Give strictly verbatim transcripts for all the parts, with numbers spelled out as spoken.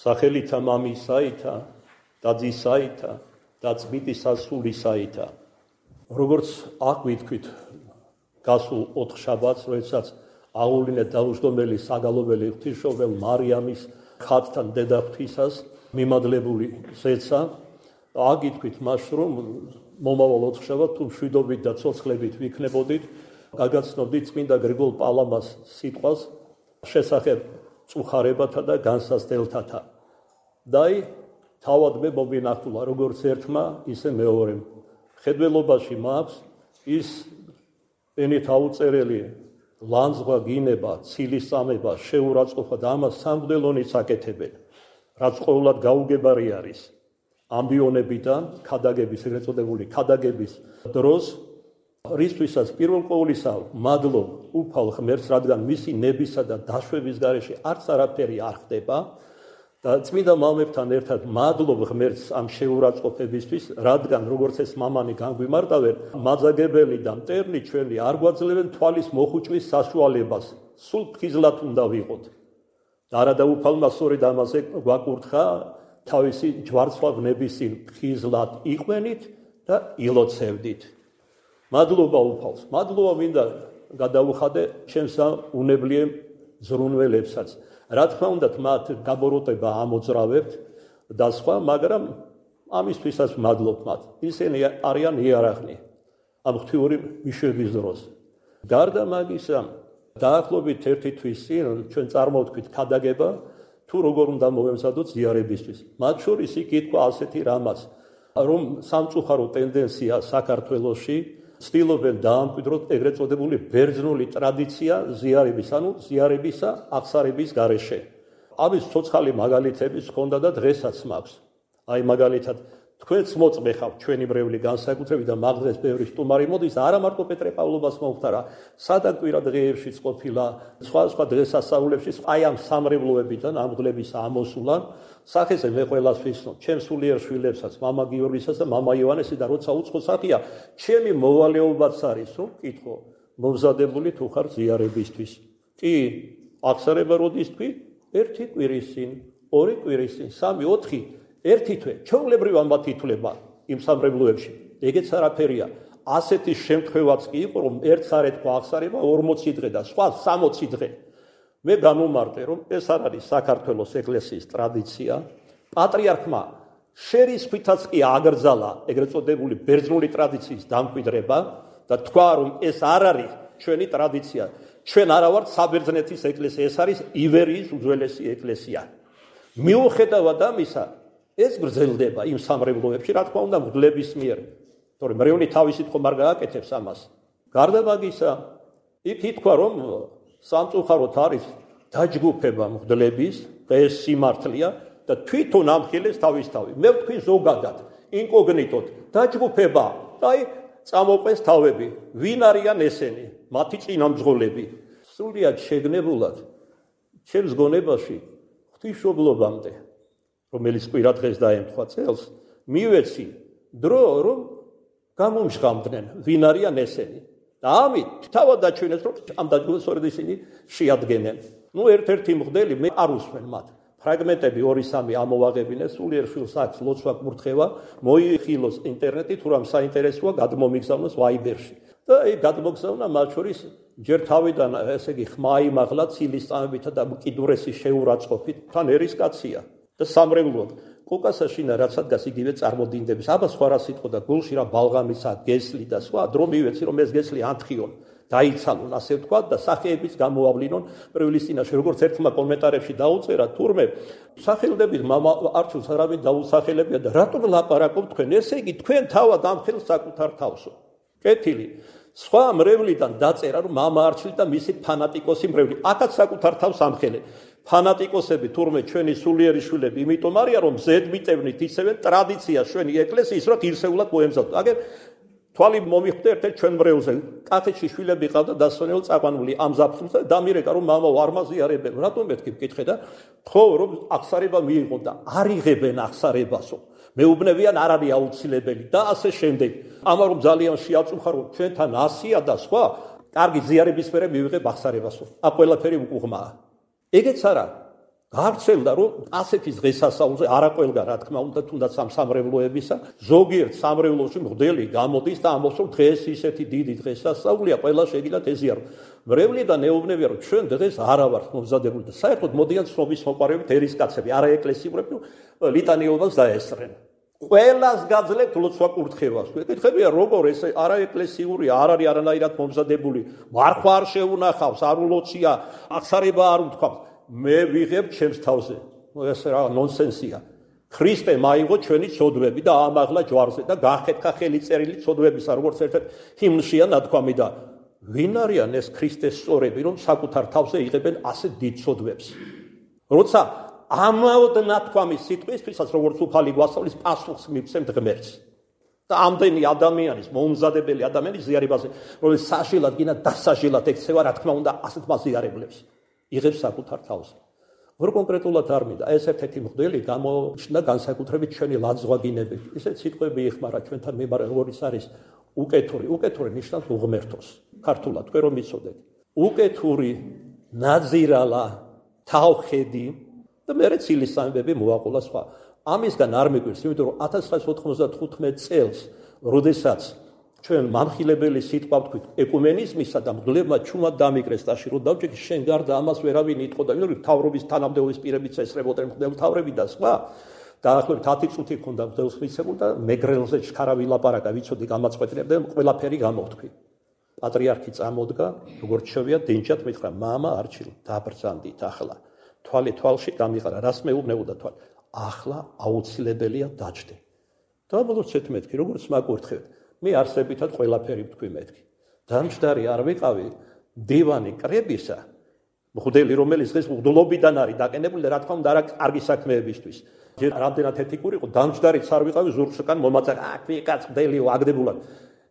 სახელითა მამისაითა და ძისაითა და წმინდი სასულისაითა. როგორც აქ ვითქვით გასულ ოთხ შაბათს, როდესაც აღუვლინეთ დაუჯდომელი საგალობელი ღვთისმშობელ მარიამის ხატთან დედა ღვთისას მიმადლებული ზეცა, აქ ვითქვით მას, რომ მომავალ ოთხ შაბათს თუ მშვიდობით და ცოცხლებით ვიქნებოდით, გაგაცნობდით წმინდა გრიგოლ პალამას სიტყვას შესახებ წუხარებათა და განსაზრდელთათა. და თავად მე მომინახულა როგორც ერთმა, ისე მეორემ. ხედველობაში მაქვს ის ენით აუწერელი ლანძღვა გინება, ცილისწამება, შეურაცხყოფა და ამას სამღვდელონიც აკეთებენ, რაც ყოველად გაუგებარი არის. ამბიონებიდან ქადაგების, ეგრეთ წოდებული ქადაგების დროს, რისთვისაც პირველ ყოვლისა მადლობ უფალ ღმერთს, რადგან მისი ნებისა და დაშვების გარეშე არც არაფერი არ ხდება და წმინდა მამებთან ერთად მადლობ ღმერთს ამ შეურაცხყოფებისთვის, რადგან როგორც ეს მამანი განგვიმარტავენ, მაძაგებელი და მტერნი ჩვენი არ გვაძლევენ თვალის მოხუჭვის საშუალებას, სულ ფხიზლად უნდა ვიყოთ. და არადა უფალმა სწორედ ამაზე გვაკურთხა, თავისი ჯვარცხვავნებისინ ფხიზლად იყვენით და ილოცევდით. მადლობა უფალს, მადლობა მინდა გადაუხადე ჩემს უნებლიე ზრუნველებსაც. რა თქმა უნდა, მათ გაბოროტება ამოძრავებთ და სხვა, მაგრამ ამისთვისაც მადლობ მათ. ისინი არიან იარაღნი ამ ღვთიური მიშვების დროს. გარდა მაგისა, დაახლოებით ერთი თვის წინ ჩვენ წარმოვთქვით ქადაგება, თუ როგორ უნდა მოვემზადოთ ზიარებისთვის. მათ შორის იქ ითქვა ასეთი რამაც, რომ სამწუხარო ტენდენცია საქართველოში ცდილობენ დაამკვიდროთ ეგრეთ წოდებული ბერძნული ტრადიცია ზიარების, ანუ ზიარებისა აღსარების გარეშე. ამის ცოცხალი მაგალითებიც ჰქონდა და დღესაც მაქვს. აი მაგალითად, თქვენც მოწმეხავთ ჩვენი მრევლი განსაკუთრებით და მაგდრეს ბევრი სტუმარი მოდის, არა მარტო პეტრე პავლობას მომხდარა, სადაც კვირა დღეებშიც ყოფილა, სხვა სხვა დღესასწაულებში, აი ამ სამრევლოებიდან ამ დღეებისა ამოსულან, სახეზე მე ყველას ვიცნობ, ჩემს სულიერ შვილებსაც, მამა გიორგისას და მამა ივანესი და როცა უცხო სახეა, ჩემი მოვალეობაც არის, რომ კითხო, მომზადებული თუ ხარ ზიარებისთვის. კი, აღსარება როდის თქვი? ერთი კვირის წინ, ორი კვირის წინ, სამი, ოთხი, ერთი თვე, ჩვეულებრივ ამბათ ითვლება იმ სამრევლოებში. ეგეც არაფერია. ასეთი შემთხვევაც კი იყო, რომ ერთ სარეთქვა აღსარება ორმოცი დღე და სხვა სამოცი დღე. მე გამომარტე, რომ ეს არ არის საქართველოს ეკლესიის ტრადიცია. პატრიარქმა შერისხვითაც კი აგრძალა ეგრეთ წოდებული ბერძნული ტრადიციის დამკვიდრება და თქვა, რომ ეს არ არის ჩვენი ტრადიცია. ჩვენ არა ვართ საბერძნეთის ეკლესია, ეს არის ივერიის უძველესი ეკლესია. მიუხედავად ამისა, ეს გრძელდება იმ სამრევლოებში, რა თქმა უნდა, მღვდლების მიერ. თორემ მრევლი თავისით ხომ არ გააკეთებს ამას. გარდა მაგისა, იქ ითქვა, რომ სამწუხაროდ არის დაჯგუფება მღვდლების და ეს სიმართლეა და თვითონ ამხილეს თავისთავი. მე ვთქვი ზოგადად, ინკოგნიტოდ, დაჯგუფება და აი წამოყვეს თავები. ვინ არიან ესენი? მათი წინამძღოლები. სრულიად შეგნებულად ჩემს გონებაში ღვთისმშობლობამდე, რომელიც კვირა დღეს დაემთხვა წელს, მივეცი დრო, რომ გამომჟღავდნენ, ვინ არიან ესენი. და ამით თავად დაჩვენეს, რომ ამ დაჯგუფებას სწორედ ისინი შეადგენენ. ნუ ერთ-ერთი მღვდელი მე არ უსმენ მათ. ფრაგმენტები ორი სამი ამოვაღებინეს, სულიერ შვილს აქვს ლოცვა კურთხევა, მოიხილოს ინტერნეტით, თუ რამ საინტერესოა, გადმომიგზავნოს ვაიბერში. და აი გადმოგზავნა მათ შორის ჯერ თავიდან, ესე იგი, ხმა იმაღლა ცილისწამებითა და მყიდურესი შეურაცხყოფით, თან ერისკაცია და სამრევლოდ. კოკასაშინა რაც ადგას იგივე წარმოდინდების. აბა სხვა რა სიტყვა და გულში რა ბალღამისა, გესლი და სხვა, დრო მივეცი, რომ ეს გესლი ანთხიონ, დაიცალონ, ასე ვთქვა და სახეების გამოავლინონ პრევლის წინაშე. როგორც ერთმა კომენტარებში დაუწერა, თურმე სახელდების მამა არჩევს არავინ დაუსახელებია და რატომ ლაპარაკობ თქვენ? ესე იგი, თქვენ თავად ამხელს საკუთარ თავსო. კეთილი. სხვა მრევლიდან დაწერა, რომ მამა არჩილ და მისი ფანატიკოსი მრევლი. აქაც საკუთარ თავს ამხელე. ფანატიკოსები თურმე ჩვენი სულიერი შვილები, იმიტომ არიან, რომ ზედ მიტევნით ისევე ტრადიცია ჩვენი ეკლესიის, რომ ირსეულად მოემზადოთ. აგერ თვალი მომიხვდა ერთ-ერთ ჩვენ მრევლზე. კახეთში შვილები ყავდა დასვენებელ წაყვანული ამ ზაფხულს და დამირეკა, რომ მამა არ მაზიარებენ. რატომ მეთქი მკითხე და ხო, რომ აღსარება მიიღო და არ იღებენ აღსარებასო. მეუბნებიან არ არის აუცილებელი და ასე შემდეგ. ამან რომ ძალიან შეაწუხარო, ჩვენთან ასია და სხვა, კარგი ზიარების მერე მივიღებ აღსარებასო. აქ ყველაფერი უკუღმაა. ეგეც არა. გავრცელდა, რომ ასეთი დღესასწაულზე არა ყველგან, რა თქმა უნდა, თუნდაც ამ სამრევლოებისა, ზოგიერთ სამრევლოში მღვდელი გამოდის და ამბობს, რომ დღეს ისეთი დიდი დღესასწაულია, ყველა შეგიძლიათ ეზიაროთ. მრევლიდან ეუბნებიან, რომ ჩვენ დღეს არა ვართ მომზადებული და საერთოდ მოდიან ცნობის მოყარებით ერისკაცები, არა ეკლესიურები, ლიტანიობას დაესწრენ. ყველას გაძლევთ ლოცვა კურთხევას. ეკითხებიან, როგორ ეს არა ეკლესიური, არ არის არანაირად მომზადებული, მარხვა არ შეუნახავს, არ ულოცია, აღსარება არ უთქვამს. მე ვიღებ ჩემს თავზე. ეს რა ნონსენსია. ქრისტე მაიღო ჩვენი ცოდვები და ამაღლა ჯვარზე და გახეთქა ხელიწერილი ცოდვებისა, როგორც ერთ-ერთ ჰიმნშია ნათქვამი და ვინ არიან ეს ქრისტეს სწორები, რომ საკუთარ თავზე იღებენ ასე დიდ ცოდვებს. როცა ამაოდ ნათქვამის სიტყვისთვისაც, როგორც უფალი გვასწავლის, პასუხს მივცემთ ღმერთს. და ამდენი ადამიანის, მომზადებელი ადამიანის ზიარებაზე, რომელიც საშილად გინდა დასაშილად ექცევა, რა თქმა უნდა, ასეთ მაზიარებლებს. იღებს საკუთარ თავზე. ვერ კონკრეტულად არ მინდა, ეს ერთ-ერთი მღვდელი გამოჩნდა განსაკუთრებით ჩვენი ლაძღვაგინებით. ისეთ სიტყვები იხმარა ჩვენთან მიმართ, როგორც არის უკეთური. უკეთური ნიშნავს უღმერთოს. ქართულად თქვენ რომ იცოდეთ. უკეთური, ნაძირალა, თავხედი და მერე ცილისამბები მოაყოლა სხვა. ამისგან არ მიგვირს, იმიტომ რომ ათას ცხრაას ოთხმოცდათხუთმეტ წელს, როდესაც ჩვენ მამხილებელი სიტყვა ვთქვით ეკუმენიზმისა და მღვდლებმა ჩუმად დამიკრეს ტაში, რომ დავჭიქი შენ გარდა ამას ვერავინ იტყოდა, იმიტომ რომ მთავრობის თანამდებობის პირებიც ესწრებოდნენ მღვდელმთავრები და სხვა. დაახლოებით ათი წუთი ქონდა მღვდელს მიცემული და მეგრელზე ჩქარა ვილაპარაკა, ვიცოდი გამაწყვეტინებდა, ყველაფერი გამოვთქვი. პატრიარქი წამოდგა, როგორც შევია დინჯად მითხრა, მამა არჩილ, დაბრძანდით ახლა. თვალი თვალში გამიყარა, რას მეუბნებოდა თვალი? ახლა აუცილებელია დაჯდე. დამბოლოცეთ მეთქი, როგორც მაგურთხევთ. მე არსებითად ყველაფერი ვთქვი მეთქი. დამჯდარი არ ვიყავი დივანი კრებისა, მღვდელი რომელიც დღეს მღვდლობიდან არის დაყენებული და რა თქმა უნდა არა კარგი საქმეებისთვის. ჯერ რამდენად ეთიკური იყო, დამჯდარიც არ ვიყავი ზურგსკან მომაწაკ, აქ ვიკაც მღვდელიო აგდებულად.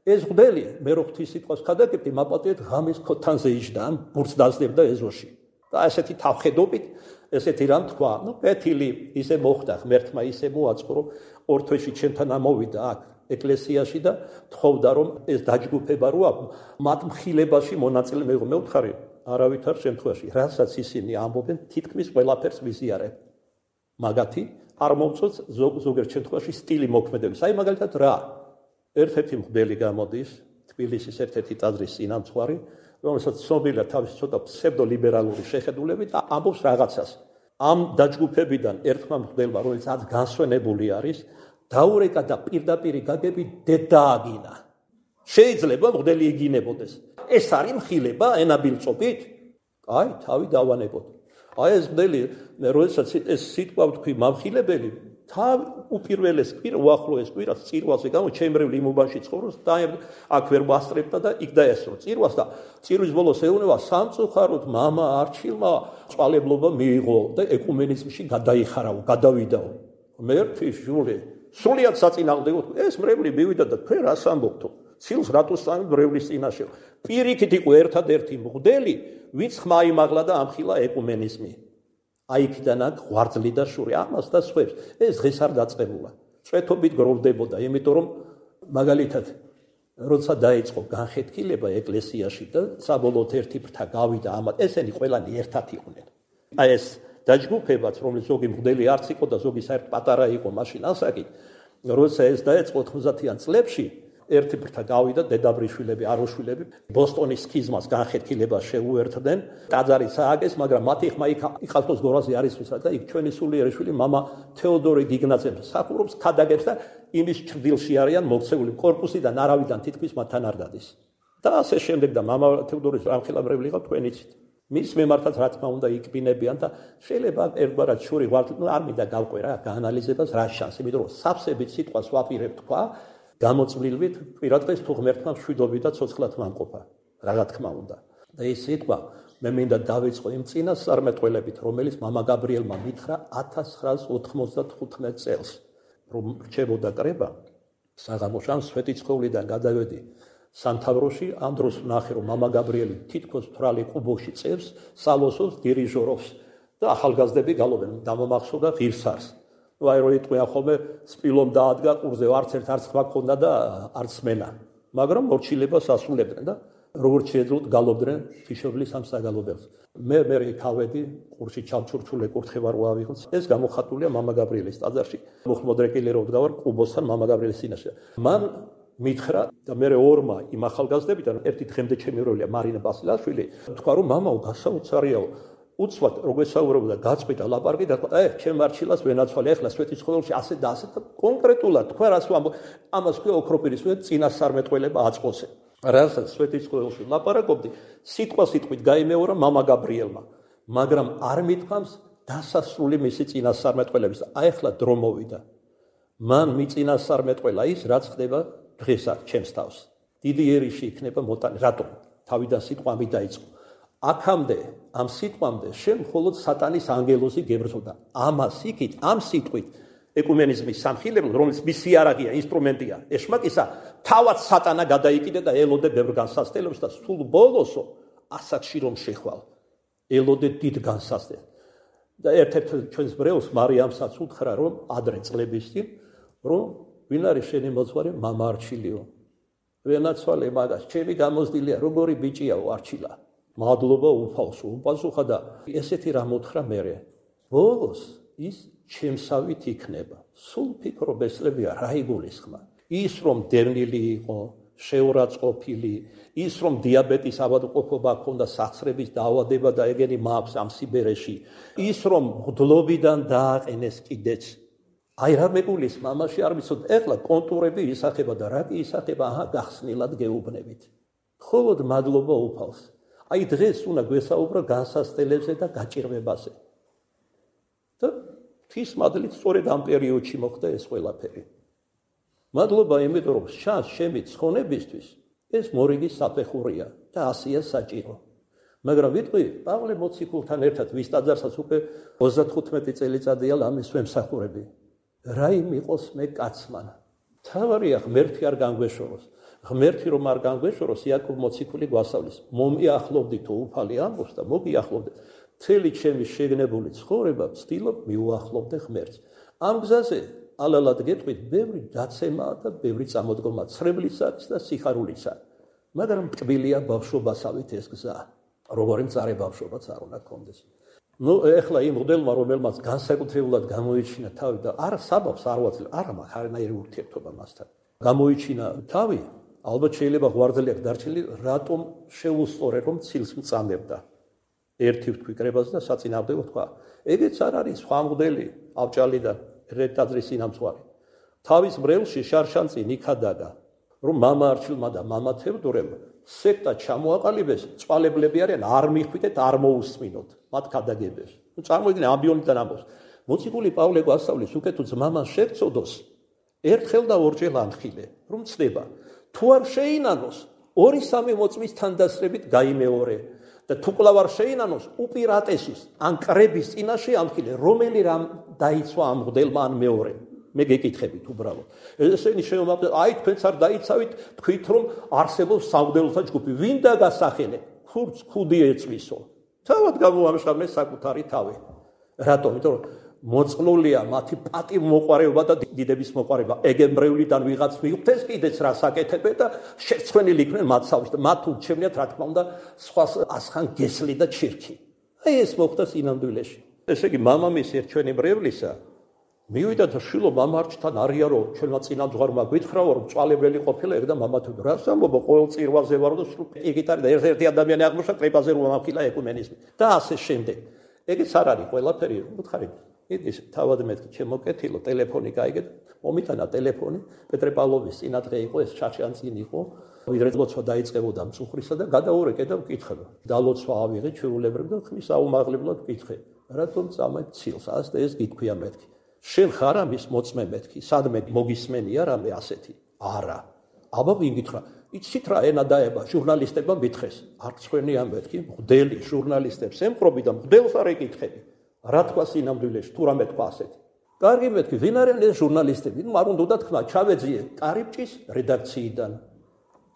ეს მღვდელი მე რო ღვთის სიტყვას ქადაგებდი, მაპატიეთ ღამის ქოთანზე იჯდა, ბურთს დაძლებდა ეზოში. და ესეთი თავხედობით, ესეთი რამ თქვა, ნუ კეთილი ისე მოხდა, ღმერთმა ისე მოაწყო, რომ ორ თვეში ჩემთან ამოვიდა აქ ეკლესიაში და თხოვდა რომ ეს დაჯგუფება რო აქვს, მათ მხილებაში მონაწილე მეღო. მე ვთხარი, არავითარ შემთხვევაში, რასაც ისინი ამბობენ, თითქმის ყველაფერს ვიზიარებ. მაგათი არ მომწონს ზოგიერთ შემთხვევაში სტილი მოქმედების. აი მაგალითად რა? ერთ-ერთი მღვდელი გამოდის, თბილისის ერთ-ერთი ტაძრის წინამძღვარი, რომელსაც ცნობილია თავისი ცოტა ფსევდოლიბერალური შეხედულებით და ამბობს რაღაცას. ამ დაჯგუფებიდან ერთმა მღვდელმა, რომელიც ათ განსვენებული არის, დაურეკა და პირდაპირ გაგები დედააგინა. შეიძლება მღვდელი იგინებოდეს. ეს არის მხილება ენაბილწობით? აი, თავი დავანებოთ. აი ეს მღვდელი, როდესაც ეს სიტყვა ვთქვი მამხილებელი, თავ უპირველეს კვირა, უახლოეს კვირას წირვაზე გამო ჩემრევლი იმ უბანში ცხოვრობს და აქ ვერ ვასწრებდა და იქ დაესწრო წირვას და წირვის ბოლოს ეუბნება სამწუხაროდ მამა არჩილმა წვალებლობა მიიღო და ეკუმენიზმში გადაიხარავ, გადავიდაო. მერტი ჟული სულიად საწინააღმდეგო ეს მრევლი მივიდა და თქვენ რას ამბობთო? ცილს რატოს წამი მრევლის წინაშე? პირიქით იყო ერთადერთი მღვდელი, ვინც ხმა იმაღლა და ამხილა ეკუმენიზმი. აიქიდან აქ ღვარძლი და შური ამას და სხვებს. ეს დღეს არ დაწყებულა. წვეთობით გროვდებოდა, იმიტომ რომ მაგალითად როცა დაიწყო განხეთქილება ეკლესიაში და საბოლოოდ ერთი ფრთა გავიდა ამათ, ესენი ყველანი ერთად იყვნენ. აი ეს დაჯგუფებაც, რომელიც ზოგი მღვდელი არც იყო და ზოგი საერთოდ პატარა იყო მაშინ ასაკით, როცა ეს დაეწყო ოთხმოცდაათიან წლებში, ერთი ფრთა გავიდა დედაბრიშვილები, აროშვილები, ბოსტონის სქიზმას განხეთქილებას შეუერთდნენ. ტაძარი სააგეს, მაგრამ მათი ხმა იქ იხალხოს გორაზე არის ვისა და იქ ჩვენი სულიერი შვილი მამა თეოდორი გიგნაძე მსახურობს, ქადაგებს და იმის ჭრდილში არიან მოქცეული კორპუსიდან არავიდან თითქმის მათთან არ დადის. და ასე შემდეგ და მამა თეოდორის ამხილამრევი იყო თქვენ იცით. მის მიმართაც რა თქმა უნდა იქბინებიან და შეიძლება ერთგვარად შური ღვარდი, ნუ არ მინდა გავყვე რა გაანალიზებას რა შანსი, იმიტომ რომ სავსებით სიტყვას ვაპირებ თქვა გამოწვლილვით პირადღეს თუ ღმერთმა მშვიდობით და ცოცხლად მამყოფა, რა თქმა უნდა. და ეს სიტყვა მე მინდა დავიწყო იმ წინასწარმეტყველებით, რომელიც მამა გაბრიელმა მითხრა ათას ცხრაას ოთხმოცდათხუთმეტ წელს, რომ რჩებოდა კრება, საღამოში ამ სვეტიცხოვლიდან გადავედი სამთავროში, ამ დროს ვნახე, რომ მამა გაბრიელი თითქოს თვრალი ყუბოში წევს, სალოსოს დირიჟორობს და ახალგაზრდები გალობენ, დამომახსოვდა ღირსარს. ნუ აი რო იტყვიან ხოლმე სპილომ დაადგა ყურზე, არც ერთ არც ხმა ქონდა და არც მენა. მაგრამ მორჩილებას ასრულებდნენ და როგორც შეეძლოთ გალობდნენ თიშობლის ამ საგალობელს. მე მე ქავედი ყურში ჩამჩურჩული კურთხე ვარ ვავიღოთ. ეს გამოხატულია მამა გაბრიელის ტაძარში. მოხმოდრეკილი რო დგავარ ყუბოსთან მამა გაბრიელის წინაშე. მან მითხრა და მე ორმა იმ ახალგაზრდებიდან ერთი დღემდე ჩემი როლია მარინა ბასილაშვილი თქვა რომ მამაო გასაოცარიაო უცბად როგორ საუბრობდა გაწყვიტა ლაპარაკი და თქვა ე ჩემ მარჩილას ვენაცვალე ახლა სვეტიცხოველში ასე და ასე და კონკრეტულად თქვა რას ვამბო ამას ქვია ოქროპირის ვე წინასწარმეტყველება აწყვოსე რასაც სვეტიცხოველში ლაპარაკობდი სიტყვა სიტყვით გაიმეორა მამა გაბრიელმა მაგრამ არ მithams დასასრული მისი წინასწარმეტყველების აი ახლა დრო მოვიდა მან მიწინასწარმეტყველა ის რაც ხდება დღესაც ჩემს თავს დიდი ერიში იქნება მოტანი რატომ თავიდან სიტყვა ამით დაიწყო აქამდე ამ სიტყვამდე შენ მხოლოდ სატანის ანგელოზი გებრძოდა ამას იქით ამ სიტყვით ეკუმენიზმის სამხილებლად რომელიც მისი არაღია ინსტრუმენტია ეშმაკისა თავად სატანა გადაიკიდე და ელოდე ბევრ განსასწრებებს და სულ ბოლოსო ასაკში რომ შეხვალ ელოდე დიდ განსასწრებს და ერთ-ერთ ჩვენს ბრეულს მარიამსაც უთხრა რომ ადრე წლების წინ რომ ვინ არის შენი მოძღვარი მამა არჩილიო ვენაცვალე მაგას ჩემი გამოზდილია როგორი ბიჭიაო არჩილა მადლობა უფალსო უპასუხა და ესეთი რამ უთხრა მერე ბოლოს ის ჩემსავით იქნება სულ ფიქრობ ესლებია რა იგულისხმა ის რომ დევნილი იყო შეურაცხყოფილი ის რომ დიაბეტის ავადმყოფობა ჰქონდა სახსრების დაავადება და ეგენი მაქვს ამ სიბერეში ის რომ მღვდლობიდან დააყენეს კიდეც აი რა მეგულის მამაში არ ვიცოდ ეხლა კონტურები ისახება და რა კი ისახება აჰა გახსნილად გეუბნებით მხოლოდ მადლობა უფალს აი დღეს უნდა გვესაუბრო განსასწრებებზე და გაჭირვებაზე და ღვთის მადლით სწორედ ამ პერიოდში მოხდა ეს ყველაფერი მადლობა იმიტომ რომ შანს შემი ცხონებისთვის ეს მორიგი საფეხურია და ასია საჭირო მაგრამ ვიტყვი პავლე მოციქულთან ერთად ვის ტაძარსაც უკვე ოცდათხუთმეტი წელიწადია ამის ვემსახურები რა იმიყოს მე კაცმან თავარია ღმერთი არ განგვეშოროს ღმერთი რომ არ განგვეშოროს იაკობ მოციქული გვასწავლის მომიახლოვდითო უფალი ამბობს და მოგიახლოვდეთ მთელი ჩემი შეგნებული ცხოვრება ვცდილობ მიუახლოვდე ღმერთს ამ გზაზე ალალად გეტყვით ბევრი დაცემაა და ბევრი წამოდგომა ცრებლისა და სიხარულისა მაგრამ ტკბილია ბავშვობასავით ეს გზა როგორი მწარე ბავშვობაც არ უნდა გქონდეს ну ეხლა იმ მოდელმა რომელმაც განსაკუთრებულად გამოიჩინა თავი და არა საბავს არ ვაძლევ არა მაქვს არანაირი ურთიერთობა მასთან გამოიჩინა თავი ალბათ შეიძლება ღვიძლი აქვს დარჩენილი რატომ შეუსწორე რომ ცილს მწამებდა ერთი ვთქვი კრებას და საწინააღმდეგო თქვა ეგეც არ არის სხვა მოდელი ავჭალიდან რეტაძრის ინამცვარი თავის ბრელში შარშანწი ნიქადაგა რომ მამა არჩილმა და მამა თევდორემ სექტა ჩამოაყალიბეს წვალებლები არიან არ მიხვიდეთ არ მოусმინოთ მათ ქადაგებებს ნუ წარმოიდგინე ამბიონიდან ამბობს მოციქული პავლე გვასწავლის უკეთო ძმამას შეგწოდოს ერთხელ და ორჯერ ანხილე რომ ცდება თუ არ შეინანოს ორი სამი მოწმის თანდასრებით გაიმეორე და თუ კლავ არ შეინანოს უპირატესის ან კრების წინაშე ამხილე რომელი რამ დაიცვა ამ მღვდელმა ან მეორე მე გეკითხებით უბრალოდ ესენი შემოაყ აი თქვენც არ დაიცავით თქვით რომ არსებობს სამღვდელოთა ჯგუფი ვინ დაგასახელე ხურც ხუდი ეწვისო თავად გამოამშრამე საკუთარი თავი რატომ იმიტომ რომ მოწყლულია მათი პატივმოყვარეობა და დიდების მოყვარეობა ეგემბრევლიდან ვიღაც მიხვდეს კიდეც რა საკეთებენ და შეცვენილი იქნენ მათსავის და მათ ურჩევნიათ რა თქმა უნდა სხვა ასხან გესლი და ჩირქი აი ეს მოხდა სინამდვილეში ესე იგი მამამისი ერთჩვენი ბრევლისა მივიდა და შვილო მამარჩთან არიარო ჩვენმა წინამძღვარმა გვითხრაო რომ წვალებელი ყოფილა ეგ და მამათო რას ამბობ ყოველ წირვაზე ვარო და სულ ეგიტარი და ერთ-ერთი ადამიანი აღმოჩნდა კრებაზე რომ ამხილა ეკუმენიზმი და ასე შემდეგ ეგეც არ არის ყველაფერი უთხარით ის თავად მეთქი ჩემო კეთილო ტელეფონი გაიგეთ მომიტანა ტელეფონი პეტრე პავლოვის წინადღე იყო ეს ჩარჩანწინ იყო ვიდრე ლოცვა დაიწყებოდა მწუხრისა და გადაურეკე და ვკითხება დალოცვა ავიღე ჩვეულებრივ და ხმის აუმაღლებლად ვკითხე რატომ წამეთ ცილს ას და ეს გითქვია მეთქი შენ ხარ ამის მოწმე მეთქი სადმე მოგისმენია რამე ასეთი არა აბა ვინ გითხრა იცით რა ენა დაება ჟურნალისტებმა მითხეს არ ცხენია მეთქი მღვდელი ჟურნალისტებს ემყრობი და მღვდელს არ ეკითხები რა თქვა სინამდვილეში თუ რამე თქვა ასეთი კარგი მეთქი ვინ არიან ეს ჟურნალისტები ნუ არ უნდა თქვა ჩავეძიე კარიბჭის რედაქციიდან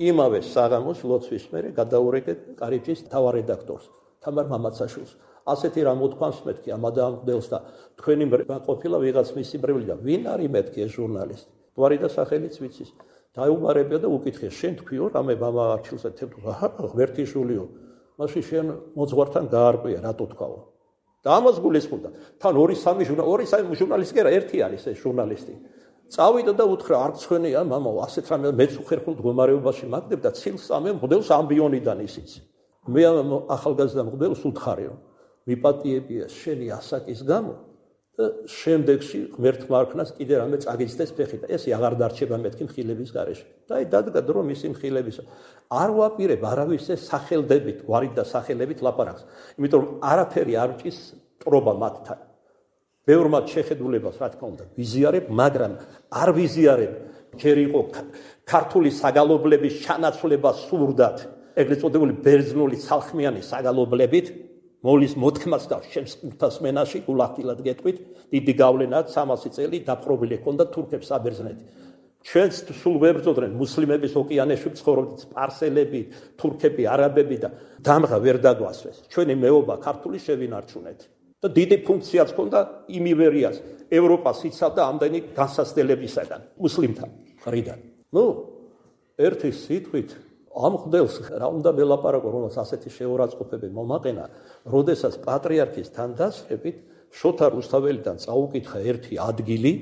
იმავე საღამოს ლოცვის მერე გადაურეკე კარიბჭის თავარ რედაქტორს თამარ მამაცაშვილს ასეთი რამ უთქვამს მეთქი ამ ადამიანს და თქვენი ყოფილა ვიღაც მისი ბრეველი და ვინ არის მეთქი ეს ჟურნალისტი გვარი და სახელიც ვიცის დაუმარებია და უკითხეს, შენ თქვიო, რამე მამა არჩილსა თემ, აჰა, ღმერთიშვილიო, მაშინ შენ მოძღვართან გაარკვია, რატო თქვაო. და ამას გულისხმობდა. თან ორი სამი ჟურნალისტი, ორი სამი ჟურნალისტი კი არა, ერთი არის ეს ჟურნალისტი. წავიდა და უთხრა, არ ცხენია, მამაო, ასეთ რამე მეც უხერხულ მდგომარეობაში მაგდებ და ცილს ამე მღვდელს ამბიონიდან ისიც. მე ამ ახალგაზრდა მღვდელს უთხარიო, მიპატიებია შენი ასაკის გამო და შემდეგში ღმერთმა არქნას კიდე რამე წაგიცდეს ფეხი და ესე აღარ დარჩება მეთქი მხილების გარეშე. და აი დადგა დრო მისი მხილებისა. არ ვაპირებ არავის ეს სახელდებით, გვარით და სახელებით ლაპარაკს. იმიტომ რომ არაფერი არ ჭის ტრობა მათთან. ბევრმა შეხედულებას რა თქმა უნდა ვიზიარებ, მაგრამ არ ვიზიარებ ჯერ იყო ქართული საგალობლების ჩანაცვლება სურდათ, ეგრეთ წოდებული ბერძნული ცალხმიანი საგალობლებით მოლის მოთქმას და შემსკურთას მენაში გულახდილად გეტყვით, დიდი გავლენა სამასი წელი დაპყრობილი ჰქონდა თურქებს საბერძნეთი. ჩვენც სულ ვებრძოდნენ მუსლიმების ოკეანეში ცხოვრობდნენ სპარსელები, თურქები, არაბები და დამღა ვერ დაგვასვეს. ჩვენი მეობა ქართული შევინარჩუნეთ. და დიდი ფუნქციაც ჰქონდა იმ ივერიას, ევროპას იცავდა ამდენი განსაცდელებისაგან, მუსლიმთა მხრიდან. ნუ, ერთი სიტყვით ამ მღვდელს რა უნდა ველაპარაკო, რომელსაც ასეთი შეურაცხყოფები მომაყენა, როდესაც პატრიარქის თანდასწრებით შოთა რუსთაველიდან წაუკითხა ერთი ადგილი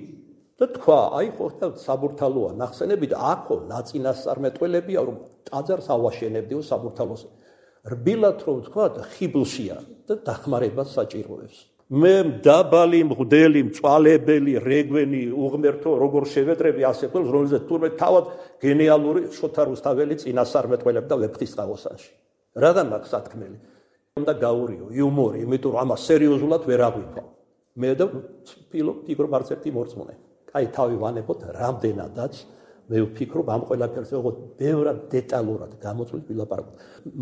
და თქვა, აი ხო საბურთალოა ნახსენები და აქო ნაწინასწარმეტყველებია, რომ ტაძარს ავაშენებდიო საბურთალოს. რბილად რომ თქვა ხიბლშია და დახმარებას საჭიროებს. მე დაბალი მღვდელი, მწვალებელი, რეგვენი, უღმერთო, როგორ შევედრები ასე ყველს, რომელზეც თურმე თავად გენიალური შოთა რუსთაველი წინასწარმეტყველებდა და ვეფხისტყაოსანში. რადგან მაქვს სათქმელი? უნდა გაურიო, იუმორი, იმიტომ რომ ამას სერიოზულად ვერ აღვიქვა. მე და ვფიქრობ, ფიქრობ არც ერთი მორწმუნე. აი თავი ვანებოთ რამდენადაც მე ვფიქრობ ამ ყველაფერზე ოღონდ ბევრად დეტალურად გამოწვევს ვილაპარაკოთ.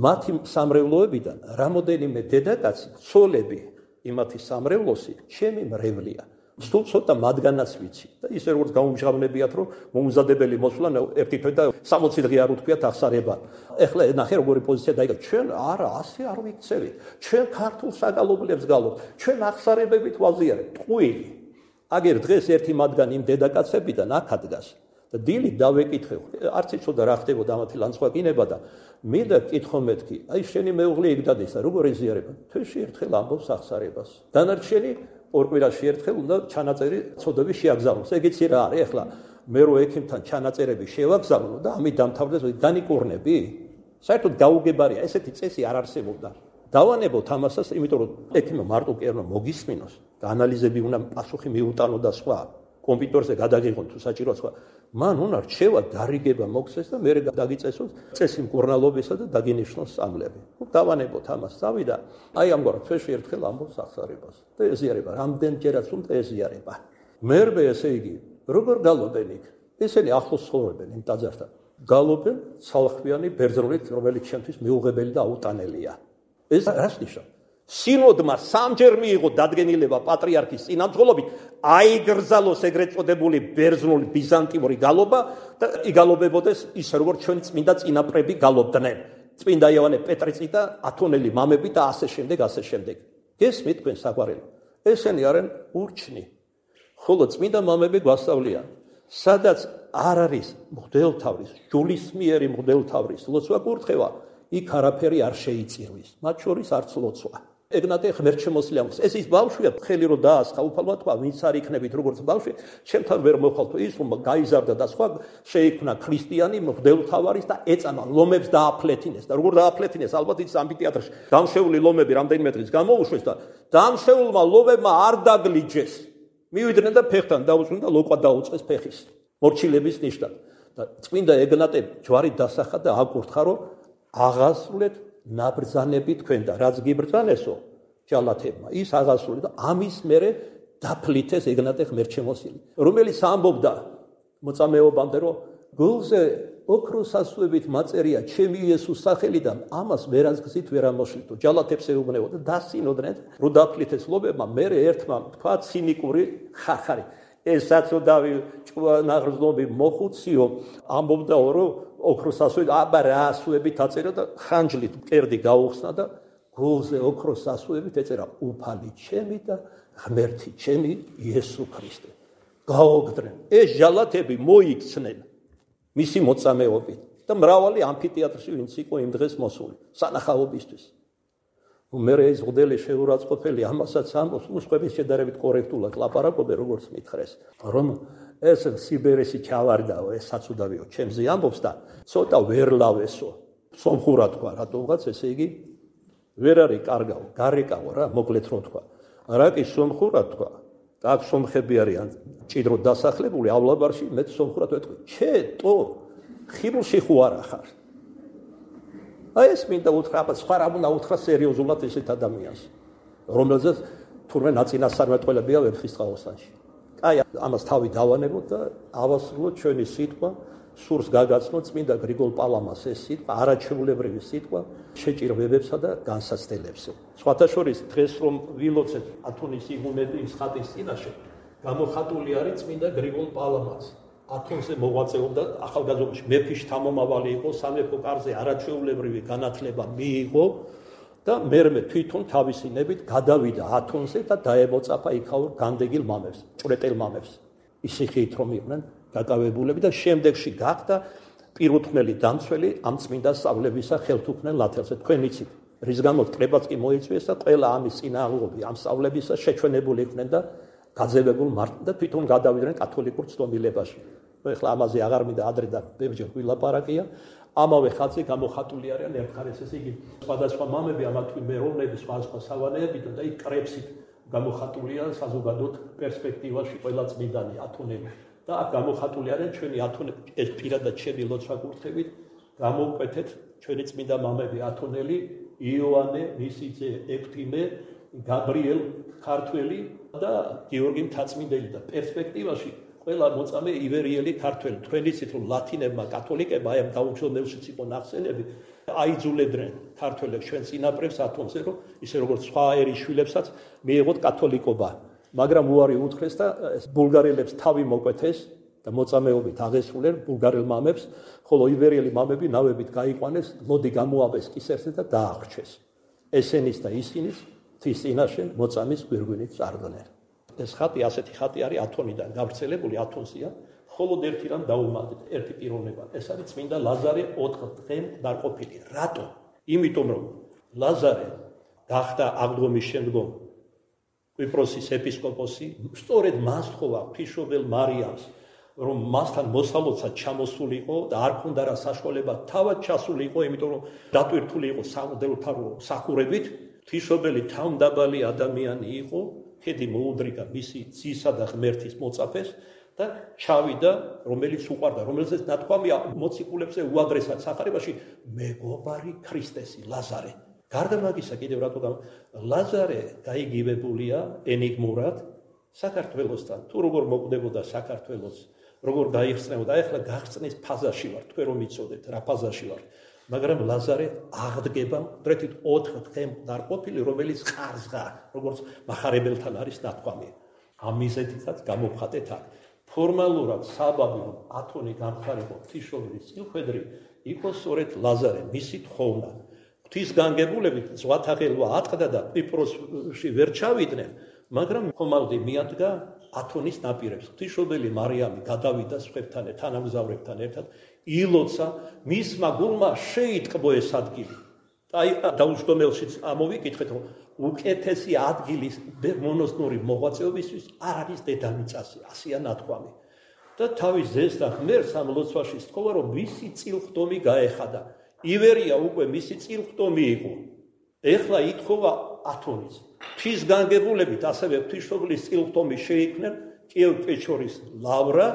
მათი სამრევლოებიდან რამოდენიმე დედაკაცი, ცოლები იმათი სამრევლოსი ჩემი მრევლია. სულ ცოტა მათგანაც ვიცი და ისე როგორც გამომჟღავნებიათ რომ მომზადებელი მოსვლა ერთი თვე და სამოცი დღე არ უთქვიათ აღსარება. ეხლა ნახე როგორი პოზიცია დაიგო. ჩვენ არა, ასე არ ვიქცევით. ჩვენ ქართულ საგალობლებს გალობთ. ჩვენ აღსარებებით ვაზიარებთ. ტყუილი. აგერ დღეს ერთი მათგანი იმ დედაკაცებიდან აქ ადგას. და დილი დავეკითხე, არც იცოდა რა ხდებოდა ამათი ლანცხვაკინება და მინდა კითხო მეთქი, აი შენი მეუღლე იქ დადეს და როგორ ეზიარება? თვეში ერთხელ ამბობს აღსარებას. დანარჩენი ორ კვირაში ერთხელ უნდა ჩანაწერი ცოდები შეაგზავნოს. ეგეცი რა არის ახლა მე რო ექიმთან ჩანაწერები შევაგზავნო და ამით დამთავრდეს, განიკურნები? საერთოდ გაუგებარია, ესეთი წესი არ არსებობდა. დავანებოთ ამასაც, იმიტომ რომ ექიმმა მარტო კი არ უნდა მოგისმინოს და ანალიზები უნდა პასუხი მიუტანო და სხვა. კომპიუტერზე გადაგიღონ თუ საჭიროა სხვა. მან უნდა რჩევა დარიგება მოგცეს და მე დაგიწესოს წესი მკურნალობისა და დაგინიშნოს სამლები. დავანებოთ ამას თავი და აი ამგვარად თვეში ერთხელ ამბობს აღსარებას. და ეზიარება, რამდენჯერაც უნდა ეზიარება. მერვე ესე იგი, როგორ გალობენ იქ? ესენი ახლოს ცხოვრობენ იმ ტაძართან. გალობენ ცალხმიანი ბერძნულით, რომელიც ჩემთვის მიუღებელი და აუტანელია. ეს რას ნიშნავს? სინოდმა სამჯერ მიიღო დადგენილება პატრიარქის წინამძღოლობით, აიგრძალოს ეგრეთ წოდებული ბერძნული ბიზანტიური გალობა და იგალობებოდეს ისე როგორც ჩვენი წმინდა წინაპრები გალობდნენ. წმინდა იოანე პეტრიცი და ათონელი მამები და ასე შემდეგ, ასე შემდეგ. გესმით თქვენ საყვარელი? ესენი არიან ურჩნი. ხოლო წმინდა მამები გვასწავლიან, სადაც არ არის მღვდელთავრის, ჯულისმიერი მღვდელთავრის ლოცვა კურთხევა, იქ არაფერი არ შეიწირვის, მათ შორის არც ლოცვა. ეგნატე ღმერთშემოსილს ეს ის ბავშვია, ხელი რო დაასხა, უფალმა თქვა, ვინც არ იქნებით როგორც ბავშვი, ჩემთან ვერ მოხალთო ის, რომ გაიზარდა და სხვა შეიქმნა ქრისტიანი მღვდელთავარის და ეწამა ლომებს დააფლეთინეს და როგორ დააფლეთინეს, ალბათ ის ამფითეატრში დამშეული ლომები რამდენიმე დღის გამოუშვეს და დამშეულმა ლომებმა არ დაგლიჯეს. მივიდნენ და ფეხთან დაუწვნენ და ლოყვა დაუწეს ფეხის. მორჩილების ნიშნად. და წმინდა ეგნატე ჯვარით დასახა და აკურთხა, რომ აღასრულეთ ნაბრძანები თქვენ და რაც გიბრძანესო ჯალათებმა ის აღასრულეთ და ამის მერე დაფლითეს ეგნატე ღმერთშემოსილი, რომელიც ამბობდა მოწამეობამდე, რომ გულზე ოქროს ასვებით მაწერია ჩემი იესოს სახელიდან, ამას ვერას გზით ვერ ამოშლითო. ჯალათებს ეუბნებო და დასინოდნენ, რომ დაფლითეს ლობებმა, მერე ერთმა თქვა ცინიკური ხახარი. ეს საწოდავი ჭკვანაღრძნობი მოხუციო ამბობდა, რომ ოქროს ასვებით, აბა რა ასვებით აწერა და ხანჯლით მკერდი გაუხსნა და გულზე ოქროს ასვებით ეწერა უფალი ჩემი და ღმერთი ჩემი იესო ქრისტე. გაოგდნენ. ეს ჟალათები მოიქცნენ. მისი მოწამეობით და მრავალი ამფითეატრში ვინც იყო იმ დღეს მოსული სანახაობისთვის. მე ეს მოდელი შეურაცხყოფელი ამასაც ამბობს, უცხოების შედარებით კორექტულად ლაპარაკობენ, როგორც მითხრეს, რომ ეს სიბერესი ჩავარდაო, ეს საცუდავიო, ჩემზე ამბობს და ცოტა ვერ ლავესო. სომხურად თქვა, რატომღაც ესე იგი ვერ არის კარგაო, გარეკაო რა, მოკლედ რომ თქვა. რა კი სომხურად თქვა, და აქ სომხები არიან ჭიდროდ დასახლებული ავლაბარში, მე სომხურად ვეთქვი, ჩე, ტო, ხიბულში ხო არა ხარ. აი ეს მინდა უთხრა, სხვა რა უნდა უთხრა სერიოზულად ესეთ ადამიანს, რომელზეც თურმე ნაწინასწარმეტყველებია ვერცხლისწყალოსანში. აი ამას თავი დავანებოთ და ავასრულოთ ჩვენი სიტყვა, სურს გაგაცნოთ წმინდა გრიგოლ პალამას ეს სიტყვა, არაჩვეულებრივი სიტყვა შეჭირვებებსა და განსაცდელებზე. სხვათა შორის დღეს რომ ვილოცეთ ათონის იგუმენის ხატის წინაშე, გამოხატული არის წმინდა გრიგოლ პალამაც. ათონზე მოღვაწეობდა ახალგაზრდობაში მეფის შთამომავალი იყო, სამეფო კარზე არაჩვეულებრივი განათლება მიიღო და მერმე თვითონ თავისი ნებით გადავიდა ათონზე და დაემოწაფა იქაურ განდეგილ მამებს, ჭვრეტელ მამებს. ისე ხით რომ იყვნენ დაკავებულები და შემდეგში გახდა პირუთვნელი დამცველი ამ წმინდა სწავლებისა ხელთუქმნელ ლათელზე. თქვენ იცით, რის გამოც კრებაც კი მოიწვიეს და ყველა ამის წინააღმდეგობი ამ სწავლებისა შეჩვენებული იყვნენ და გაძევებულ მარტ და თვითონ გადავიდნენ კათოლიკურ ცდომილებაში. ეხლა ამაზე აღარ მინდა ადრე და ბევრჯერ ვილაპარაკია. ამავე ხაზზე გამოხატული არიან ერთხარეს ესე იგი სხვადასხვა მამები, ამათვე მეროვნები, სხვადასხვა სავანეებიდან და იქ კრებსით გამოხატულია საზოგადოებრივ პერსპექტივაში ყველა წმინდანი ათონები. და აქ გამოხატული არიან ჩვენი ათონები, ეს პირადად ჩემი ლოცვა-კურთხევით გამოვკვეთეთ ჩვენი წმინდა მამები ათონელი, იოანე, მისი ძე ეფთიმე, გაბრიელ ქართველი და გიორგი მთაწმინდელი და პერსპექტივაში ყველა მოწამე ივერიელი ქართველი. თქვენ იცით რომ ლათინებმა კათოლიკებმა აი ამ დაუჯდომელშიც იყო ნახსენები, აიძულებდნენ ქართველებს ჩვენ წინაპრებს ათონზე, რომ ისე როგორც სხვა ერის შვილებსაც მიიღოთ კათოლიკობა. მაგრამ უარი უთხრეს და ბულგარელებს თავი მოკვეთეს და მოწამეობით აღესრულნენ ბულგარელ მამებს, ხოლო ივერიელი მამები ნავებით გაიყვანეს, მოდი გამოაბეს კისერზე და დაახრჩეს. ესენის და ისინის თის წინაშე მოწამის გვირგვინით წარდგნენ. ეს ხატი ასეთი ხატი არის ათონიდან გავრცელებული ათონზეა, ხოლო ერთი რამ დაუმატეთ, ერთი პიროვნება. ეს არის წმინდა ლაზარე ოთხ დღემ დარყოფილი. რატო? იმიტომ რომ ლაზარე გახდა აღდგომის შემდგომ კვიპროსის ეპისკოპოსი, სწორედ მას თხოვა ღვთისმშობელ მარიამს, რომ მასთან მოსალოცად ჩამოსულიყო და არ ქონდა რა საშუალება თავად ჩასულიყო, იმიტომ რომ დატვირთული იყო სამღვდელოთარო მსახურებით, ღვთისმშობელი თავმდაბალი ადამიანი იყო, ხედი მოუდრიგა მისი ძისა და ღმერთის მოწაფეს და ჩავიდა, რომელიც უყვარდა, რომელზეც ნათქვამია მოციქულებზე უადრესად სახარებაში, მეგობარი ქრისტესი ლაზარე. გარდა მაგისა კიდევ რატო ლაზარე გაიგივებულია ენიგმურად საქართველოსთან. თუ როგორ მოკვდებოდა საქართველოს, როგორ გაიხსნებოდა, ეხლა გახსნის ფაზაში ვარ, თქვენ რომ იცოდეთ რა ფაზაში ვარ. მაგრამ ლაზარე აღდგება დრეთით ოთხ დღემ დარყოფილი, რომელიც ყარსღა, როგორც მახარებელთან არის ნათქვამი. ამ მიზეზითაც გამოვხატეთ აქ. ფორმალურად საბაბი რომ ათონი გამხარებო ღვთისმშობლის წილხვედრი იყო სწორედ ლაზარე, მისი თხოვნა. ღვთისგანგებულებით ზღვათაღელვა ატყდა და კვიპროსში ვერ ჩავიდნენ, მაგრამ ხომალდი მიადგა ათონის ნაპირებს. ღვთისმშობელი მარიამი გადავიდა სხვებთან, თანამგზავრებთან ერთად, ილოცა, მისმა გულმა შეიტყბო ეს ადგილი. აი დაუჯდომელშიც ამოვიკითხეთ, რომ უკეთესი ადგილის მონოსნური მოღვაწეობისთვის არ არის დედამიწაზე, ასეა ნათქვამი. და თავის ძეს და ღმერთს ამ ლოცვაში სთხოვა, რომ მისი წილხდომი გაეხადა. ივერია უკვე მისი წილხდომი იყო. ეხლა ითხოვა ათონის. ღვთისგანგებულებით ასევე ღვთისმშობლის წილხდომი შეიქმნენ კიევ-პეჩორის ლავრა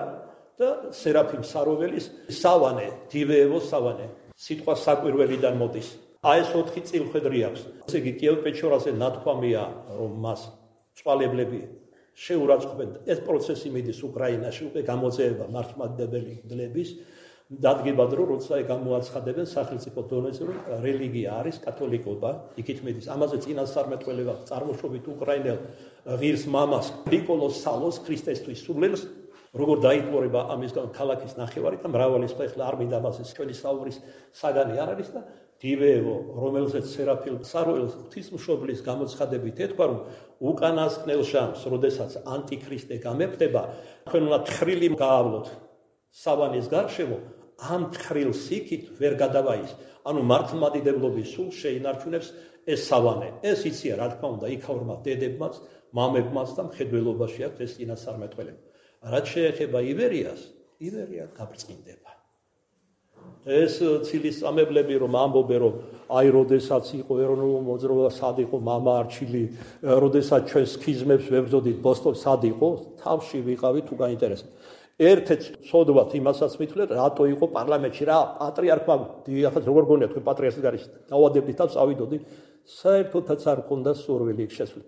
და სერაფიმ საროველის სავანე, დივეევოს სავანე. სიტყვა საკვირველიდან მოდის. აი ეს ოთხი წილხვედრი აქვს. ესე იგი კიევ-პეჩორაზე ნათქვამია, რომ მას წვალებლები შეურაცხყოფენ. ეს პროცესი მიდის უკრაინაში, უკვე გამოძიება მართლმადიდებელი მდლების. დადგება დრო, როცა გამოაცხადებენ სახელმწიფო დონეზე, რომ რელიგია არის კათოლიკობა, იქით მიდის. ამაზე წინასწარმეტყველება წარმოშობით უკრაინელ ღირს მამას ნიკოლოს სალოს ქრისტესთვის სულელს, როგორ დაიტყორება ამისგან ქალაქის ნახევარი და მრავალი სხვა, ეხლა არ მინდა ამაზე ჩვენი საუბრის საგანი არ არის და დივეევო, რომელზეც სერაფიმ საროველს ღვთისმშობლის გამოცხადებით ეთქვა, რომ უკანასკნელ ჟამს, როდესაც ანტიქრისტე გამეფდება, თქვენ უნდა თხრილი გაავლოთ სავანის გარშემო, ამ თხრილ სიქით ვერ გადავაის. ანუ მართლმადიდებლობის სულ შეინარჩუნებს ეს სავანე. ეს იცია რა თქმა უნდა იქაურმა დედებმაც, მამებმაც და მხედველობაში აქვს ეს წინასწარმეტყველება. რაც შეეხება ივერიას, ივერია გაბრწყინდება. ეს ცილისწამებლები რომ ამბობენ რომ აი როდესაც იყო ეროვნულ მოძრაობა სად იყო მამა არჩილი, როდესაც ჩვენ სქიზმებს ვებრძოდით ბოსტონში სად იყო, თავში ვიყავით თუ გაინტერესებთ. ერთ-ერთ სოდვათ იმასაც მithulეთ, რატო იყო პარლამენტში რა პატრიარქმა დიახაც როგორ გონიათ თქვენ პატრიარქის გარშე დავადებდით და წავიდოდი, საერთოდაც არ მქონდა სურვილი იქ შესვლა.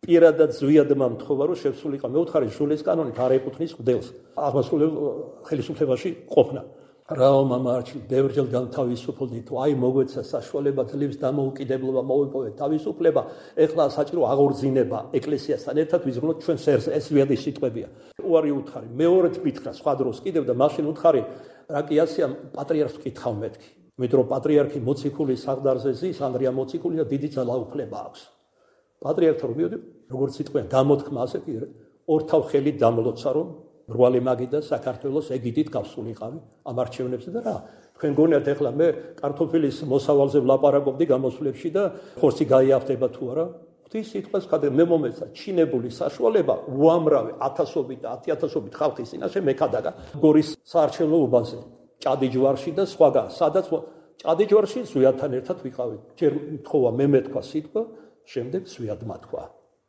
პირადად ზვიადმა მთხოვა რომ შესულიყო მეუთხარი ჟულის კანონით არ ეკუთვნის მღვდელს აღმასრულებელ ხელისუფლებაში ყოფნა. რაო მამა არჩილი ბევრჯერ განთავისუფლდი თუ აი მოგვეცა საშუალება ძლივს დამოუკიდებლობა მოვიპოვეთ თავისუფლება ეხლა საჭირო აღორძინება ეკლესიასთან ერთად ვიზრუნოთ ჩვენ სერს ეს ზვიადის სიტყვებია. უარი უთხარი მეორედ მითხრა სხვა დროს კიდევ და მაშინ უთხარი რა კი ასია პატრიარქს ვკითხავ მეთქი. მეტრო პატრიარქი მოციქულის საღდარზე ზის ანდრია მოციქული და დიდი ძალაუფლება აქვს. პატრიარქთან რომ მივედი როგორც სიტყვიან გამოთქმა ასე კი ორთავ ხელით დამლოცა რომ რვალი მაგი და საქართველოს ეგიდით გავსულიყავი ამ არჩევნებზე და რა თქვენ გონიათ ეხლა მე კარტოფილის მოსავალზე ვლაპარაკობდი გამოსვლებში და ხორცი გაიაფდება თუ არა ღვთის სიტყვას ხადე მე მომეცა ჩინებული საშუალება უამრავი ათასობით და ათიათასობით ხალხის წინაშე მეკადაგა გორის საარჩევნო უბანზე ჭადიჯვარში და სხვაგან სადაც ჭადიჯვარში ზვიადთან ერთად ვიყავით ჯერ მთხოვა მე მეთქვა სიტყვა შემდეგ ზვიადმა თქვა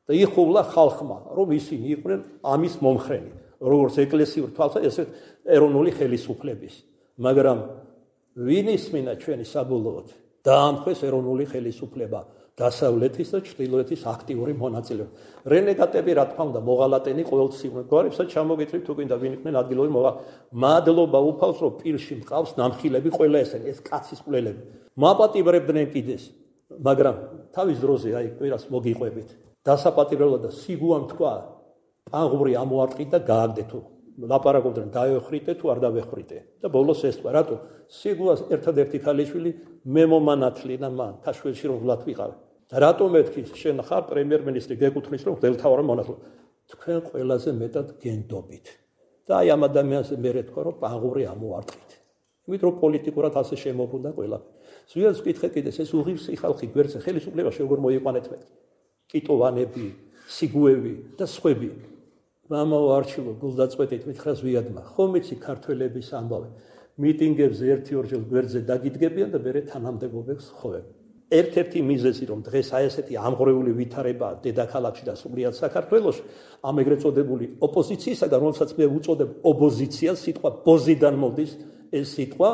და იხულა ხალხმა რომ ისინი იყვნენ ამის მომხრენი როგორც ეკლესიურ თვალსა ესე ეროვნული ხელისუფლების მაგრამ ვინ ისმინა ჩვენი საბოლოოდ დაამხეს ეროვნული ხელისუფლება დასავლეთის და ჩრდილოეთის აქტიური მონაწილეობა რენეგატები რა თქმა უნდა მოღალატენი ყოველწლიურად გვარებსაც ჩამოგიწევთ თუ გინდა ვინ იყვნენ ადგილობრივი მოღა მადლობა უფალს რომ პირში მყავს ნამხილები ყველა ესენი ეს კაცის კვლელები მაპატიბრებდნენ კიდეს მაგრამ თავის დროზე აი კვირას მოგიყვებით დასაპატიბრებლად და სიგუამ თქვა აღური ამოარტყით და გააგდე თუ ლაპარაკობდნენ დაეხრიტე თუ არ დავეხრიტე და ბოლოს ეს თქვა რატო სიგუას ერთადერთი ქალიშვილი მე მომანათლი და მან თაშველში რომ ვლად ვიყავ და რატო მეთქი შენ ხარ პრემიერ-მინისტრი გეკუთვნის რომ გელთავარ მონათლო თქვენ ყველაზე მეტად გენდობით და აი ამ ადამიანს მე რეთქვა რომ აღური ამოარტყით იმით რომ პოლიტიკურად ასე შემოbrunდა ყველაფერი ზვიადს ვკითხე კიდეს ეს უღირსი ხალხი გვერდზე ხელისუფლებაში როგორ მოიყვანეთ მეთქი კიტოვანები სიგუები და სხვები მამაო არჩილო გულდაწყვეტით მითხრა ზვიადმა ხომ იცი ქართველების ამბავი მიტინგებზე ერთი ორჯერ გვერდზე დაგიდგებიან და მერე თანამდებობებს ხოვენ ერთ-ერთი მიზეზი რომ დღეს აი ესეთი ამღრეული ვითარება დედაქალაქში და სულიად საქართველოში ამ ეგრეთ წოდებული ოპოზიციისაგან რომელსაც მე უწოდებ ოპოზიციას სიტყვა ბოზიდან მოდის ეს სიტყვა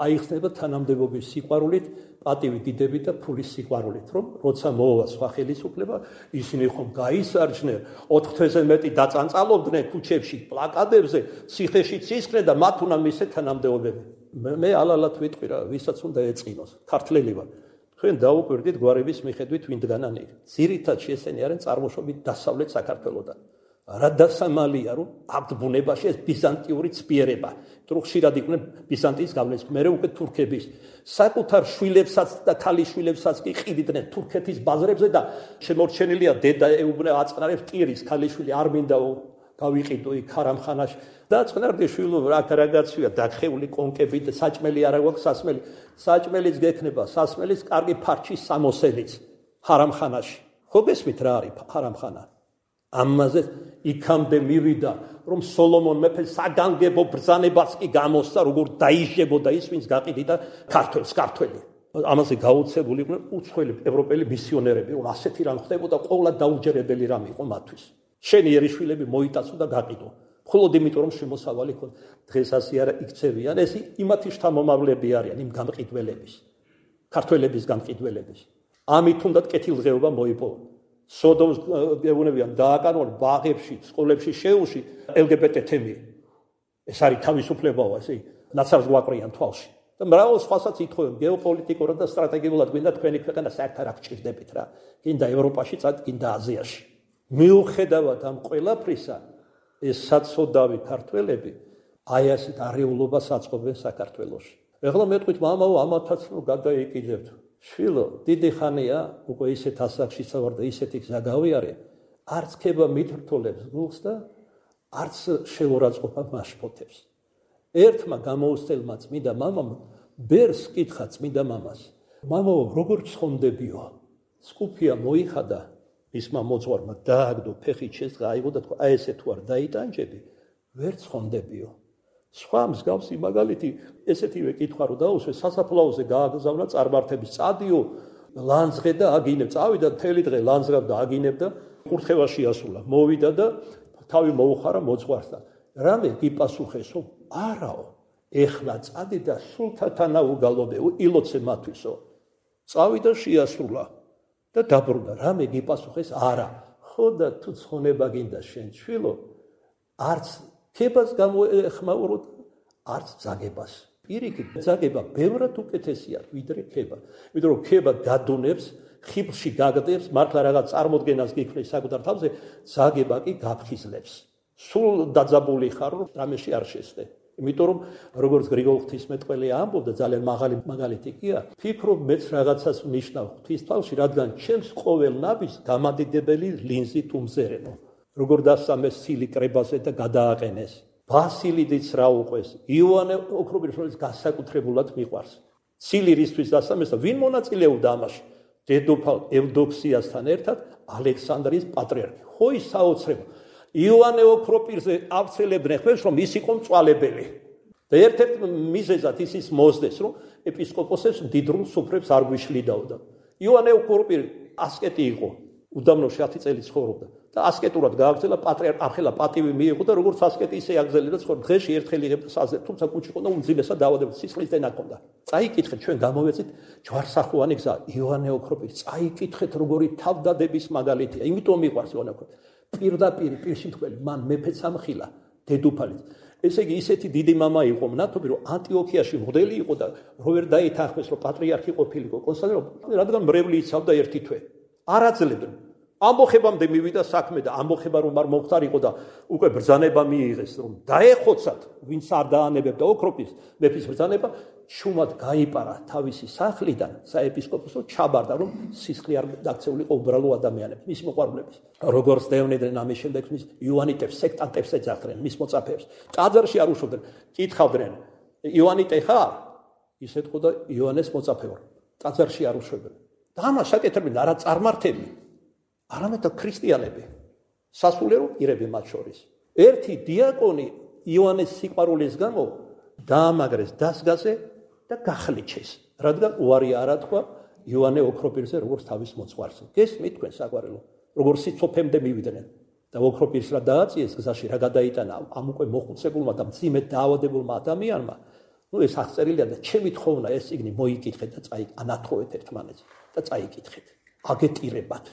აიხსნება თანამდებობის სიყვარულით პატივი დიდებით და ფულის სიყვარულით რომ როცა მოვა სხვა ხელისუფლება ისინი ხომ გაისარჯნენ ოთხ თვეზე მეტი დაწანწალობდნენ ქუჩებში პლაკატებზე ციხეში ცისკრენ და მათ უნდა მისცე თანამდებობები მე ალალად ვიტყვი რა ვისაც უნდა ეწყინოს ქართველი ვარ თქვენ დაუკვირდით გვარების მიხედვით ვინდგანან იქ ძირითადში ესენი არიან წარმოშობით დასავლეთ საქართველოდან რა დასამალია რომ აბდ ბუნებაში ეს ბიზანტიური ცბიერება თუ ხშირად იყვნენ ბიზანტიის გავლენის მერე უკვე თურქების საკუთარ შვილებსაც და ქალიშვილებსაც კი ყიდიდნენ თურქეთის ბაზრებზე და შემორჩენილია დედა ეუბნება აწყნარებს ტირის ქალიშვილი არ მინდა გავიყიდო იქ ხარამხანაში და წყნარდი შვილო რა რაგაცია დახეული კონკებით საჭმელი არა გვაქვს სასმელი საჭმელიც გექნება სასმელის კარგი ფარჩის სამოსელიც ხარამხანაში ხო გესმით რა არის ხარამხანა ამაზე იქამდე მივიდა რომ სოლომონ მეფე საგანგებო ბრძანებას კი გამოსცა როგორ დაიჟებოდა ის ვინც გაყიდიდა ქართველს ქართველი ამაზე გაუცებული იყვნენ უცხოელი ევროპელი მისიონერები რომ ასეთი რამ ხდებოდა ყოვლა დაუჯერებელი რამ იყო მათთვის შენი ერიშვილები მოიტაცო და გაყიდო მხოლოდ იმიტომ რომ შემოსავალი ქონდა დღეს ასე არა იქცევიან ეს იმათი შთამომავლები არიან იმ გამყიდველების ქართველების გამყიდველების ამით უნდათ კეთილდღეობა მოიპოვა სოდომს გეუბნებიან დააკარგონ ბაღებში, სკოლებში, შეუში ელგებეტე თემი. ეს არის თავისუფლებაა, ესე ნაცავს გვაყრიან თვალში. და მრავალ სხვასაც ითხოვენ გეოპოლიტიკურად და სტრატეგიულად გვინდა თქვენი ქვეყანა საერთოდ არ გჭირდებით რა. გინდა ევროპაში, გინდა აზიაში. მიუხედავად ამ ყველაფრისა, ეს საცოდავი ქართველები აი ასეთ არეულობას აწყობენ საქართველოში. ეხლა მეტყვით მამაო ამათაც რომ გადაიკიდებთ. შვილო, დიდი ხანია უკვე ისეთ ასაკში ვარ და ისეთი გზა გავიარე, არც ქება მითრთოლებს გულს და არც შეურაცხყოფა მაშფოთებს. ერთმა გამოუსწელმა წმინდა მამამ ბერს კითხა წმინდა მამას. მამაო, როგორ ცხონდებიო? სკუფია მოიხადა მისმა მოძღვარმა, დააგდო ფეხით შესდგა, აიღო და თქვა, აი ესე თუ არ დაიტანჯები, ვერ ცხონდებიო. სხვა მსგავსი მაგალითი ესეთივე კითხვა რო დაუსვე, სასაფლაოზე გააგზავნა წარმართების წადიო, ლანძღე და აგინებ, წავიდა მთელი დღე ლანძღავ და აგინებდა, კურთხევაში ასულა, მოვიდა და თავი მოუხარა მოძღვართან. რამე გიპასუხესო? არაო, ეხლა წადი და სულთათანა უგალობე, ილოცე მათვისო. წავიდა შეასრულა და დაბრუნდა. რამე გიპასუხეს? არა. ხო და თუ ცხონება გინდა შენ შვილო, არც ქებას გამოეხმაუროთ, არც ძაგებას. პირიქით, ძაგება ბევრად უკეთესია ვიდრე ქება. იმიტომ რომ ქება გადუნებს, ხიბლში გაგდებს, მართლა რაღაც წარმოდგენას გიქმნის საკუთარ თავზე, ძაგება კი გაფხიზლებს. სულ დაძაბული ხარ, რომ რამეში არ შესდე. იმიტომ რომ როგორც გრიგოლ ღვთისმეტყველი ამბობდა, ძალიან მაღალი მაგალითი კია, ფიქრობ მეც რაღაცას ნიშნავ ღვთის თავში, რადგან ჩემს ყოველ ნაბის გამადიდებელი ლინზი თუმზერენო. როგორ დასამეს სილი კრებაზე და გადააყენეს. ბასილიდიც რა უყვეს, იოანე ოქრობილის განსაკუთრებულად მიყვარს. სილი რისთვის დასამეს და ვინ მონაწილეობდა ამაში? დედოფალ ევდოქსიასთან ერთად ალექსანდრიის პატრიარქი. ხო ის საოცრება. იოანე ოქროპირზე ავცელებდნენ ხმებს, რომ ის იყო მწვალებელი. და ერთ-ერთ მიზეზად ისის მოსდეს, რომ ეპისკოპოსებს მდიდრულ სუფრებს არ გვიშლიდაოდა. იოანე ოქროპირი ასკეტი იყო, უდაბნოში ათი წელი ცხოვრობდა და ასკეტურად გააგრძელა პატრიარქ ახლა პატივი მიიღო და როგორც ასკეტი ისე აგრძელებდა ცხოვრ დღეში ერთხელ იღებდა საზრდ, თუმცა კუჩი ყო და უმძიმესად დაავადებდა, სისხლის დენა ჰქონდა. წაიკითხეთ, ჩვენ გამოვეცით ჯვარსახვოვანი გზა, იოანე ოქროპირი, წაიკითხეთ როგორი თავდადების მაგალითია, იმიტომ მიყვარს იოანე ოქროპირი. პირდაპირ პირში თქველი, მან მეფეც ამხილა, დედოფალიც. ესე იგი ისეთი დიდი მამა იყო მნათობი, რომ ანტიოქიაში მღვდელი იყო და რო ვერ დაითანხმეს, რომ პატრიარქი ყოფილიყო კონსტანტინოპოლში, რადგან მრევლი იცავდა ერთი თვე. არ აძლევდნენ. ამბოხებამდე მივიდა საქმე და ამბოხება რომ არ მომხდარიყო და უკვე ბრძანება მიიღეს, რომ დაეხოცათ, ვინც არ დაანებებდა ოქროპის მეფის ბრძანება, შუმად გაიპარა თავისი სახლიდან საეპისკოპოსო, ჩაბარდა, რომ სისხლი არ დაქცეულიყო უბრალო ადამიანებს, მის მოყვარულებს. როგორც დევნიდნენ ამის შემდეგ მის იოანიტებს, სექტანტებს ეძახდნენ, მის მოწაფეებს. ტაძარში არ უშოვდნენ, კითხავდნენ, იოანიტე ხარ? ის ეთქო და იოანეს მოწაფე ვარ. ტაძარში არ უშვებდნენ. და ამას აკეთებდნენ არა წარმართები, არამედ ქრისტიანები, სასულიერო პირები მათ შორის. ერთი დიაკონი იოანეს სიყვარულის გამო დაამაგრეს დასგაზე და გახლიჩეს, რადგან უარი არ ათქვა იოანე ოქროპირზე როგორც თავის მოძღვარს. გესმით თქვენ საყვარელო, როგორც სიცოფემდე მივიდნენ და ოქროპირს რა დააწიეს გზაში, რა გადაიტანა ამ უკვე მოხუცებულმა და მძიმედ დაავადებულმა ადამიანმა. ნუ ეს აღწერილია და ჩემი თხოვნა ეს წიგნი მოიკითხეთ და წაიკ ანათხოვეთ ერთმანეთს და წაიკითხეთ. აგეტირებათ.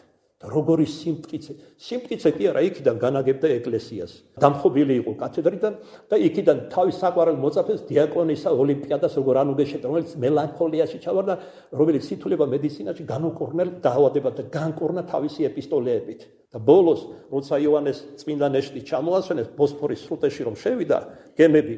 როგორი სიმტკიცე, სიმტკიცე კი არა, იქიდან განაგებდა ეკლესიას. დამხობილი იყო კათედრიდან და იქიდან თავის საყვარელ მოწაფეს დიაკონისა ოლიმპიადას როგორ ანუგეშებდა, რომელიც მელანქოლიაში ჩავარდა, რომელიც სითულება მედიცინაში განუკურნელ დაავადებად და განკურნა თავისი ეპისტოლეებით. და ბოლოს, როცა იოანეს წმინდა ნეშტი ჩამოასვენეს ბოსფორის სრუტეში რომ შევიდა გემები,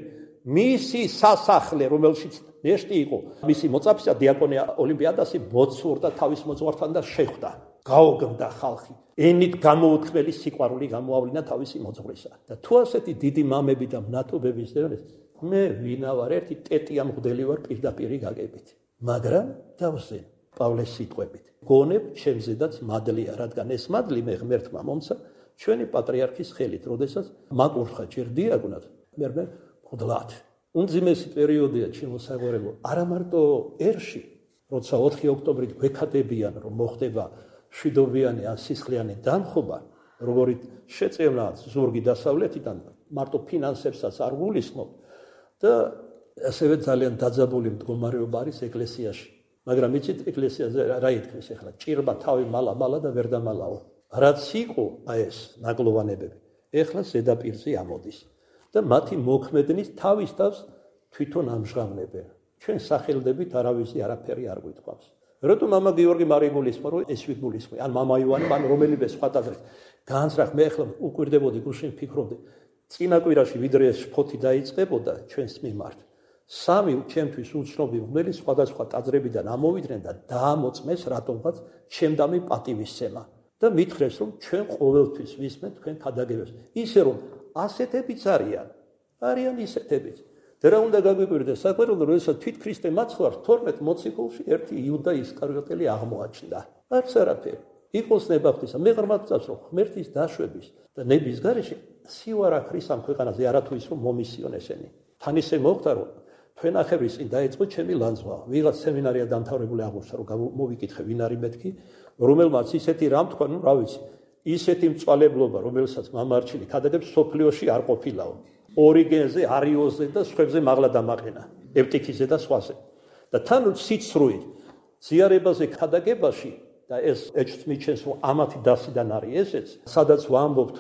მისი სასახლე, რომელშიც ნეშტი იყო, მისი მოწაფისა დიაკონი ოლიმპიადასი მოცურდა თავის მოძღვართან და შეხვდა. გაოგმდა ხალხი. ენით გამოუთქმელი სიყვარული გამოავლინა თავისი მოძღვრისა. და თუ ასეთი დიდი მამები და მნათობების დევნეს, მე ვინა ვარ, ერთი ტეტია მღვდელი ვარ პირდაპირი გაგებით. მაგრამ დავზენ პავლეს სიტყვებით. გონებ ჩემზედაც მადლია, რადგან ეს მადლი მე ღმერთმა მომცა ჩვენი პატრიარქის ხელით, როდესაც მაკურთხა ჯერ დიაკვნად, მერმე მღვდლად. უმძიმესი პერიოდია ჩემო საყვარელო, არა მარტო ერში, როცა ოთხი ოქტომბრით გვექადებიან, რომ მოხდება შვიდობიანი ან სისხლიანი დამხობა, როგორიც შეწევნა ზურგი დასავლეთიდან, მარტო ფინანსებსაც არ გულისხმობ და ასევე ძალიან დაძაბული მდგომარეობა არის ეკლესიაში. მაგრამ იცით ეკლესიაზე რა ითქმის ახლა? ჭირმა თავი მალა-მალა და ვერ დამალაო. რაც იყო აი ეს ნაგლოვანებები, ახლა ზედაპირზე ამოდის და მათი მოქმედნის თავის თავს თვითონ ამჟღავნებენ. ჩვენ სახელდებით არავისი არაფერი არ გვითხოვს. რატომ მამა გიორგი მარიგულისმა რომ ეს ვიგულისხმე, ან მამა ივანე, ან რომელიმე სხვა ტაძრის განსრახ მე ახლა უკვირდებოდი გუშინ ფიქრობდი, წინა კვირაში ვიდრე ეს შფოთი დაიწყებოდა ჩვენს მიმართ, სამი ჩემთვის უცნობი მღვდელი სხვადასხვა ტაძრებიდან ამოვიდნენ და დაამოწმეს რატომღაც ჩემდამი პატივისცემა და მითხრეს რომ ჩვენ ყოველთვის ვისმენთ თქვენ ქადაგებებს, ისე რომ ასეთებიც არიან, არიან ისეთებიც და რა უნდა გაგვიკვირდეს საკვირველო, როდესაც თვით ქრისტე მაცხვარ თორმეტ მოციქულში ერთი იუდა ისკარიოტელი აღმოაჩნდა. არც არაფერი. იყოს ნება ღვთისა, მე ღრმად წავს, რომ ღმერთის დაშვების და ნების გარეშე სივარა ქრის ამ ქვეყანაზე არათუ ის რომ მომისიონ ესენი. თან ისე მოხდა, რომ თქვენახევრის წინ დაიწყო ჩემი ლანძღვა. ვიღაც სემინარია დამთავრებული აღმოჩნდა, რომ მოვიკითხე ვინ არის მეთქი, რომელმაც ისეთი რამ თქვა, ნუ რა ვიცი, ისეთი მწვალებლობა, რომელსაც მამარჩილი ქადაგებს სოფლიოში არ ყოფილაო. ორიგენზე, არიოზზე და სხვებზე მაღლა დამაყენა, ევტიქიზე და სხვაზე. და თან სიცრუით ზიარებაზე ქადაგებაში და ეს ეჭვს მიჩენს, რომ ამათი დასიდან არის ესეც, სადაც ვამბობთ,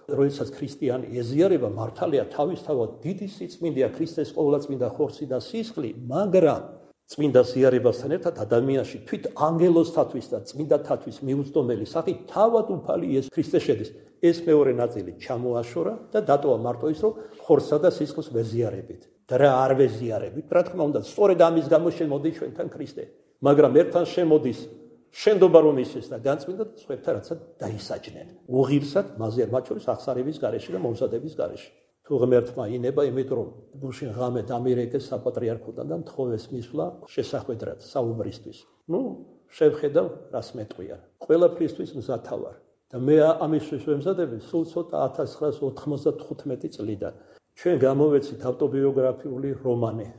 როდესაც ქრისტიანი ეზიარება მართალია თავისთავად დიდი სიწმინდეა ქრისტეს ყოვლადწმინდა ხორცი და სისხლი, მაგრამ წმინდა ზიარებასთან ერთად ადამიანში თვით ანგელოზთათვის და წმინდათათვის მიუწვდომელი სახით თავად უფალი იესო ქრისტე შედის. ეს მეორე ნაწილი ჩამოაშორა და დატოვა მარტო ის, რომ ხორცსა და სისხლს ვეზიარებით. და რა არ ვეზიარებით, რა თქმა უნდა, სწორედ ამის გამო შემოდის ჩვენთან ქრისტე. მაგრამ ერთთან შემოდის შენდობა რომ ისეს და განწმინდა და სხვებთან რაცა დაისაჯნენ. უღირსად მასზე მათ შორის აღსარების გარეშე და მომზადების გარეშე. თუ ღმერთმა ინება, იმიტომ რომ გუშინ ღამე დამირეკეს საპატრიარქოდან და მთხოვეს მისვლა შესახვედრად საუბრისთვის. ნუ შევხედავ რას მეტყვია. ყველაფრისთვის მზათა ვარ. და მე ამისთვის ვემზადები სულ ცოტა ათას ცხრაას ოთხმოცდათხუთმეტი წლიდან. ჩვენ გამოვეცით ავტობიოგრაფიული რომანი.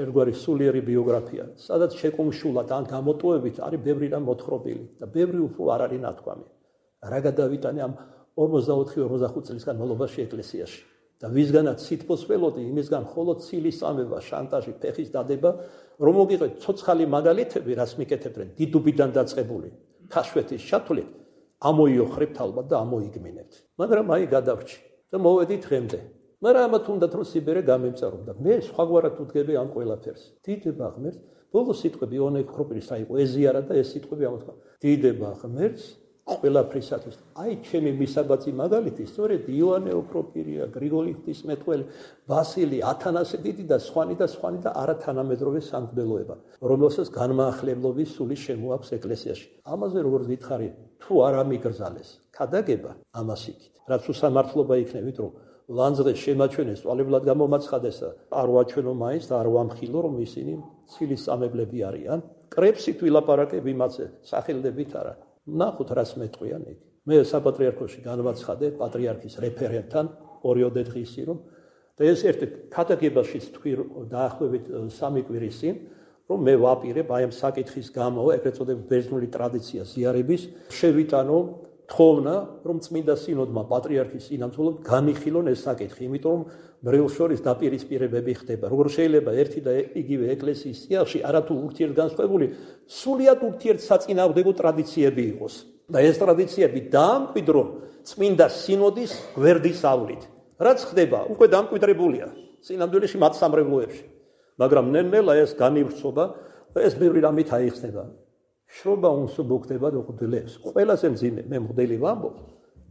ერთგვარი სულიერი ბიოგრაფია, სადაც შეკუმშულად ან გამოტოვებით არის ბევრი რამ მოთხრობილი და ბევრი უფრო არ არის ნათქვამი. რა გადავიტანე ამ ორმოცდაოთხი ორმოცდახუთი წლის განმავლობაში ეკლესიაში. და ვისგანაც სითბოს ველოდი, იმისგან მხოლოდ ცილის წამება, შანტაჟი, ფეხის დადება, რომ მოგიღეთ ცოცხალი მაგალითები, რას მიკეთებდნენ, დიდუბიდან დაწყებული, ქაშვეთის ჩათვლით, ამოიოხრებთ ალბათ და ამოიგმინებთ. მაგრამ აი გადავრჩი და მოვედით დღემდე. მაგრამ ამათ უნდათ რომ სიბერე გამემწარო და მე სხვაგვარად ვუდგები ამ ყველაფერს. დიდება ღმერთს, ბოლო სიტყვები იონე ქროპირის აიყო ეზიარა და ეს სიტყვები ამოთქვა. დიდება ღმერთს ყველაფრისათვის. აი ჩემი მისაბაძი მაგალითი, სწორედ იონე ოქროპირია, გრიგოლი ღვთისმეტყველი, ვასილი, ათანასე დიდი და სხვანი და სხვანი და არათანამედროვე სამღვდელოება, რომელსაც განმაახლებლობის სული შემოაქვს ეკლესიაში. ამაზე როგორ ვითხარი, თუ არ ამიგრძალეს, ქადაგება ამას იქით. რაც უსამართლობა იქნებით, რომ ლანძღეს შემაჩვენეს, წვალებლად გამომაცხადეს და არ ვაჩვენო მაინც და არ ვამხილო, რომ ისინი ცილის წამებლები არიან. კრებსით ვილაპარაკებ იმაზე, სახელდებით არა. ნახოთ რას მეტყვიან იქ. მე საპატრიარქოში განვაცხადე პატრიარქის რეფერენტთან ორიოდე დღისი რომ და ეს ერთი ქადაგებაშიც თქვი დაახლოებით სამი კვირის წინ რომ მე ვაპირებ აი ამ საკითხის გამო ეგრეთ წოდებული ბერძნული ტრადიცია ზიარების შევიტანო თხოვნა რომ წმინდა სინოდმა პატრიარქის წინამძღოლად განიხილონ ეს საკითხი, იმიტომ რომ მრევლ შორის დაპირისპირებები ხდება. როგორ შეიძლება ერთი და იგივე ეკლესიის სიახლში არათუ ურთიერთგანსხვავებული სულიად ურთიერთსაწინააღმდეგო ტრადიციები იყოს. და ეს ტრადიციები დაამკვიდრონ წმინდა სინოდის გვერდის ავლით. რაც ხდება, უკვე დამკვიდრებულია სინამდვილეში მათ სამრევლოებში. მაგრამ ნელ-ნელა ეს განივრცობა და ეს ბევრი რამით აიხსნება. შრობა უმსუბუქდება მღვდლებს. ყველაზე მძიმე მე მღვდელი ვამბობ,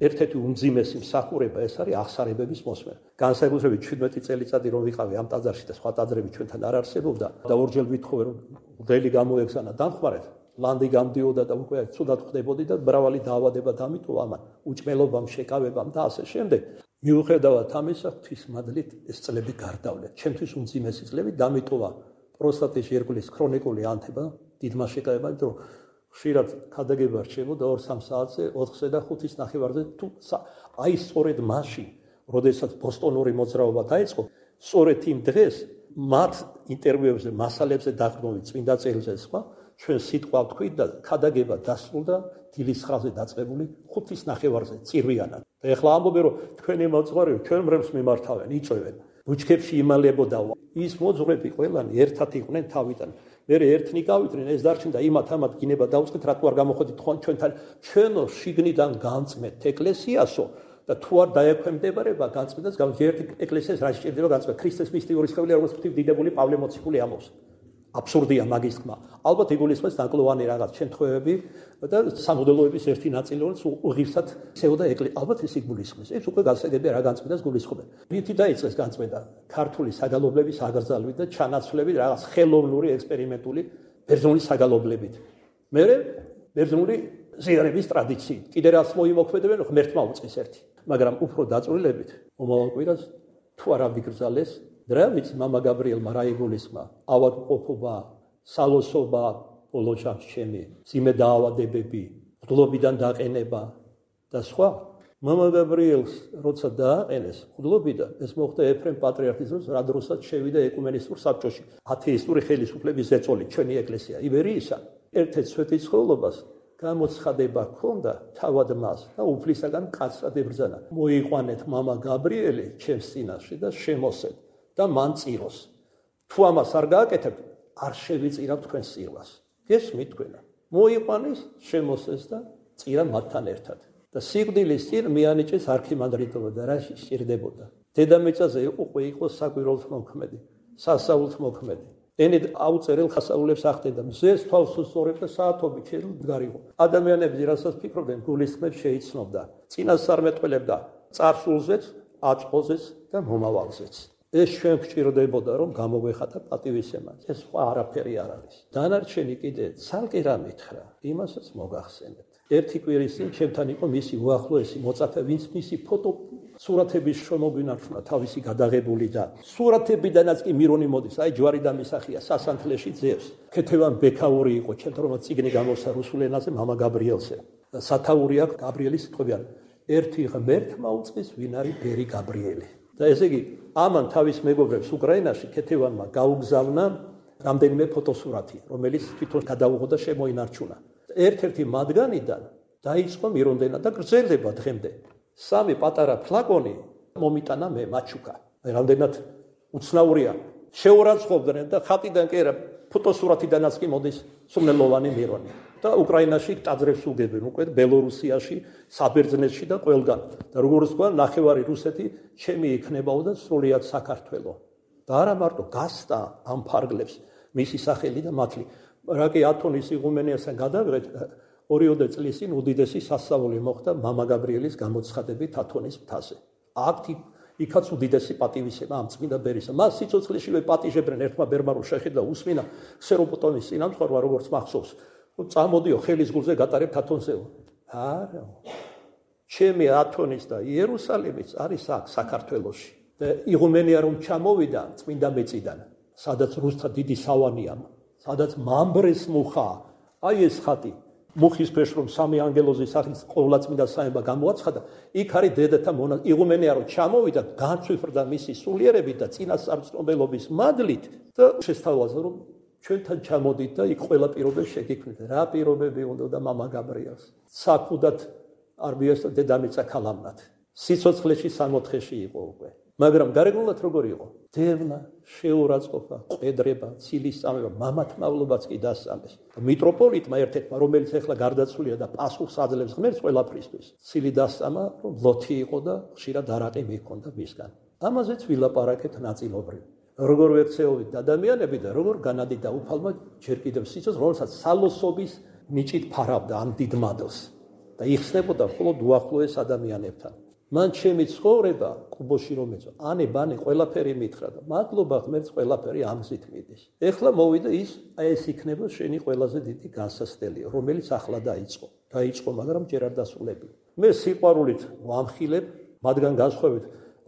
ერთ-ერთი უმძიმესი მსახურება ეს არის აღსარებების მოსმენა. განსაკუთრებით შვიდმეტი წელიწადი რომ ვიყავი ამ ტაძარში და სხვა ტაძრები ჩვენთან არ არსებობდა და ორჯერ ვითხოვე რომ მღვდელი გამოეგზანა დამხმარეთ, ლანდი გამდიოდა და უკვე ცუდად ხდებოდი და მრავალი დაავადება დამიტოვა ამან, უჭმელობამ, შეკავებამ და ასე შემდეგ. მიუხედავად ამისა, ღვთისმადლით ეს წლები გარდავლეთ. ჩემთვის უმძიმესი წლები დამიტოვა პროსტატის ჟირკვლის ქრონიკული ანთება, დიდმა შეკავება, იმიტომ რომ ხშირად ქადაგება რჩებოდა ორ-სამ საათზე, ოთხზე და ხუთის ნახევარზე, თუ აი სწორედ მაშინ, როდესაც ბოსტონური მოძრაობა დაიწყო, სწორედ იმ დღეს მათ ინტერვიუებზე, მასალებზე დაყრდნობით წმინდა წერილზე სხვა, ჩვენ სიტყვა ვთქვით და ქადაგება დასრულდა დილის ხაზზე დაწყებული ხუთის ნახევარზე წირვიანად. და ეხლა ამბობენ, რომ თქვენი მოძღვარები ჩვენ მრევლს მიმართავენ, იწვევენ. ბუჩქებში იმალებოდა ის მოძღვრები ყველანი ერთად იყვნენ თავიდან. მე ერთნი გავიდნენ, ეს დარჩენდა იმათ ამათ გინება დაუწყეთ, რატო არ გამოходит თქვენ ჩვენთან ჩვენო შიგნიდან განწმეთ ეკლესიასო და თუ არ დაექვემდებარება განწმენდას, ერთი ეკლესიას რა სჭირდება განწმენდა ქრისტეს მისტიური სხეულია, როგორც ვთქვი, დიდებული პავლე მოციქული ამბობს. აბსურდია მაგის თქმა. ალბათ იგულისხმეს ნაკლოვანი რაღაც შემთხვევები და სამღვდელოების ერთი ნაწილი, რომელიც უღირსად ცეოდა ეკლესია. ალბათ ეს იგულისხმეს. ეს უკვე გასაგებია რა განწმენდას გულისხმობენ. რითი დაიწყეს განწმენდა? ქართული საგალობლების აგრძალვით და ჩანაცვლებით რაღაც ხელოვნური ექსპერიმენტული ბერძნული საგალობლებით. მერე ბერძნული ზიარების ტრადიციით. კიდე რაც მოიმოქმედებენ, ღმერთმა უწყის ერთი. მაგრამ უფრო დაწვრილებით მომავალ კვირას თუ არ ამიგრძალეს რა ვიცი მამა გაბრიელმა რა იგულისხმა ავადმყოფობა, სალოსობა, ბოლო ჯამს ჩემი, ძიმე დაავადებები, მღვდლობიდან დაყენება და სხვა. მამა გაბრიელს როცა დააყენეს მღვდლობიდან, ეს მოხდა ეფრემ პატრიარქის დროს, რა დროსაც შევიდა ეკუმენისტურ საბჭოში. ათეისტური ხელისუფლების ზეწოლი ჩვენი ეკლესია იბერიისა. ერთ-ერთ სვეტიცხოვლობას გამოცხადება ჰქონდა თავად მას და უფლისაგან კაცად ებრძანა. მოიყვანეთ მამა გაბრიელი ჩემს წინაშე და შემოსეთ და მან წიროს. თუ ამას არ გააკეთებთ, არ შევიწირავ თქვენს წირვას. გესმით თქვენა. მოიყვანეს, შემოსეს და წირა მათთან ერთად. და სიკვდილის წინ მიანიჭეს არქიმანდრიტობა და რა სჭირდებოდა. დედამიწაზე უკვე იყო საკვირველთ მოქმედი, სასაულთ მოქმედი. ენით აუწერელ ხასაულებს ახდენდა, მზეს თავს უსწორებდა საათობით დგარიყო. ადამიანები რასაც ფიქრობდნენ, გულისხმებს შეიცნობდა. წინასწარმეტყველებდა წარსულზეც, აწყოზეც და მომავალზეც. ეს ჩვენ გვჭირდებოდა, რომ გამოგვეხატა პატივისცემა. ეს სხვა არაფერი არ არის. დანარჩენი კიდე ცალკე რა მითხრა, იმასაც მოგახსენებთ. ერთი კვირის წინ ჩემთან იყო მისი უახლოესი მოწაფე, ვინც მისი ფოტო სურათების შემოგვინარჩუნა თავისი გადაღებული და სურათებიდანაც კი მირონი მოდის, აი ჯვარი და მისახია სასანთლეში ძევს. ქეთევან ბექაური იყო, ჩემთანაც წიგნი გამოსცა რუსულ ენაზე მამა გაბრიელზე. და სათაური აქვს გაბრიელის სიტყვებიან. ერთი ღმერთმა უწყის, ვინ არის ბერი გაბრიელი. და ესე იგი, ამან თავის მეგობრებს უკრაინაში ქეთევანმა გაუგზავნა რამდენიმე ფოტოსურათი, რომელიც თვითონ გადაუღო და შემოინარჩუნა. ერთ-ერთი მათგანიდან დაიწყო მირონდენა და გრძელდება დღემდე. სამი პატარა ფლაკონი მომიტანა მე მაჩუკა. რამდენად უცნაურია. შეურაცხყოფდნენ და ხატიდან კი არა, ფოტოსურათიდანაც კი მოდის სულელოვანი მირონი. და უკრაინაში ტაძრებს უგებენ უკვე ბელორუსიაში, საბერძნეთში და ყველგან. და როგორც თქვა, ნახევარი რუსეთი ჩემი იქნებაო და სრულიად საქართველო. და არა მარტო გასტა ამ ფარგლებს მისი სახელი და მათლი. რა კი ათონის იღუმენიასთან გადავიღეთ, ორიოდე წლის წინ უდიდესი სასწაული მოხდა მამა გაბრიელის გამოცხადებით ათონის მთაზე. აქ იქაც უდიდესი პატივისცემა ამ წმინდა ბერისა. მას სიცოცხლეშივე პატიჟებდნენ ერთმა ბერმა რომ შეხედა უსმინა სეროპოტონის წინამძღვრმა როგორც მახსოვს. წამოდიო ხელის გულზე გატარებთ ათონზეო. არა. ჩემი ათონის და იერუსალიმიც არის აქ საქართველოში. და იღუმენია რომ ჩამოვიდა წმინდა მეწიდან, სადაც რუსთა დიდი სავანია, სადაც მამბრეს მუხა, აი ეს ხატი, მუხის ფერს რომ სამი ანგელოზის სახით ყოვლადწმინდა საება გამოაცხადა, იქ არის დედათა მონა, იღუმენია რომ ჩამოვიდა, განცვიფრდა მისი სულიერებით და წინასწარმწნობელობის მადლით და შესთავაზა რომ ჩვენთან ჩამოდით და იქ ყველა პირობებს შეგიქმნით. რა პირობები უნდა და მამა გაბრიელს. საქუდად არბიას და დედამიწა ქალამნად. სიცოცხლეში სამოთხეში იყო უკვე. მაგრამ გარეგნულად როგორ იყო? დევნა, შეურაცხყოფა, ყვედრება, ცილის წამება, მამათმავლობაც კი დასწამეს. მიტროპოლიტმა ერთ-ერთმა, რომელიც ახლა გარდაცვლილია და პასუხს აძლევს ღმერთს ყველაფრისთვის, ცილი დასწამა, რომ ლოთი იყო და ხშირად არაყი მიჰქონდა მისგან. ამაზეც ვილაპარაკეთ ნაწილობრივ. როგორ ვექცეობით ადამიანები და როგორ განადით დაუფალმა ჯერ კიდევ სიცოცხლეს, რომელსაც სალოსობის ნიჭით ფარავდა ამ დიდ მადლს და იხსნებოდა მხოლოდ უახლოეს ადამიანებთან. მან ჩემი ცხოვრება კუბოში რომ ეწვა, ანი ბანი ყველაფერი მითხრა და მადლობა ღმერთს ყველაფერი ამ გზით მიდის. ეხლა მოვიდა ის, აი ეს იქნება შენი ყველაზე დიდი განსასწრელი, რომელიც ახლა დაიწყო. დაიწყო, მაგრამ ჯერ არ დასრულებია. მე სიყვარულით ვამხილებ, მათგან განსხვავებით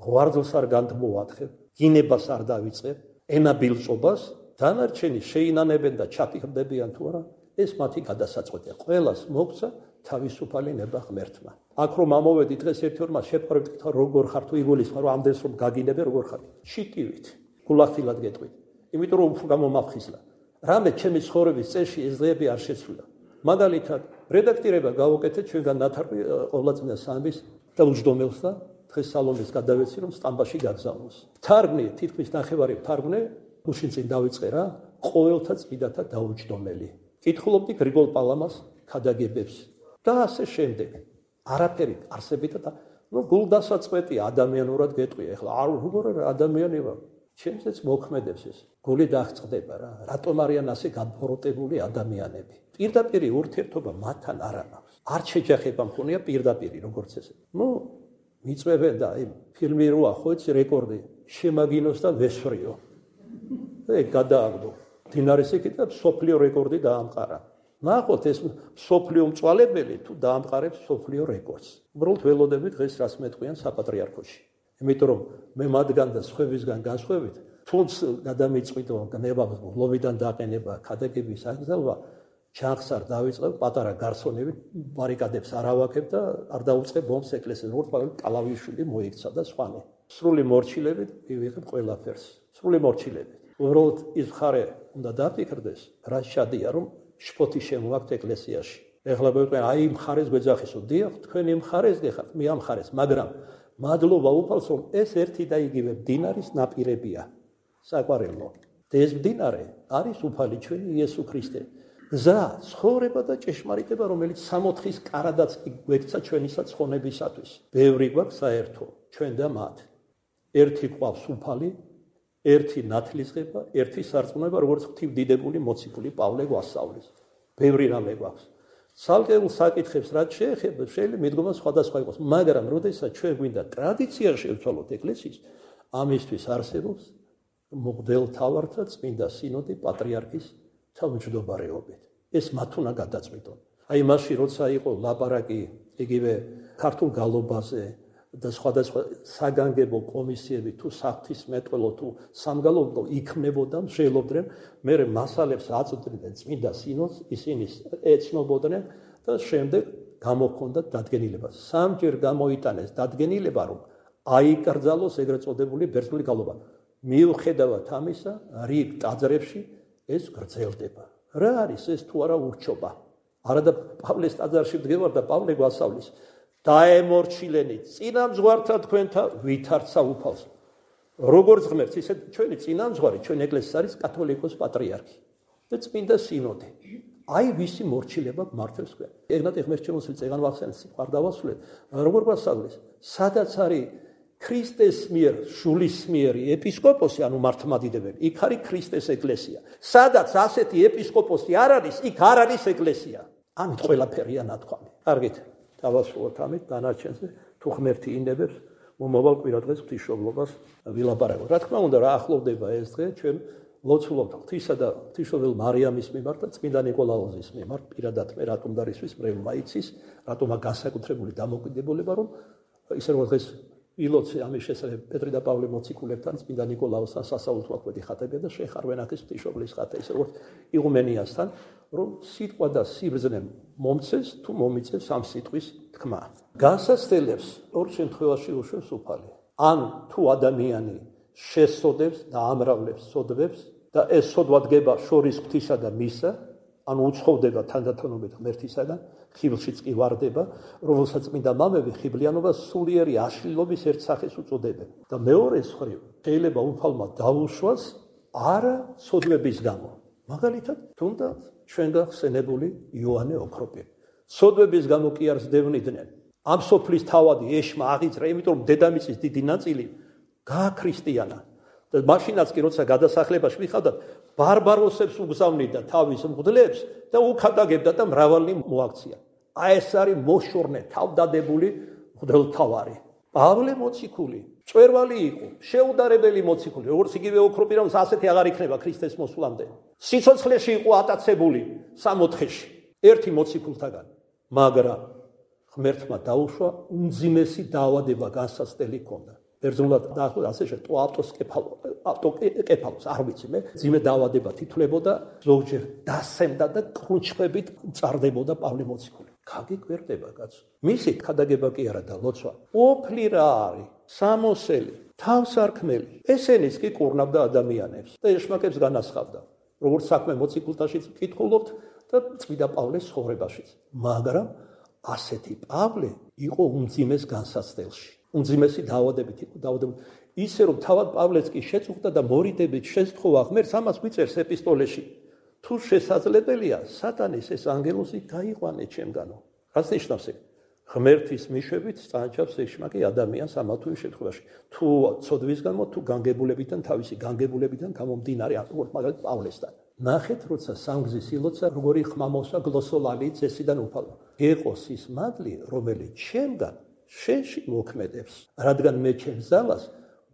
ღვარძლს არ განთმოვათხებ, გინებას არ დავიწყებ, ენაბილწობას, დანარჩენი შეინანებენ და ჩაფიქრდებიან თუ არა, ეს მათი გადასაწყვეტია. ყველას მოგცა თავისუფალი ნება ღმერთმა. აქ რომ ამოვედი დღეს ერთ-ორმა შეპარებთ როგორ ხარ თუ იგულისხმარ რომ ამდენს რომ გაგინებე როგორ ხარ? ჩიტივით, გულახდილად გეტყვით. იმიტომ რომ უფრო გამომაფხიზლა. რამე ჩემი ცხოვრების წესში ეს დღეები არ შეცვლა. მაგალითად, რედაქტირება გავუკეთეთ ჩვენგან ნათარგმნი ყოვლადწმინდა სამების და უჯდომელს და დღეს სალომეს გადავეცი რომ სტამბაში გაგზავნოს. თარგმნი, თითქმის ნახევარი თარგმნე, გუშინ წინ დავიწყე რა, ყოველთა წმინდათა დაუჯდომელი. კითხულობდი გრიგოლ პალამას ქადაგებებს და ასე შემდეგ. არაფერი არსებით და ნუ გულდასაწყვეტია ადამიანურად გეტყვია. ეხლა არ როგორ ადამიანი ვარ. ჩემზეც მოქმედებს ეს. გული დაღწდება რა. რატომ არიან ასე განფოროტებული ადამიანები? პირდაპირი ურთიერთობა მათთან არ აქვს. არ შეჯახება მქონია პირდაპირი როგორც ესე. ნუ მიწვევენ და აი ფილმი როა ხო იცი რეკორდი შემაგინოს და ვესვრიო. ეგ გადააგდო. დინარის ეკიდა სოფლიო რეკორდი დაამყარა. ნახოთ ეს სოფლიო მწვალებელი თუ დაამყარებს სოფლიო რეკორდს. უბრალოდ ველოდები დღეს რას მეტყვიან საპატრიარქოში. იმიტომ რომ მე მათგან და სხვებისგან განსხვავებით, თუნდაც გადამიწყვიტო ნება ლობიდან დაყენება, ქადაგების აკრძალვა, ჩანხს არ დავიწყებ, პატარა გარსონებით ბარიკადებს არ ავაკებ და არ დავუწყებ ბომბს ეკლესიას, როგორც პავლე კალავიშვილი მოიქცა და სხვანი. სრული მორჩილებით მივიღებ ყველაფერს. სრული მორჩილებით. უბრალოდ ის მხარე უნდა დაფიქრდეს, რა შადია რომ შფოთი შემოაქვთ ეკლესიაში. ეხლა ვიტყვი, აი მხარეს გვეძახისო, დიახ, თქვენი მხარეს გეხართ, მე ამ მხარეს, მაგრამ მადლობა უფალს, რომ ეს ერთი და იგივე მდინარის ნაპირებია. საყვარელო. და ეს მდინარე არის უფალი ჩვენი იესო ქრისტე. გზა, ცხოვრება და ჭეშმარიტება, რომელიც სამოთხის კარადაც გვექცა ჩვენისა ცხონებისათვის. ბევრი გვაქვს საერთო, ჩვენ და მათ. ერთი ყავს უფალი, ერთი ნათლისღება, ერთი სარწმუნება, როგორც ღვთივდიდებული მოციქული პავლე გვასწავლის. ბევრი რამე გვაქვს. ცალკეულ საკითხებს რაც შეეხება, შეიძლება მიდგომა სხვადასხვა იყოს, მაგრამ როდესაც ჩვენ გვინდა ტრადიცია შევცვალოთ ეკლესიის, ამისთვის არსებობს მღვდელმთავართა წმინდა სინოდი პატრიარქის თავმჯდომარეობით. ეს მათ უნდა გადაწყვიტონ. აი მაშინ როცა იყო ლაპარაკი იგივე ქართულ გალობაზე და სხვადასხვა საგანგებო კომისიები თუ საფრთხისმეტყველო თუ სამგალობო იქმნებოდა, მსჯელობდნენ, მე მასალებს აწვდიდნენ წმინდა სინოდს, ისინი ეცნობოდნენ და შემდეგ გამოჰქონდათ დადგენილება. სამჯერ გამოიტანეს დადგენილება, რომ აიკრძალოს ეგრეთ წოდებული ბერძნული გალობა. მიუხედავად ამისა, რიგ ტაძრებში ეს გრძელდება. რა არის ეს თუ არა ურჩობა? არადა პავლეს ტაძარში ვდგევარ და პავლე გვასწავლის. დაემორჩილენით წინამძღვართა თქვენთა ვითარცა უფალს. როგორც ღმერთს, ისე ჩვენი წინამძღვარი, ჩვენი ეკლესიის არის კათოლიკოს პატრიარქი და წმინდა სინოდი. აი ვისი მორჩილება მართებს თქვენ. ეგნატ ეხმერჩემოსი წეგან ვახსენეს, სიყვარ დავასრულეთ. როგორ გვასწავლის? სადაც არის ქრისტეს მიერ, შულის მიერი ეპისკოპოსი, ანუ მართლმადიდებელი, იქ არის ქრისტეს ეკლესია. სადაც ასეთი ეპისკოპოსი არ არის, იქ არ არის ეკლესია. ამით ყველაფერია ნათქვამი. კარგით. დავასრულოთ ამით დანარჩენზე, თუ ღმერთი ინებებს, მომავალ კვირადღეს ღვთისმშობლობას ვილაპარაკოთ. რა თქმა უნდა, რა ახლოვდება ეს დღე, ჩვენ ლოცულობთ ღვთისა და ღვთისმშობელ მარიამის მიმართ და წმინდა ნიკოლაოზის მიმართ, პირადად მე რატომ დარისთვის მრევლმა იცის, რატომა განსაკუთრებული დამოკიდებულება, რომ ისე რომ დღეს ილოცე ამის შესახებ პეტრე და პავლე მოციქულებთან წმინდა ნიკოლაოსთან სასაულთო აკვეთი ხატებია და შეხარვენ აქ ეს ღვთისმშობლის ხატა, ისე როგორც იღუმენიასთან, რომ სიტყვა და სიბრძნე მომცეს თუ მომიწევს ამ სიტყვის თქმა. განსაცდელებს ორ შემთხვევაში უშვებს უფალი. ან თუ ადამიანი შესწოდებს და ამრავლებს სოდვებს და ეს სოდვა დგება შორის ღვთისა და მისა, ანუ უცხოვდება თანდათანობით ღმერთისაგან, ხიბლშიც კი ვარდება, რომელსაც წმინდა მამები ხიბლიანობას სულიერი აშლილობის ერთ სახეს უწოდებენ. და მეორე მხრივ, შეიძლება უფალმა დაუშვას არა სოდვების გამო. მაგალითად, თუნდაც ჩვენ გახსენებული იოანე ოქროპირი. სოდვების გამო კი არ ზდევნიდნენ. ამ სოფლის თავადი ეშმა აღიძრა, იმიტომ რომ დედამიწის დიდი ნაწილი გააქრისტიანა. და მაშინაც კი როცა გადასახლებაში მიხავდათ, ბარბაროსებს უგზავნიდა თავის მღვდლებს და უქადაგებდა და მრავალი მოაქცია. აი ეს არის მოშორნე, თავდადებული მღვდელმთავარი. პავლე მოციქული, წვერვალი იყო, შეუდარებელი მოციქული, როგორც იგივე ოქროპირამს ასეთი აღარ იქნება ქრისტეს მოსვლამდე. სიცოცხლეში იყო ატაცებული სამოთხეში, ერთი მოციქულთაგან, მაგრამ ღმერთმა დაუშვა უმძიმესი დაავადება განსაცდელი ჰქონდა. ბერძნულად დაახლოებით ასე შე ტოაპტოს კეფალო, ავტოკეფალოს, არ ვიცი მე, ძიმე დაავადება თითლებოდა, ზოგჯერ დასემდა და კრუნჩხებით წარდებოდა პავლე მოციქული. გაგიკვირდება კაცო. მისი ქადაგება კი არა და ლოცვა. ოფლი რა არის? სამოსელი, თავსარქმელი. ესენიც კი კურნავდა ადამიანებს და ეშმაკებს განასხავდა. როგორც საქმე მოციქულთაშიც ვკითხულობთ და წმინდა პავლეს ცხოვრებაშიც. მაგრამ ასეთი პავლე იყო უმძიმეს განსაცდელში. უმძიმესი დაავადებით იყო დაავადებული. ისე რომ თავად პავლეც კი შეწუხდა და მორიდებით შესთხოვა ღმერთს, ამას გვიწერს ეპისტოლეში. თუ შესაძლებელია, სატანის ეს ანგელოზი გაიყვანე ჩემგანო. რას ნიშნავს ეგ? ღმერთის მიშვებით წანაჩავს ეშმაკი ადამიანს ამა თუ იმ შემთხვევაში. თუ ცოდვის გამო, თუ განგებულებიდან, თავისი განგებულებიდან გამომდინარე, როგორც მაგალითად პავლესთან. ნახეთ, როცა სამგზის ილოცა, როგორი ხმა მოსვა გლოსოლალი წესიდან უფალო. ეყოს ის მადლი, რომელიც ჩემგან შენში მოქმედებს, რადგან მე ჩემს ძალას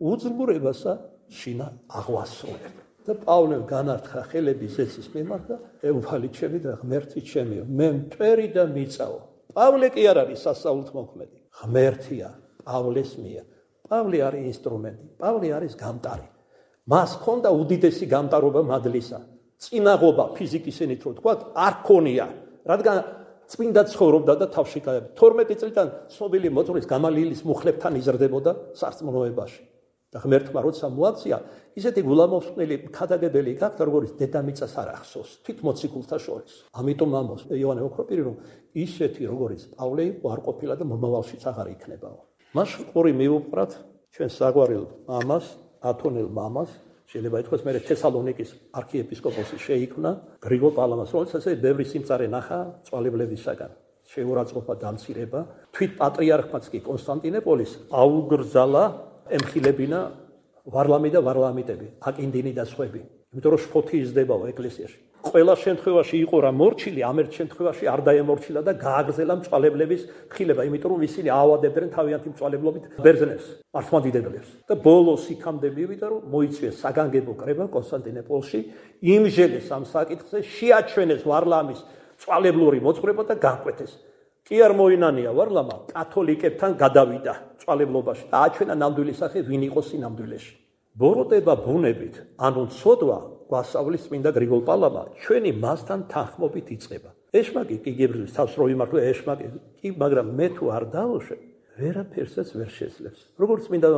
უძლურებასა შინა აღვასრულებ. და პავლემ განართხა ხელები ზეცის მიმართ და უფალი ჩემი და ღმერთი ჩემიო, მე მტვერი და მიწაო. პავლე კი არ არის სასაულთმოქმედი, ღმერთია პავლეს მიერ. პავლე არის ინსტრუმენტი, პავლე არის გამტარი. მას ჰქონდა უდიდესი გამტარობა მადლისა. წინაღობა ფიზიკის ენით რო თქვა, არ ქონია, რადგან წმინდა ცხოვრობდა და თავში გაება. თორმეტი წლიდან ცნობილი მოწვევის გამალიელის მუხლებთან იზრდებოდა სარწმუნოებაში. და ღმერთმა როცა მოაქცია, ისეთი გულამოსყნელი ქადაგებელი გახდა, როგორც დედამიწას არ ახსოვს, თვით მოციქულთა შორის. ამიტომ ამბობს იოანე ოქროპირი, რომ ისეთი როგორც პავლე იყო, არ ყოფილა და მომავალშიც აღარ იქნებაო. მას ყური მიუპრათ ჩვენ საგვარელ მამას, ათონელ მამას, შეიძლება ითქვას მე თესალონიკის არქიეპისკოპოსი შეიქმნა გრიგოლ პალამას, რომელსაც ბევრი სიმწარე ნახა წვალებლებისაგან. შეურაცხყოფა დამცირება, თვით პატრიარქმაც კი კონსტანტინოპოლის აუგრძალა ემხილებინა ვარლამი და ვარლამიტები, აკინდინი და სხვები. იმიტომ რომ შფოთი იზრდებაო ეკლესიაში. ყველა შემთხვევაში იყო რა მორჩილი, ამ ერთ შემთხვევაში არ დაემორჩილა და გააგრძელა მწვალებლების ხილება, იმიტომ რომ ისინი აავადებდნენ თავიანთი მწვალებლობით ბერძნებს, მართლმადიდებლებს. და ბოლოს იქამდე მივიდა, რომ მოიწვიეს საგანგებო კრება კონსტანტინოპოლში, იმჟელეს ამ საკითხზე, შეაჩვენეს ვარლამის მწვალებლური მოძღვრება და განკვეთეს. კი არ მოინანია ვარლამა კათოლიკებთან გადავიდა მწვალებლობაში და აჩვენა ნამდვილი სახე ვინ იყო სინამდვილეში. ბოროტება ბუნებით, ანუ ცოდვა გვასწავლის წმინდა გრიგოლ პალამა, ჩვენი მასთან თანხმობით იწყება. ეშმაკი კი გებრძვის თავს რო იმართლა ეშმაკი კი, მაგრამ მე თუ არ დავუშვებ, ვერაფერსაც ვერ შეძლებს. როგორც წმინდა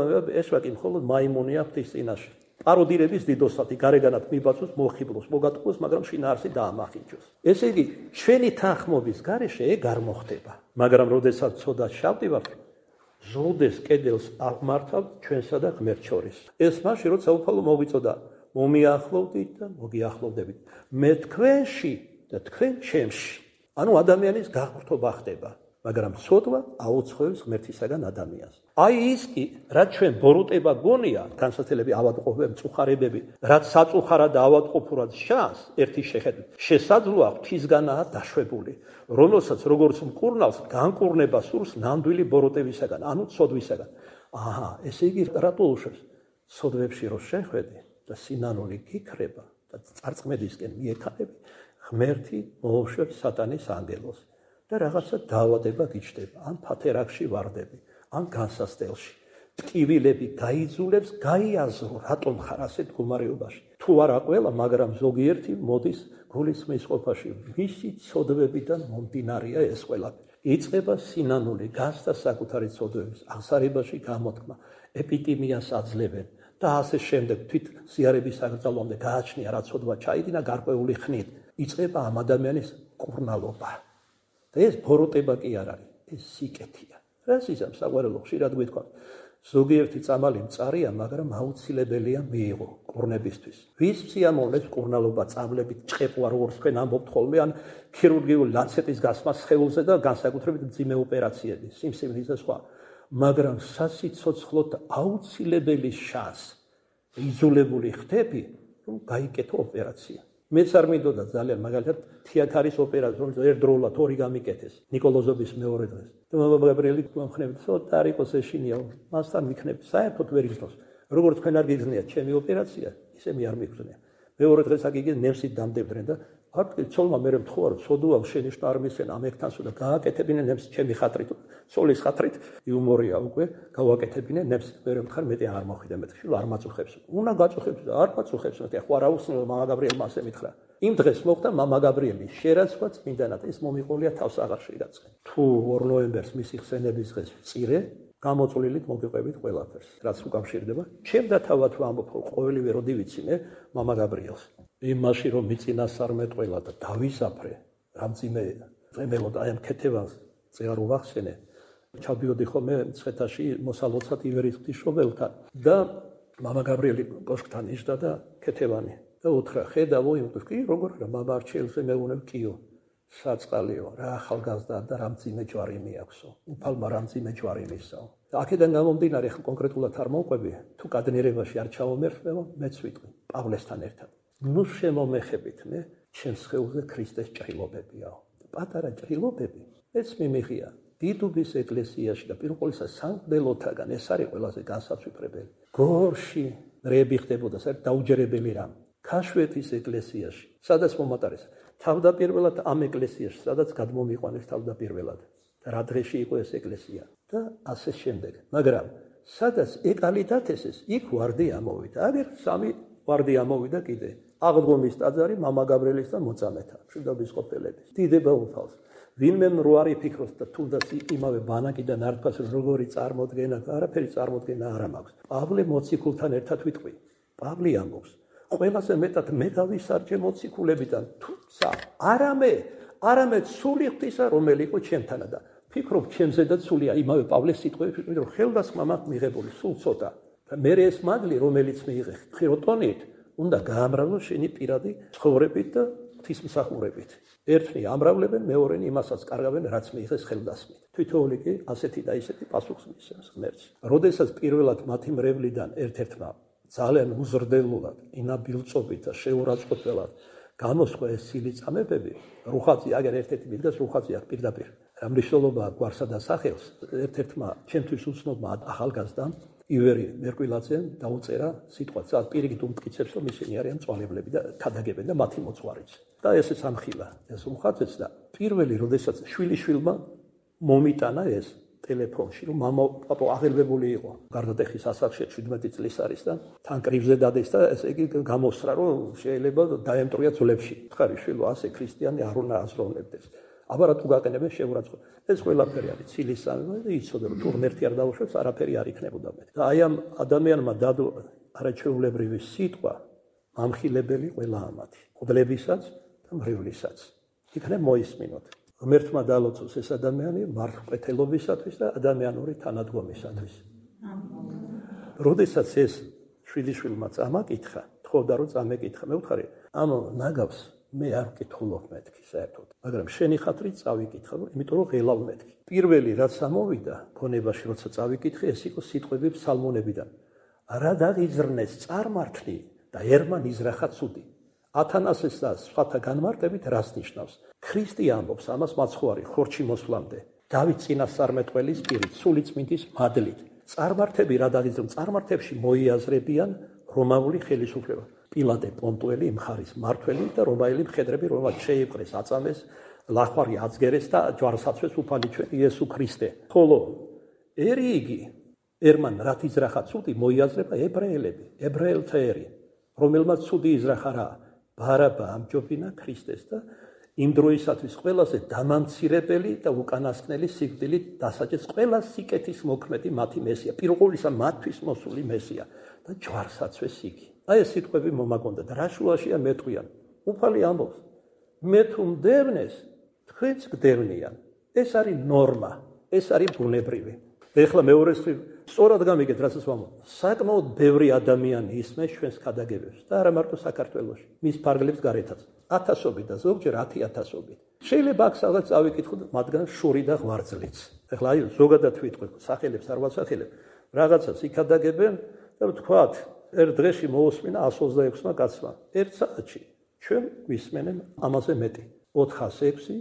ეშმაკი მხოლოდ მაიმუნია ღვთის წინაშე. პაროდირების დიდოსათი გარეგანად მიბაწოს, მოხიბლოს, მოგატყუოს, მაგრამ შინაარსი დაამახინჯოს. ესე იგი, ჩვენი თანხმობის გარეშე ეგ არ მოხდება. მაგრამ როდესაც ცოდას შევდივართ, ზრდეს კედელს აღმართავ ჩვენსა და ღმერთს შორის. ეს მაშინ როცა უფალო მოგვიწოდა, მომიახლოვდით და მოგიახლოვდებით. მე თქვენში და თქვენ ჩემში. ანუ ადამიანის გაყრთობა ხდება, მაგრამ ცოდვა აუცხოვებს ღმერთისაგან ადამიანს. აი ის კი, რაც ჩვენ ბოროტება გონია, განსაცდელები ავადმყოფები, მწუხარებები, რაც საწუხარად და ავადმყოფურად შანს, ერთი შეხედვით, შესაძლოა ღვთისგანაა დაშვებული, რომელსაც როგორც მკურნალს განკურნება სურს ნამდვილი ბოროტებისაგან, ანუ ცოდვისაგან. აჰა, ესე იგი რატო უშვებს? ცოდვებში რო შეხვედი და სინანული გიქრება და წარწმედისკენ მიექანები, ღმერთი მოუშვებს სატანის ანგელოს და რაღაცა დაავადება გიჩნდება, ან ფათერაკში ვარდები, ან განსასწელში. ტკივილები გაიძულებს, გაიაზრო, რატომ ხარ ასეთ მდგომარეობაში. თუ არა ყველა, მაგრამ ზოგიერთი მოდის გულისხმის ყოფაში, მისი ცოდვებიდან მომდინარეა ეს ყველაფერი. იწყება სინანული, გასდა საკუთარი ცოდვების აღსარებაში გამოთქმა, ეპიტიმიას აძლევენ და ასე შემდეგ თვით ზიარების აკრძალვამდე გააჩნია რა ცოდვა ჩაიდინა გარკვეული ხნით. იწყება ამ ადამიანის კურნალობა. და ეს ბოროტება კი არ არის, ეს სიკეთეა. რას იზამს საყვარელო ხშირად გვითქვამს, ზოგიერთი წამალი მწარია, მაგრამ აუცილებელია მიიღო კურნებისთვის. ვის სიამოვნებს კურნალობა წამლებით ჭყეპვა, როგორც თქვენ ამბობთ ხოლმე, ან ქირურგიული ლანცეტის გასმა სხეულზე და განსაკუთრებით მძიმე ოპერაციები, სიმსივნის და სხვა. მაგრამ სასიცოცხლოდ აუცილებელი შანს იზოლებული ხდები, რომ გაიკეთო ოპერაცია. მეც არ მინდოდა ძალიან, მაგალითად თიაქარის ოპერაცია, რომელიც ერთდროულად ორი გამიკეთეს, ნიკოლოზობის მეორე დღეს. და მამა გაბრიელი მომხნევდა, ცოტა არ იყოს ეშინია, მასთან ვიქნები, საერთოდ ვერ იგრძნოს. როგორც თქვენ არ გიგრძნიათ ჩემი ოპერაცია, ისე მე არ მიგრძნია. მეორე დღეს აგიგე ნევსით დამდებდნენ და არც ცოლმა მე მთხოვა, რომ ცოდუა შენი შტა არ მისცენ ამერტანსო და გააკეთებინე ნევს ჩემი ხატრით, ცოლის ხატრით, იუმორია უკვე, გავაკეთებინე ნევს მე მხარ მეტი არ მოხვიდა მეთქი, რომ არ მაწუხებს. უნდა გაწუხებს და არ მაწუხებს, მე ხო არა უსნო მამა გაბრიელმა ასე მითხრა. იმ დღეს მოხდა მამა გაბრიელი შერაცხვა წმინდანად, ეს მომიყოლია თავს აღარ შეირაცხე. თუ ორ ნოემბერს მისი ხსენების დღეს ვწირე, გამოწვლილით მოგიყვებით ყველაფერს, რაც უკავშირდება. ჩემ და თავად ვამბობ, რომ ყოველივე როდი ვიცინე მამა გაბრიელს. იმაში რომ მიწინასწარმეტყველა და დავისაფრე, რამძიმე წემელოდა აი ამ ქეთევანს წეღარ უახსენე. ჩავდიოდი ხოლმე მცხეთაში მოსალოცად ივერის ღვთისმშობელთან და მამა გაბრიელი კოშკთან იჯდა და ქეთევანი და უთხრა, ხედავო იმთვის, კი როგორ რა მამა არჩეულზე მეუნებ კიო. საწყალიო, რა ახალგაზრდა და რამძიმე ჯვარი მიაქვსო. უფალმა რამძიმე ჯვარი მისაო. და აქედან გამომდინარე, ხო კონკრეტულად არ მოვყვები, თუ კადნიერებაში არ ჩავომერხმევ, მეც ვიტყვი პავლესთან ერთად. ნუ შემომეხებით მე, ჩემს სხეულზე ქრისტეს ჭრილობებიაო. პატარა ჭრილობები, მეც მიმიღია დიდუბის ეკლესიაში და პირველ ყოვლისა სამღვდელოთაგან ეს არის ყველაზე განსაცვიფრებელი. გორში რები ხდებოდა, საერთოდ დაუჯერებელი რამ. ქაშვეთის ეკლესიაში, სადაც მომატარეს. თავდაპირველად ამ ეკლესიაში, სადაც გადმომიყვანეს თავდაპირველად. და რა დღეში იყო ეს ეკლესია და ასე შემდეგ. მაგრამ სადაც ეკალიდათესეს, იქ ვარდი ამოვიდა. აგერ სამი ვარდი ამოვიდა კიდე. აღდგომის ტაძარი მამა გაბრიელისთან მოწამეთა, მშვიდობის ყოფილების. დიდება უფალს. ვინმე რო არ იფიქროს და თუნდაც იმავე ბანაკიდან არ თქვას როგორი წარმოდგენა, არაფერი წარმოდგენა არ მაქვს. პავლე მოციქულთან ერთად ვიტყვი. პავლე ამბობს, ყველაზე მეტად მე გავისარჯე მოციქულებიდან, თუმცა არამე, არამე სული ღვთისა, რომელი იყო ჩემთანა და ფიქრობ ჩემზედაც სულია იმავე პავლეს სიტყვები, რომ ხელდასხმა მაქვს მიღებული სულ ცოტა. და მე ეს მადლი, რომელიც მიიღე ხიროტონით, უნდა გაამრავლო შენი პირადი ცხოვრებით და ღვთისმსახურებით. ერთნი ამრავლებენ, მეორენი იმასაც კარგავენ, რაც მიიღეს ხელდასხმით. თვითოული კი ასეთი და ისეთი პასუხს მისცემს ღმერთს. როდესაც პირველად მათი მრევლიდან ერთ-ერთმა ძალიან უზრდელულად, ინაბილწობით და შეურაცხყოფელად გამოსხვა ეს სილიწამებები, რუხაძე, აგერ ერთ-ერთი მიდგას რუხაძე აქ პირდაპირ. მნიშვნელობა გვარსა და სახელს ერთ-ერთმა ჩემთვის უცნობმა ახალგაზრდამ ივერი მერკვილაძემ დაუწერა სიტყვაც, პირიქით უმტკიცებს, რომ ისინი არიან მწვალებლები და ქადაგებენ და მათი მოძღვარიც. და ესეც ამხილა ეს რუხაძეც და პირველი, როდესაც შვილიშვილმა მომიტანა ეს ტელეფონში, რომ მამა პაპო აღელვებული იყო. გარდატეხის ასაკში შვიდმეტი წლის არის და თან კრივზე დადეს და ესე იგი გამოსრა, რომ შეიძლება დაემტრია ძვლებში. ხარი შვილო, ასე ქრისტიანი არ უნდა აზროვნებდეს. აბა რატო გაყენებენ შეურაცხყოფ. ეს ყველაფერი არის ცილისწამება და იცოდა რომ თუ ღმერთი არ დაუშვებს, არაფერი არ იქნებოდა მეტ. და აი ამ ადამიანმა დადო არაჩვეულებრივი სიტყვა, მამხილებელი ყველა ამათი, ღვთლებისაც და მრევლისაც. იქნებ მოისმინოთ. ღმერთმა დალოცოს ეს ადამიანი მართლყეთელობისათვის და ადამიანური თანადგომისათვის. როდესაც ეს შვილიშვილმა წამაკითხა, თხოვდა რომ წამეკითხა, მე ვთხარი, ამ ნაგავს მე არ ვკითხულობ მეთქი საერთოდ, მაგრამ შენი ხათრით წავიკითხა, იმიტომ რომ ღელავ მეთქი. პირველი რაც ამოვიდა ქონებაში, როცა წავიკითხე, ეს იყო სიტყვები ფსალმონებიდან. რა დაღიზრნეს წარმართლი და ერმან იზრახა ცუდი. ათანასეს და სხვათა განმარტებით რას ნიშნავს? ქრისტე ამბობს ამას მაცხოვარი ხორჩი მოსვლამდე. დავით წინასწარმეტყველის პირით, სული წმინდის მადლით. წარმართები რა დაღიზრნენ? წარმართებში მოიაზრებიან რომაული ხელისუფლება. პილატე პონტუელი მხარის მართველი და რომაელი მხედრები, რომელსაც შეიპყრეს, აწამეს, ლახვარი აცგერეს და ჯვარსაცვეს უფალი ჩვენ იესო ქრისტე. ხოლო ერი იგი ერმან რაც იზრახა ცუდი მოიაზრება ებრაელები, ებრაელთა ერი, რომელმაც ცუდი იზრახა რა? ბარაბა ამჯობინა ქრისტეს და იმ დროისათვის ყველაზე დამამცირებელი და უკანასკნელი სიკვდილით დასაჯეს ყველა სიკეთის მოქმედი მათი მესია, პირველისა მათთვის მოსული მესია და ჯვარსაცვეს იგი. აი ეს სიტყვები მომაგონდა და რა შუაშია მეტყვიან. უფალი ამბობს, მე თუ მდევნეს, თქვენც გდევნიან. ეს არის ნორმა, ეს არის ბუნებრივი. ეხლა მეორე მხრივ, სწორად გამიგეთ, რასაც ვამბობ. საკმაოდ ბევრი ადამიანი ისმენს ჩვენს ქადაგებებს და არა მარტო საქართველოში, მის ფარგლებს გარეთაც. ათასობით და ზოგჯერ ათი ათასობით. შეიძლება აქ სადაც წავიკითხოთ, მათგან შური და ღვარძლიც. ეხლა აი ზოგადად ვიტყვი, სახელებს არ ვასახელებ, რაღაცას იქადაგებენ და ვთქვათ, ერთ დღეში მოусმინა εκατს ოცდაექვსმა კაცმა. ერთ საათში ჩვენ გვისმენენ ამაზე მეტი. ოთხას ექვსი,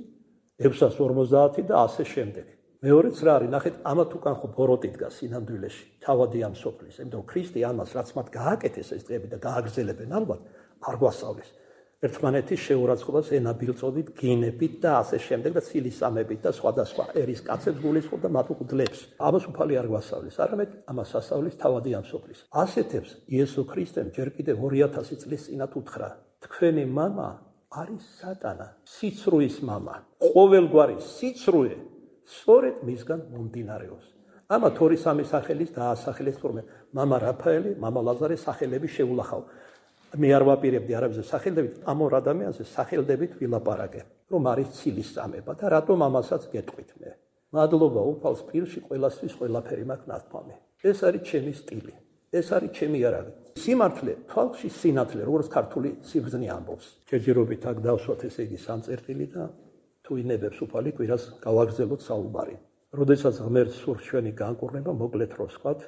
ექვსას ორმოცდაათი და ასე შემდეგ. მეორეც რა არის, ნახეთ, ამათ უკან ხო ბოროტი დგას სინამდვილეში, თავადი ამ სოფლის. იმიტომ რომ ქრისტე ამას, რაც მათ გააკეთეს ეს დღეები და გააგრძელებენ ალბათ, არ გვასწავლეს. ერთმანეთის შეურაცხყოფას ენაბილწოდით, გინებით და ასე შემდეგ და ცილისწამებით და სხვადასხვა ერის კაცებს გულისხმობ და მათ უგდლებს. ამას უფალი არ გვასწავლის, არამედ ამას ასწავლის თავადი ამ სოფლის. ასეთებს იესო ქრისტემ ჯერ კიდევ ორი ათასი წლის წინათ უთხრა, თქვენი მამა არის სატანა, სიცრუის მამა. ყოველგვარი სიცრუე სწორედ მისგან მომდინარეობს. ამათ ორი სამი სახელის დაასახელეს თურმე, მამა რაფაელი, მამა ლაზარე სახელები შეულახავ. მე არ ვაპირებდი არავის სახელდებით, ამ ორ ადამიანზე სახელდებით ვილაპარაკე, რომ არის ცილისწამება და რატომ ამასაც გეტყვით მე. მადლობა უფალს პირში ყველასთვის ყველაფერი მაქვს ნათქვამი. ეს არის ჩემი სტილი, ეს არის ჩემი იარაღი. სიმართლე, თვალში სინათლე, როგორც ქართული სიბრძნე ამბობს. ჯერჯერობით აქ დავსვათ ესე იგი სამწერტილი და თუ ინებებს უფალი კვირას გავაგრძელოთ საუბარი. როდესაც ღმერთს სურს ჩვენი განკურნება, მოკლედ რო ვსვათ,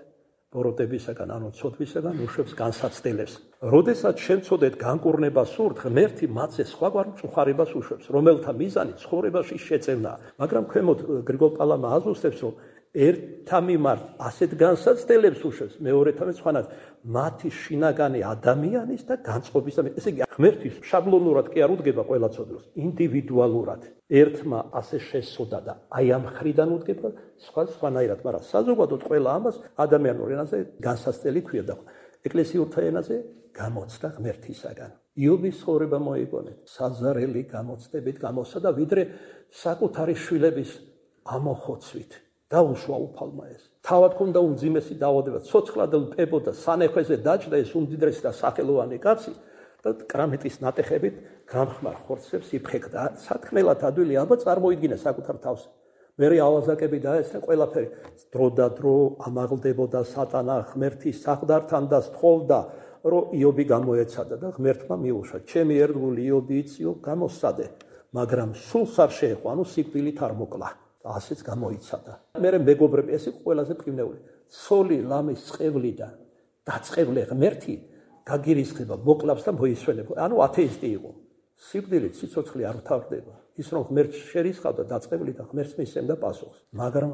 ბოროტებისაგან, ანუ ცოდვისაგან უშვებს განსაცდელებს. როდესაც შემცოდეთ განკურნება სურთ, ღმერთი მათზე სხვაგვარ მწუხარებას უშვებს, რომელთა მიზანი ცხოვრებაში შეწევნაა. მაგრამ ქვემოთ გრიგოლ პალამა აზუსტებს, რომ ერთა მიმართ ასეთ განსაცდელებს უშვებს, მეორეთან სხვანაირად მათი შინაგანი ადამიანის და განწყობის და ესე იგი ღმერთის შაბლონურად კი არ უდგება ყველა ცოდნას, ინდივიდუალურად. ერთმა ასე შესწოდა და აი ამ ხრიდან უდგება, სხვა სხვანაირად, მაგრამ საზოგადოდ ყველა ამას ადამიანურ ენაზე განსაცდელი ქვია და ეკლესიურთა ენაზე გამოცდა ღმერთისაგან. იობის ცხოვრება მოიგონეთ, საზარელი გამოცდებით გამოსა და ვიდრე საკუთარი შვილების ამოხოცვით. დაუშვა უფალმა ეს. თავად ქონდა უმძიმესი დაავადება, ცოცხლად პებოდა, სანეხვეზე დაჭდა ეს უმდიდრესი და სახელოვანი კაცი და კრამიტის ნატეხებით გამხმარ ხორცებს იფხეკდა. სათქმელად ადვილი აბა წარმოიდგინა საკუთარ თავს. მერე ავაზაკები დაესწრა ყველაფერი. დრო და დრო ამაღლდებოდა სატანა ღმერთის საყდართან და სთხოვდა, რომ იობი გამოეცადა და ღმერთმა მიუშვა. ჩემი ერთგული იობი იწიო, გამოსცადე, მაგრამ სულს არ შეეყო, ანუ სიკვდილით არ მოკლა. ასეც გამოიცადა. მერე მეგობრები, ეს იყო ყველაზე პრიმნეული. ცოლი ლამის წყევლიდან დაწყევლე ღმერთი გაგირისხება, მოკლავს და მოისვენებ. ანუ ათეისტი იყო. სიკვდილით სიცოცხლე არ თავდება. ის რომ ღმერთს შერისხავდა დაწყევლი და ღმერთს მისცემდა პასუხს. მაგრამ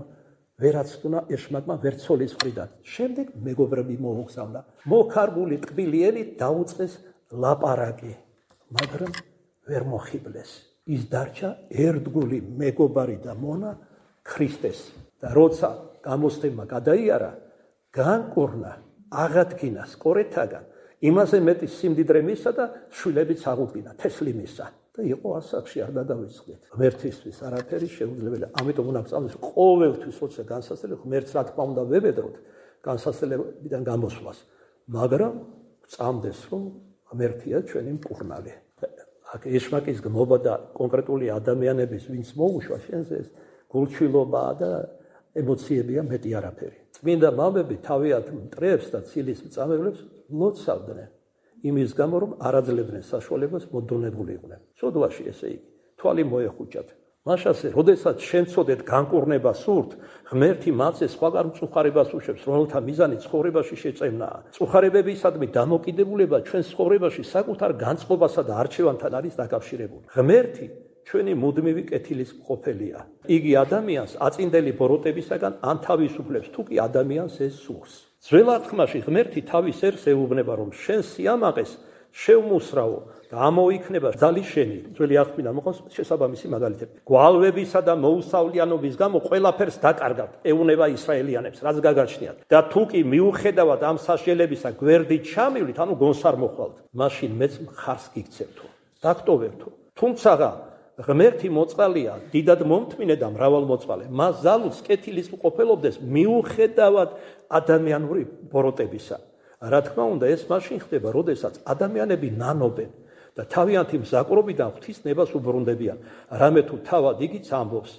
ვერაცდუნა ეშმაკმა ვერცოლის მხრიდან. შემდეგ მეგობრები მოუგზავნა. მოხარგული ტკბილიენით დაუწყეს ლაპარაკი, მაგრამ ვერ მოხიბლეს. ის დარჩა ერთგული მეგობარი და მონა ქრისტეს და როცა გამოსცემა გადაიარა, განკურნა, აღადგინა სკორეთაგან, იმაზე მეტი სიმდიდრე მისცა და შვილებიც აღუდგინა, თესლი მისცა და იყო ასაკში არ დაგავიწყდეთ. ღმერთისთვის არაფერი შეუძლებელია. ამიტომ უნდა ვწამდეს ყოველთვის როცა განსაცდელი ღმერთს რა თქმა უნდა ვებედროთ განსაცდელებიდან გამოსვლას, მაგრამ ვწამდეს რომ ღმერთია ჩვენი მკურნალი. აქ ეშმაკის გმობა და კონკრეტული ადამიანების ვინც მოუშვა შენზე ეს გულჩვილობაა და ემოციებია მეტი არაფერი. წმინდა მამები თავიანთ მტრებს და ცილის მწამებლებს ლოცავდნენ იმის გამო რომ არ აძლევდნენ საშუალებას მოდონებული იყვნენ. სოდვაში ესე იგი თვალი მოეხუჭათ. მაშასე, როდესაც შემცოდეთ განკურნება სურთ, ღმერთი მათზე სხვაგან მწუხარებას უშვებს, რომელთა მიზანი ცხოვრებაში შეწევნაა. მწუხარებებისადმი დამოკიდებულება ჩვენ ცხოვრებაში საკუთარ განწყობასა და არჩევანთან არის დაკავშირებული. ღმერთი ჩვენი მუდმივი კეთილის მყოფელია. იგი ადამიანს აწინდელი ბოროტებისაგან ან თავისუფლებს, თუ კი ადამიანს ეს სურს. ძველ აღთქმაში ღმერთი თავის ერს ეუბნება, რომ შენ სიამაყეს შევმუსრავო და ამოიქნება ძალი შენი. ძველი აღთქმიდან მოყავს შესაბამისი მაგალითები. გვალვებისა და მოუსავლიანობის გამო ყველაფერს დაკარგავთ, ეუბნება ისრაელიანებს, რაც გაგაჩნიათ. და თუ კი მიუხედავად ამ სასჯელებისა გვერდით ჩამივლით, ანუ გონს არ მოხვალთ, მაშინ მეც მხარს გიქცევთო, დაგტოვებთო. თუმცა ღმერთი მოწყალია, დიდად მომთმინე და მრავალმოწყალე. მას ზალუց კეთილის მყოფელობდეს მიუხედავად ადამიანური ბოროტებისა. რა თქმა უნდა, ეს მაშინ ხდება, როდესაც ადამიანები ნანობენ და თავიანთი მზაკრობიდან ღვთისნებას უბრუნდებიან. რამე თუ თავად იგიც ამბობს,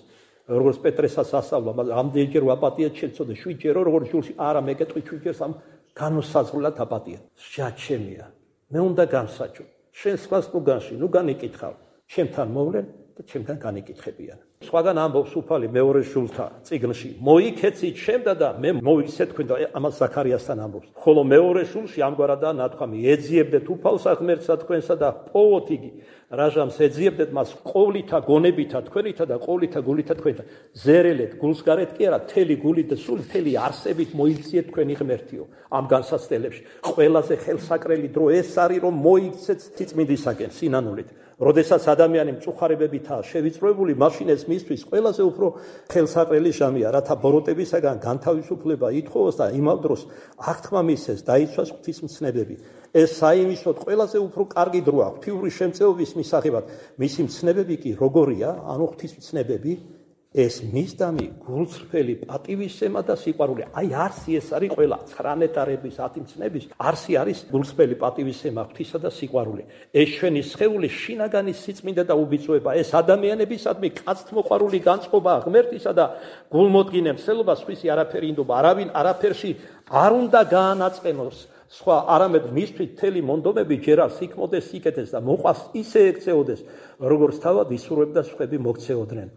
როგორც პეტრესაც ასწავლა, ამდენჯერ ვაპატიეთ შეცოდე, შვიდჯერო როგორც ჯულში, არა მეკეთყვი შვიდჯერს ამ განუსაზღვრლად აპატიეთ. შეაჩემია, მე უნდა გამსაჯო. შენ სხვას ნუ განში, ნუ განიკითხავ. ჩემთან მოვლენ და ჩემთან განიკითხებიან. სხვაგან ამბობს უფალი მეორე შულთა წიგნში, მოიქეცით შემდა და მე მოვიქცე თქვენ და ამას ზაქარიასთან ამბობს. ხოლო მეორე შულში ამგვარადაა ნათქვამი, ეძიებდეთ უფალსა ღმერთსა თქვენსა და პოვოთ იგი, რაჟამს ეძიებდეთ მას ყოვლითა გონებითა თქვენითა და ყოვლითა გულითა თქვენითა. ზერელეთ, გულს გარეთ კი არა, თელი გულით და სული თელი არსებით მოიქციეთ თქვენი ღმერთიო. ამ განსაცდელებში ყველაზე ხელსაკრელი დრო ეს არის, რომ მოიქცეთ თიწმინდისაკენ სინანულით. როდესაც ადამიანი მწუხარებებითაა შევიწროებული, მაშინ ეს მისთვის ყველაზე უფრო ხელსაყრელი ჟამია, რათა ბოროტებისაგან განთავისუფლება ითხოვოს და იმავ დროს აღთქმა მისცეს, დაიცვას ღვთისმცნებები. ეს საიმისოდ ყველაზე უფრო კარგი დროა ღვთიური შემწეობის მისაღებად. მისი მცნებები კი როგორია? ანუ ღვთისმცნებები ეს მისდამი გულწრფელი პატივისცემა და სიყვარული. აი არსი ეს არის ყველა ცხრა ნეტარების ათი მცნების არსი არის გულწრფელი პატივისცემა, ღვთისა და სიყვარული. ეს ჩვენი სხეული შინაგანი სიწმინდა და უბიწოება. ეს ადამიანებისადმი კაცთმოყვარული განწყობაა ღმერთისა და გულმოდგინე მსელობა სხვისი არაფერი ინდობა. არავინ არაფერში არ უნდა გაანაწყენოს სხვა არამედ მისთვის მთელი მონდომები ჯერ არ სიქმოდეს, სიკეთეს და მოყვას ისე ექცეოდეს, როგორც თავად ისურვებდა სხვები მოქცეოდნენ.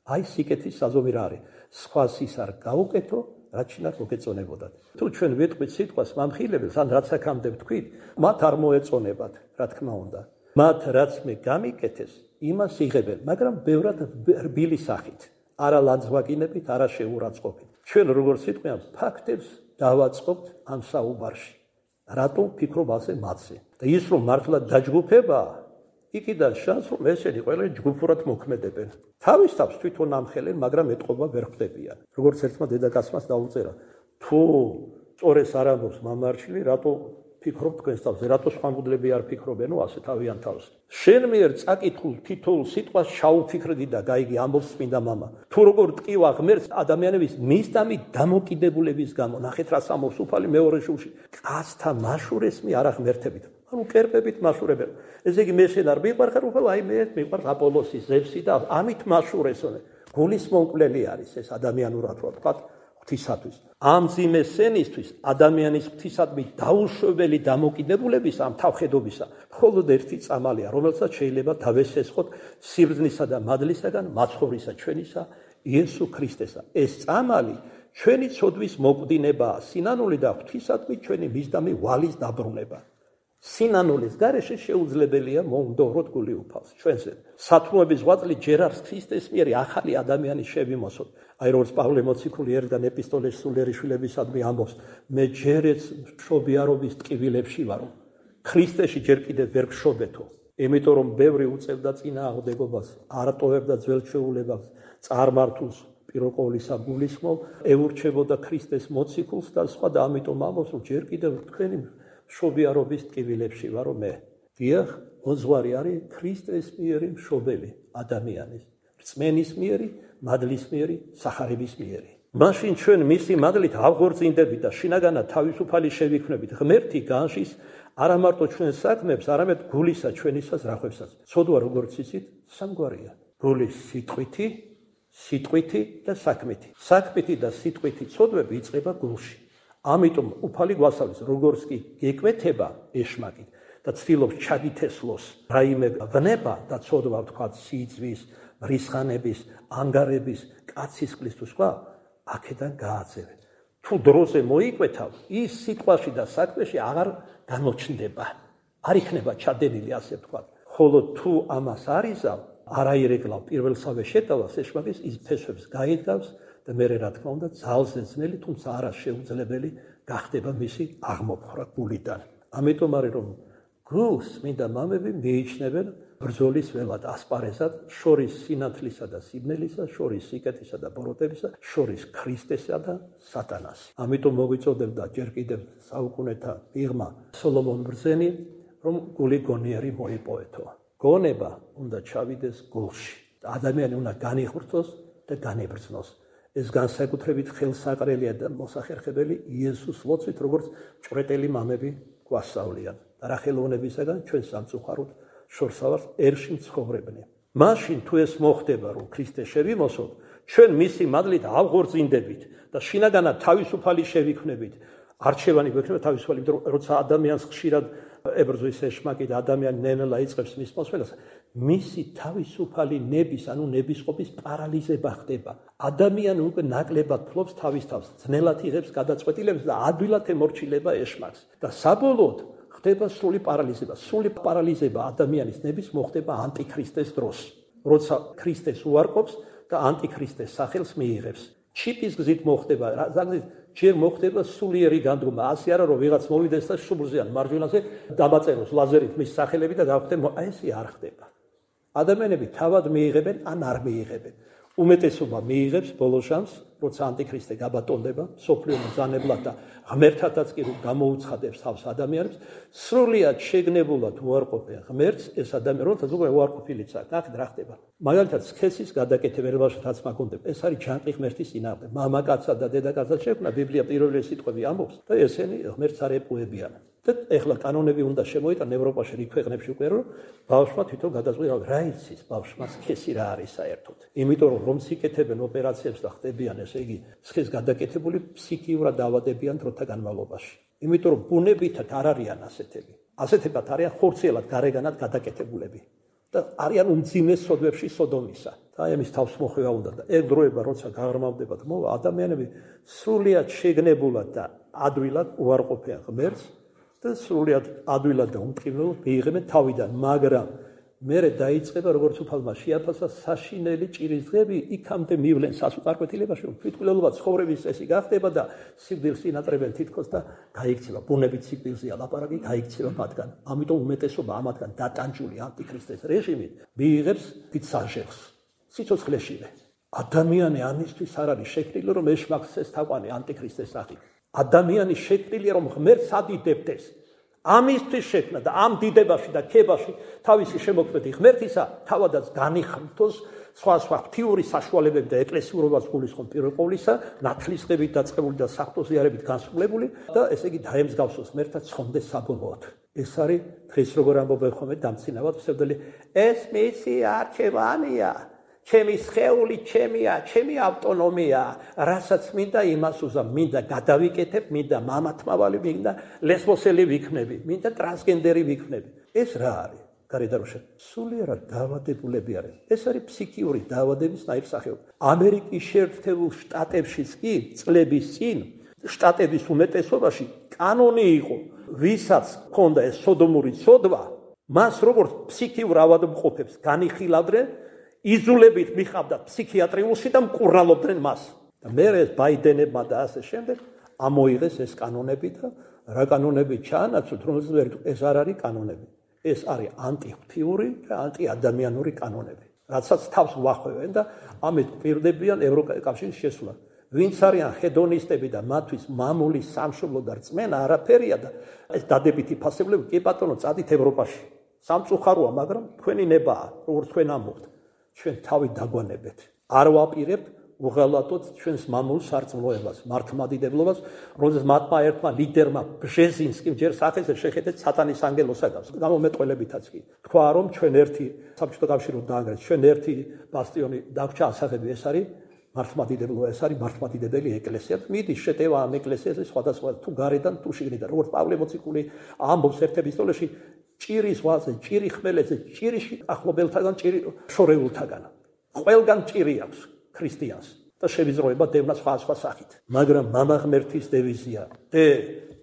აი სიკეთის საზომი რა არის? სხვას ის არ გაუკეთო, რაც შინაგ მოგეწონებოდათ. თუ ჩვენ ვეთქვით სიტყვას მამხილებელს, ან რაც აქამდე ვთქვით, მათ არ მოეწონებათ, რა თქმა უნდა. მათ რაც მე გამიკეთეს, იმას იღებენ, მაგრამ ბევრად რბილი სახით, არა ლანძღვაგინებით, არა შეურაცხყოფით. ჩვენ როგორც სიტყვიან ფაქტებს დავაწყობთ ამ საუბარში. რატო ფიქრობ ასე მათზე? და ის რომ მართლა დაჯგუფება, იქიდან შანს რომ ესენი ყველანი ჯგუფურად მოქმედებენ. თავის თავს თვითონ ამხელენ, მაგრამ ეტყობა ვერ ხვდებიან. როგორც ერთმა დედაკაცმას დაუწერა, თუ სწორეს არ ამბობს მამარჩილი, რატო ფიქრობ თქვენს თავზე, რატო სხვა მგლები არ ფიქრობენო ასე თავიანთ თავზე. შენ მიერ წაკითხულ თითოეულ სიტყვას შაუფიქრდი და გაიგი ამბობს წმინდა მამა. თუ როგორ ტკივა ღმერთს ადამიანების მისდამი დამოკიდებულების გამო, ნახეთ რა ამბობს უფალი მეორე შუში, კაცთა მაშურესმი არა ღმერთებით. ანუ კერპებით მაშურებენ. ესე იგი მე შენ არ მიყვარხარ უფალ, აი მე მიყვარს აპოლოსი, ზევსი და ამით მაშურესონე. გულის მომკვლელი არის ეს ადამიანურად ვთქვა ღვთისათვის. ამ ძიმე სენისთვის ადამიანის ღვთისადმი დაუშვებელი დამოკიდებულების ამ თავხედობისა მხოლოდ ერთი წამალია, რომელსაც შეიძლება დავესესხოთ სიბრძნისა და მადლისაგან მაცხოვრისა ჩვენისა იესო ქრისტესა. ეს წამალი ჩვენი ცოდვის მოკვდინებაა, სინანული და ღვთისადმი ჩვენი მისდამი ვალის დაბრუნება. სინანულის გარეშე შეუძლებელია მომდოვროთ გული უფალს ჩვენზე. სათნოების ღვაწლი ჯერ არის ქრისტეს მიერ ახალი ადამიანის შევიმოსოთ. აი როგორც პავლე მოციქული ერთგან ეპისტოლეში სულიერი შვილებისადმი ამბობს, მე ჯერაც მშობიარობის ტკივილებში ვარო. ქრისტეში ჯერ კიდევ ვერ ვშობეთო. იმიტომ რომ ბევრი უწევდა წინააღმდეგობას, არ ტოვებდა ძველ ჩვეულებას, წარმართულს პირველ ყოვლისა გულისხმობ, ეურჩებოდა ქრისტეს მოციქულს და სხვა და ამიტომ ამბობს, რომ ჯერ კიდევ თქვენი მშობიარობის ტკივილებში ვარო მე. დიახ, მოძღვარი არის ქრისტეს მიერი მშობელი ადამიანის, რწმენის მიერი, მადლის მიერი, სახარების მიერი. მაშინ ჩვენ მისი მადლით ავღორწინდებით და შინაგანად თავისუფალი შევიქმნებით ღმერთი განშის არა მარტო ჩვენ საქმებს, არამედ გულისა ჩვენისას რახვებსაც. ცოდვა როგორც იცით, სამგვარია. გულის სიტყვითი, სიტყვითი და საქმითი. საქმითი და სიტყვითი ცოდვები იწყება გულში. ამიტომ უფალი გვასწავლის, როგორც კი გეკვეთება ეშმაკით და ცდილობს ჩაგითესლოს რაიმე ვნება და ცოდვა ვთქვათ სიძვის, მრისხანების, ანგარების, კაცისყლის თუ სხვა, აქედან გააძევე. თუ დროზე მოიკვეთავ, ის სიტყვაში და საქმეში აღარ გამოჩნდება. არ იქნება ჩადენილი ასე ვთქვათ. ხოლო თუ ამას არ იზავ, არ აირეკლავ პირველსავე შეტევას ეშმაკის, ის ფესვებს გაიდგავს და მე რა თქმა უნდა ძალზე ძნელი, თუმცა არა შეუძლებელი გახდება მისი აღმოფხვრა გულიდან. ამიტომ არის რომ გულს მინდა მამები მიიჩნევენ ბრძოლის ველად, ასპარეზად, შორის სინათლისა და სიბნელისა, შორის სიკეთისა და ბოროტებისა, შორის ქრისტესა და სატანას. ამიტომ მოგვიწოდებდა ჯერ კიდევ საუკუნეთა მიღმა სოლომონ ბრძენი, რომ გული გონიერი მოიპოვეთო. გონება უნდა ჩავიდეს გულში. ადამიანი უნდა განიღვწოს და განებრძნოს. ეს განსაკუთრებით ხელსაყრელია და მოსახერხებელი იესოს ლოცვით, როგორც ჭვრეტელი მამები გვასწავლიან. და რა ხელოვნებისაგან ჩვენ სამწუხაროდ შორსავარს ერში მცხოვრებნი. მაშინ თუ ეს მოხდება, რომ ქრისტე შევიმოსოთ, ჩვენ მისი მადლით ავღორწინდებით და შინაგანად თავისუფალი შევიქმნებით. არჩევანი გვექნება თავისუფალი, როცა ადამიანს ხშირად ებრძვის ეშმაკი და ადამიანი ნენელა იწყებს მის მოსვლას, მისი თავისუფალი ნების, ანუ ნებისყოფის პარალიზება ხდება. ადამიანი უკვე ნაკლებად ფლობს თავის თავს, ძნელად იღებს გადაწყვეტილებებს და ადვილად ემორჩილება ეშმაკს. და საბოლოოდ ხდება სრული პარალიზება. სრული პარალიზება ადამიანის ნების მოხდება ანტიქრისტეს დროს, როცა ქრისტეს უარყოფს და ანტიქრისტეს სახელს მიიღებს. ჩიპის გზით მოხდება, ზოგადად ჯერ მოხდება სულიერი განდგომა. ასე არა რომ ვიღაც მოვიდეს და შუბლზე ან მარჯვენაზე დამაწეროს ლაზერით მის სახელები და გავხდენ, აი ესე არ ხდება. ადამიანები თავად მიიღებენ ან არ მიიღებენ. უმეტესობა მიიღებს ბოლო შანსს, როცა ანტიქრისტე გაბატონდება, სოფლიო მბრძანებლად და ღმერთთაც კი რომ გამოუცხადებს თავს ადამიანებს, სრულიად შეგნებულად უარყოფენ ღმერთს, ეს ადამიანი, როცა უკვე უარყოფილიც აქვს, ნახეთ რა ხდება. მაგალითად, სქესის გადაკეთებელობაშიც მაგონდება. ეს არის ჯანყი ღმერთის წინააღმდეგ. მამაკაცსა და დედაკაცსაც შექმნა ბიბლია პირველი სიტყვები ამბობს და ესენი ღმერთს არ ეპყუებიან. და ეხლა კანონები უნდა შემოიტანონ ევროპაში რიგ ქვეყნებში უკვე რომ ბავშვმა თვითონ გადაწყვიტა რა იცის ბავშვმა სქესი რა არის საერთოდ. იმიტომ რომ რომ სიკეთებენ ოპერაციებს და ხდებიან ესე იგი სქეს გადაკეთებული ფსიქიურად დაავადებიან დროთა განმავლობაში. იმიტომ რომ ბუნებითად არ არიან ასეთები. ასეთებად არიან ხორციელად გარეგანად გადაკეთებულები. და არიან უმძიმეს სოდვებში სოდომისა. და აი ამის თავს მოხვევა უნდა და ეგ დროება როცა გაღრმავდებათ მოვა ადამიანები სრულიად შეგნებულად და ადვილად უარყოფენ ღმერთს და სრულიად ადვილად და უმტკივნეულად მიიღებენ თავიდან, მაგრამ მერე დაიწყება როგორც უფალმა შეაფასა საშინელი ჭირის დღეები იქამდე მივლენ სასუპარკვეთილებაში რომ თვითმკვლელობა ცხოვრების წესი გახდება და სიკვდილს ინატრებენ თითქოს და გაიქცევა ბუნებით სიკვდილზეა ლაპარაკი გაიქცევა მათგან ამიტომ უმეტესობა ამათგან დატანჯული ანტიქრისტეს რეჟიმით მიიღებს თვითსაჟელს სიცოცხლეშივე ადამიანი ამისთვის არ არის შექმნილი რომ ეშმაკცეს თაყვანი ანტიქრისტეს სახით ადამიანი შექმნილია რომ ღმერთს ადიდებდეს ამისთვის შექმნა და ამ დიდებაში და ქებაში თავისი შემოქმედი ღმერთისა თავადაც განიხმთოს სხვა სხვა ღვთიური საშუალებები და ეკლესიურობას გულისხმობ პირველ ყოვლისა ნათლისღებით დაწყებული და საფრთხეზიარებით განსრულებული და ესე იგი დაემსგავსოს ღმერთთან ცხონდეს საბოლოოდ ეს არის დღეს როგორ ამბობენ ხოლმე დამცინავად ვსევდელი ეს მისი არჩევანია ჩემი სხეული ჩემია ჩემი ავტონომია რასაც მინდა იმას უზამ მინდა გადავიკეთებ მინდა მამათმავალი მინდა ლესბოსელი ვიქნები მინდა ტრანსგენდერი ვიქნები ეს რა არის გარედაროშა სულიერად დაავადებულები არის ეს არის ფსიქიური დაავადების ნაირსახეობა ამერიკის შეერთებულ შტატებშიც კი წლების წინ შტატების უმეტესობაში კანონი იყო ვისაც ჰქონდა ეს სოდომური ცოდვა მას როგორც ფსიქიურ ავადმყოფებს განიხილავდნენ იზოლებით მიხავდა ფსიქიატრიულში და მკურნალობდნენ მას. და მე ეს ბაიდენებმა და ასე შემდეგ ამოიღეს ეს კანონები და რა კანონები ჩაანაცვლეთ, რომელზეც ეს არ არის კანონები. ეს არის ანტიღვთიური და ანტიადამიანური კანონები. რაცაც თავს უახევენ და ამით პირდებიან ევროკავშირის შესვლა. ვინც არიან ჰედონისტები და მათთვის მამული სამშობლო და რწმენა არაფერია და ეს დადებითი ფასებლები კი ბატონო წადით ევროპაში. სამწუხაროა, მაგრამ თქვენი ნებაა, როგორც თქვენ ამბობთ. ჩვენ თავი დაგვანებეთ. არ ვაპირებთ უღალატოთ ჩვენს მამულ სარწმუნოებას, მართლმადიდებლობას, რომელზეც მათმა ერთმა ლიდერმა ბჟეზინსკიმ ჯერ სახეზე შეხედეთ სატანის ანგელოსაგავს. გამომეტყველებითაც კი. თქვა რომ ჩვენ ერთი საბჭოთა კავშირო დაანგრეს, ჩვენ ერთი ბასტიონი დაგვრჩა ასაღები, ეს არის მართლმადიდებლობა, ეს არის მართლმადიდებელი ეკლესია. მიდი შეტევა ამ ეკლესიაზე სხვადასხვა თუ გარედან თუ შიგნიდან. როგორც პავლე მოციქული ამბობს ერთ ეპისტოლეში ჭირი ზღვაზე, ჭირი ხმელეთზე, ჭირი ახლობელთაგან, ჭირი შორეულთაგან. ყველგან ჭირი აქვს ქრისტიანს და შევიზროება დევნა სხვა სხვა სახით. მაგრამ მამა ღმერთის დევიზია დე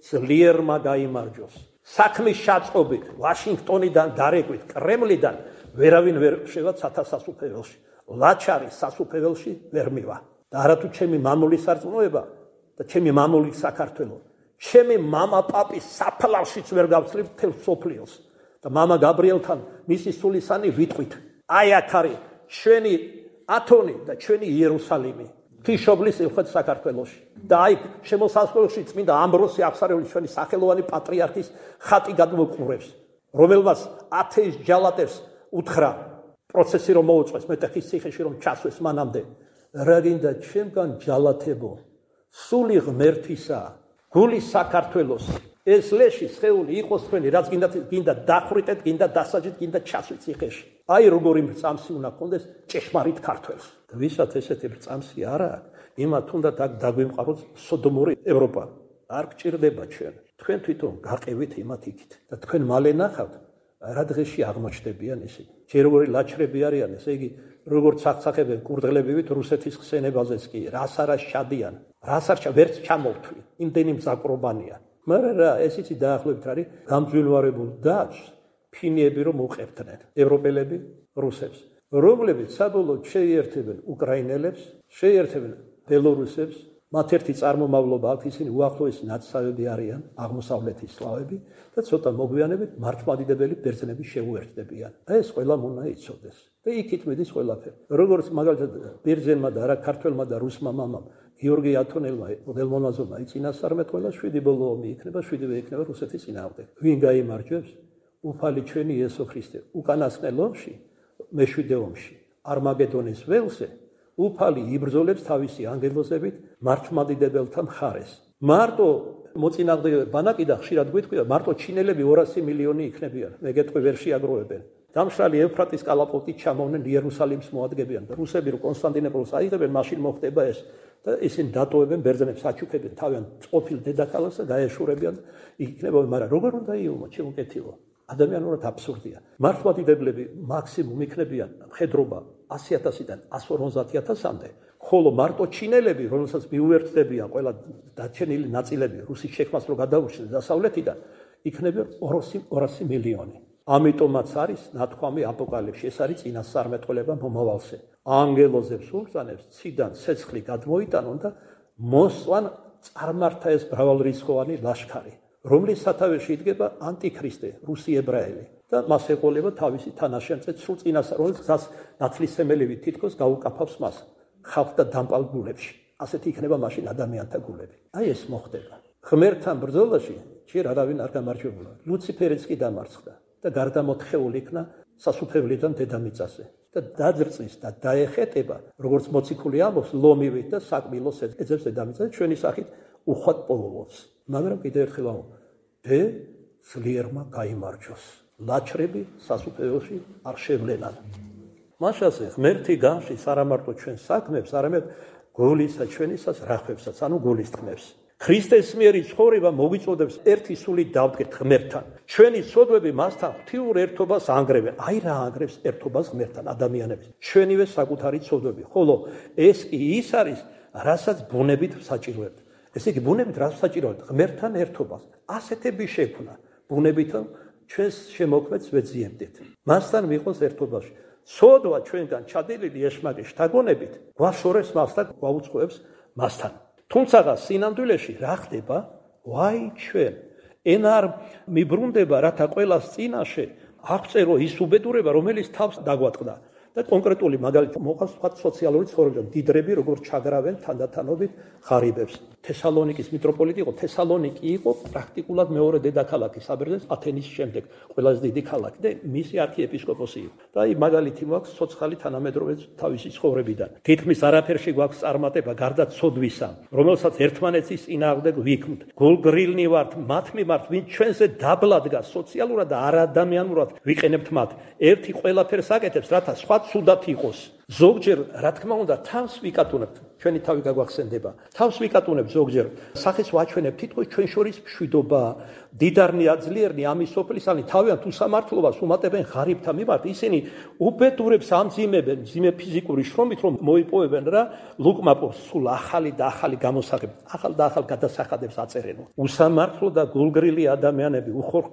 ძლიერმა გაიმარჯოს. საქმის შეწყობით ვაშინგტონიდან დარეკვით კრემლიდან ვერავინ ვერ შევა ცათასასუფეველში. ლაჩარი სასუფეველში ვერ მივა. და არათუ ჩემი მამული სარწმუნოება და ჩემი მამული საქართველო ჩემი მამა პაპის საფლავშიც ვერ გავცლებ მთელ სოფლიოს და მამა გაბრიელთან მისი სულისანი ვიტყვით აი აქ არის ჩვენი ათონი და ჩვენი იერუსალიმი თიშობლის ელხეთ საქართველოში და აი შემოსასვლელში წმინდა ამბროსი აღსარევლის ჩვენი სახელოვანი პატრიარქის ხატი გადმოყურებს რომელმაც ათეის ჯალატებს უთხრა პროცესი რომ მოუწყვეს მეტეხის ციხეში რომ ჩასვეს მანამდე რა გინდა ჩემგან ჯალათებო სული ღმერთისა გული საქართველოს ეს ლეში სხეული იყოს თქვენი რაც გინდა გინდა დახვრიტეთ გინდა დასაჯეთ გინდა ჩასვით ციხეში აი როგორი მრწამსი უნდა გქონდეს ჭეშმარიტ ქართველს და ვისაც ესეთი მრწამსი არა იმათ უნდა დაგვიმყაროს სოდომური ევროპა არ გჭირდება ჩვენ თქვენ თვითონ გაყევით იმათ იქით და თქვენ მალე ნახავთ რა დღეში აღმოჩნდებიან ისინი ჯერ როგორი ლაჩრები არიან ესე იგი როგორც აღწახებენ კურდღლებივით რუსეთის ხსენებაზეც კი რას არა შადიან რას არ ვერც ჩამოვთვლი იმდენი მზაკრობანია მაგრამ რა ეს იცი დაახლოებით არის გამძვირვალებულ დაშ ფინიები რომ უყებდნენ ევროპელები რუსებს რომლებიც საბოლოოდ შეიერთებენ უკრაინელებს შეიერთებენ ბელორუსებს მათ ერთი წარმომავლობა აქვს ისინი უახლოესი ნაცსავები არიან აღმოსავლეთის სლავები და ცოტა მოგვიანებით მართლმადიდებელი ბერძნები შეუერთდებიან და ეს ყველა უნდა იცოდეს და იქით მიდის ყველაფერი როგორც მაგალითად ბერძენმა და არა ქართველმა და რუსმა მამამ გიორგი ათონელმა მოდელმონაზონმა იწინასწარმეტყველა შვიდი ბოლო ომი იქნება შვიდივე იქნება რუსეთის წინააღმდეგ ვინ გაიმარჯვებს უფალი ჩვენი იესო ქრისტე უკანასკნელ ომში მეშვიდე ომში არმაგედონის ველზე უფალი იბრძოლებს თავისი ანგელოზებით მართლმადიდებელთა მხარეს მარტო მოწინააღმდეგე ბანაკი და ხშირად გვიტყვია მარტო ჩინელები ორასი მილიონი იქნებიან მე გეტყვი ვერ შეაგროვებენ დამშრალი ევფრატის კალაპოტით ჩამოვნენ იერუსალიმს მოადგებიან და რუსები რო კონსტანტინოპოლს აიღებენ მაშინ მოხდება ეს და ისინი დატოვებენ ბერძნებს აჩუქებენ თავიანთ ყოფილ დედაქალაქს და გაეშურებიან იქნება მაგრამ როგორ უნდა იუმო შემოკეთილო ადამიანურად აბსურდია მართლმადიდებლები მაქსიმუმ იქნებიან მხედრობა ასი ათასიდან ასი ორმოცდაათი ათასამდე ხოლო მარტო ჩინელები რომელსაც მიუერთდებიან ყველა დარჩენილი ნაწილები რუსის შექმნას რო გადაურჩნენ დასავლეთიდან იქნებიან ორასი მილიონი ამიტომაც არის ნათქვამი აპოკალიფსში, ეს არის წინასწარმეტყველება მომავალზე. ანგელოზებს უბრძანებს ციდან ცეცხლი გადმოიტანონ და მოსვან წარმართა ეს მრავალრიცხოვანი ლაშქარი, რომლის სათავეში იდგება ანტიქრისტე, რუსი ებრაელი და მას ეყოლება თავისი თანაშემწე სრულ წინასწარ, რომელსაც ნათლისმცემელები თითქოს გაუკაფავს მას ხალხთა დამპალ გულებში. ასეთი იქნება მაშინ ადამიანთა გულები. აი ეს მოხდება. ღმერთთან ბრძოლაში ჯერ არავინ არ გამარჯვებულა. ლუციფერიც კი დამარცხდა და გარდამოთხეული იქნა სასუფევლიდან დედამიწაზე და დაძრწის და დაეხეტება, როგორც მოციქული ამბობს, ლომივით და საკმილოს ეძებს დედამიწაზე ჩვენი სახით უხვად პოულობს. მაგრამ კიდევ ერთხელ ამბობ, დე ძლიერმა გაიმარჯვოს. ლაჩრები სასუფეველში არ შევლენან. მაშასე ღმერთი განშის არა მარტო ჩვენ საქმებს, არამედ გულისა ჩვენისას რახვებსაც, ანუ გულისწყნებს. ქრისტეს მიერი ცხოვრება მოგვიწოდებს ერთი სული დავდგეთ ღმერთთან. ჩვენი სოდვები მასთან ღვთიურ ერთობას ანგრევენ. აი რა ანგრევს ერთობას ღმერთთან ადამიანებს. ჩვენივე საკუთარი სოდვები. ხოლო ეს კი ის არის, რასაც ბუნებით საჭიროებთ. ესე იგი ბუნებით რას საჭიროებთ? ღმერთთან ერთობას. ასეთები შექმნა. ბუნებით ჩვენს შემოქმედს ვეძიებდით. მასთან ვიყოს ერთობაში. სოდვა ჩვენგან ჩადენილი ეშმაკის შთაგონებით გვაშორებს მას და გვაუწყობს მასთან. თუმცა სინამდვილეში რა ხდება? ვაი ჩვენ ენა არ მიბრუნდება, რათა ყველას წინაშე აღწერო ის უბედურება, რომელიც თავს დაგვატყდა. და კონკრეტული მაგალითი მოყავს თქვა სოციალური ცხოვრება, დიდრები როგორც ჩაგრავენ თანდათანობით ღარიბებს. თესალონიკის მიტროპოლიტი იყო, თესალონიკი იყო პრაქტიკულად მეორე დედაქალაქი საბერძნეთის ათენის შემდეგ, ყველაზე დიდი ქალაქი და მისი არქიეპისკოპოსი იყო. და აი მაგალითი მოაქვს ცოცხალი თანამედროვე თავისი ცხოვრებიდან. თითქმის არაფერში გვაქვს წარმატება გარდა ცოდვისა, რომელსაც ერთმანეთის წინააღმდეგ ვიქმთ. გულგრილნი ვართ მათ მიმართ, ვინც ჩვენზე დაბლადგა სოციალურად და არადამიანურად ვიყენებთ მათ. ერთი ყველაფერს აკეთებს, რათა სხვა ცუდად იყოს. ზოგჯერ, რა თქმა უნდა, თავს ვიკატუნებთ, ჩვენი თავი გაგვახსენდება. თავს ვიკატუნებთ ზოგჯერ, სახეს ვაჩვენებთ, თითქოს ჩვენ შორის მშვიდობა, დიდარნი აძლიერნი ამის სოფლისანი თავიანთ უსამართლობას უმატებენ ღარიბთა მიმართ. ისინი უბედურებს ამძიმებენ, ძიმე ფიზიკური შრომით, რომ მოიპოვებენ რა ლუკმაპოს სულ ახალი და ახალი გამოსაღებები, ახალ და ახალ გადასახადებს აწერენ. უსამართლო და გულგრილი ადამიანები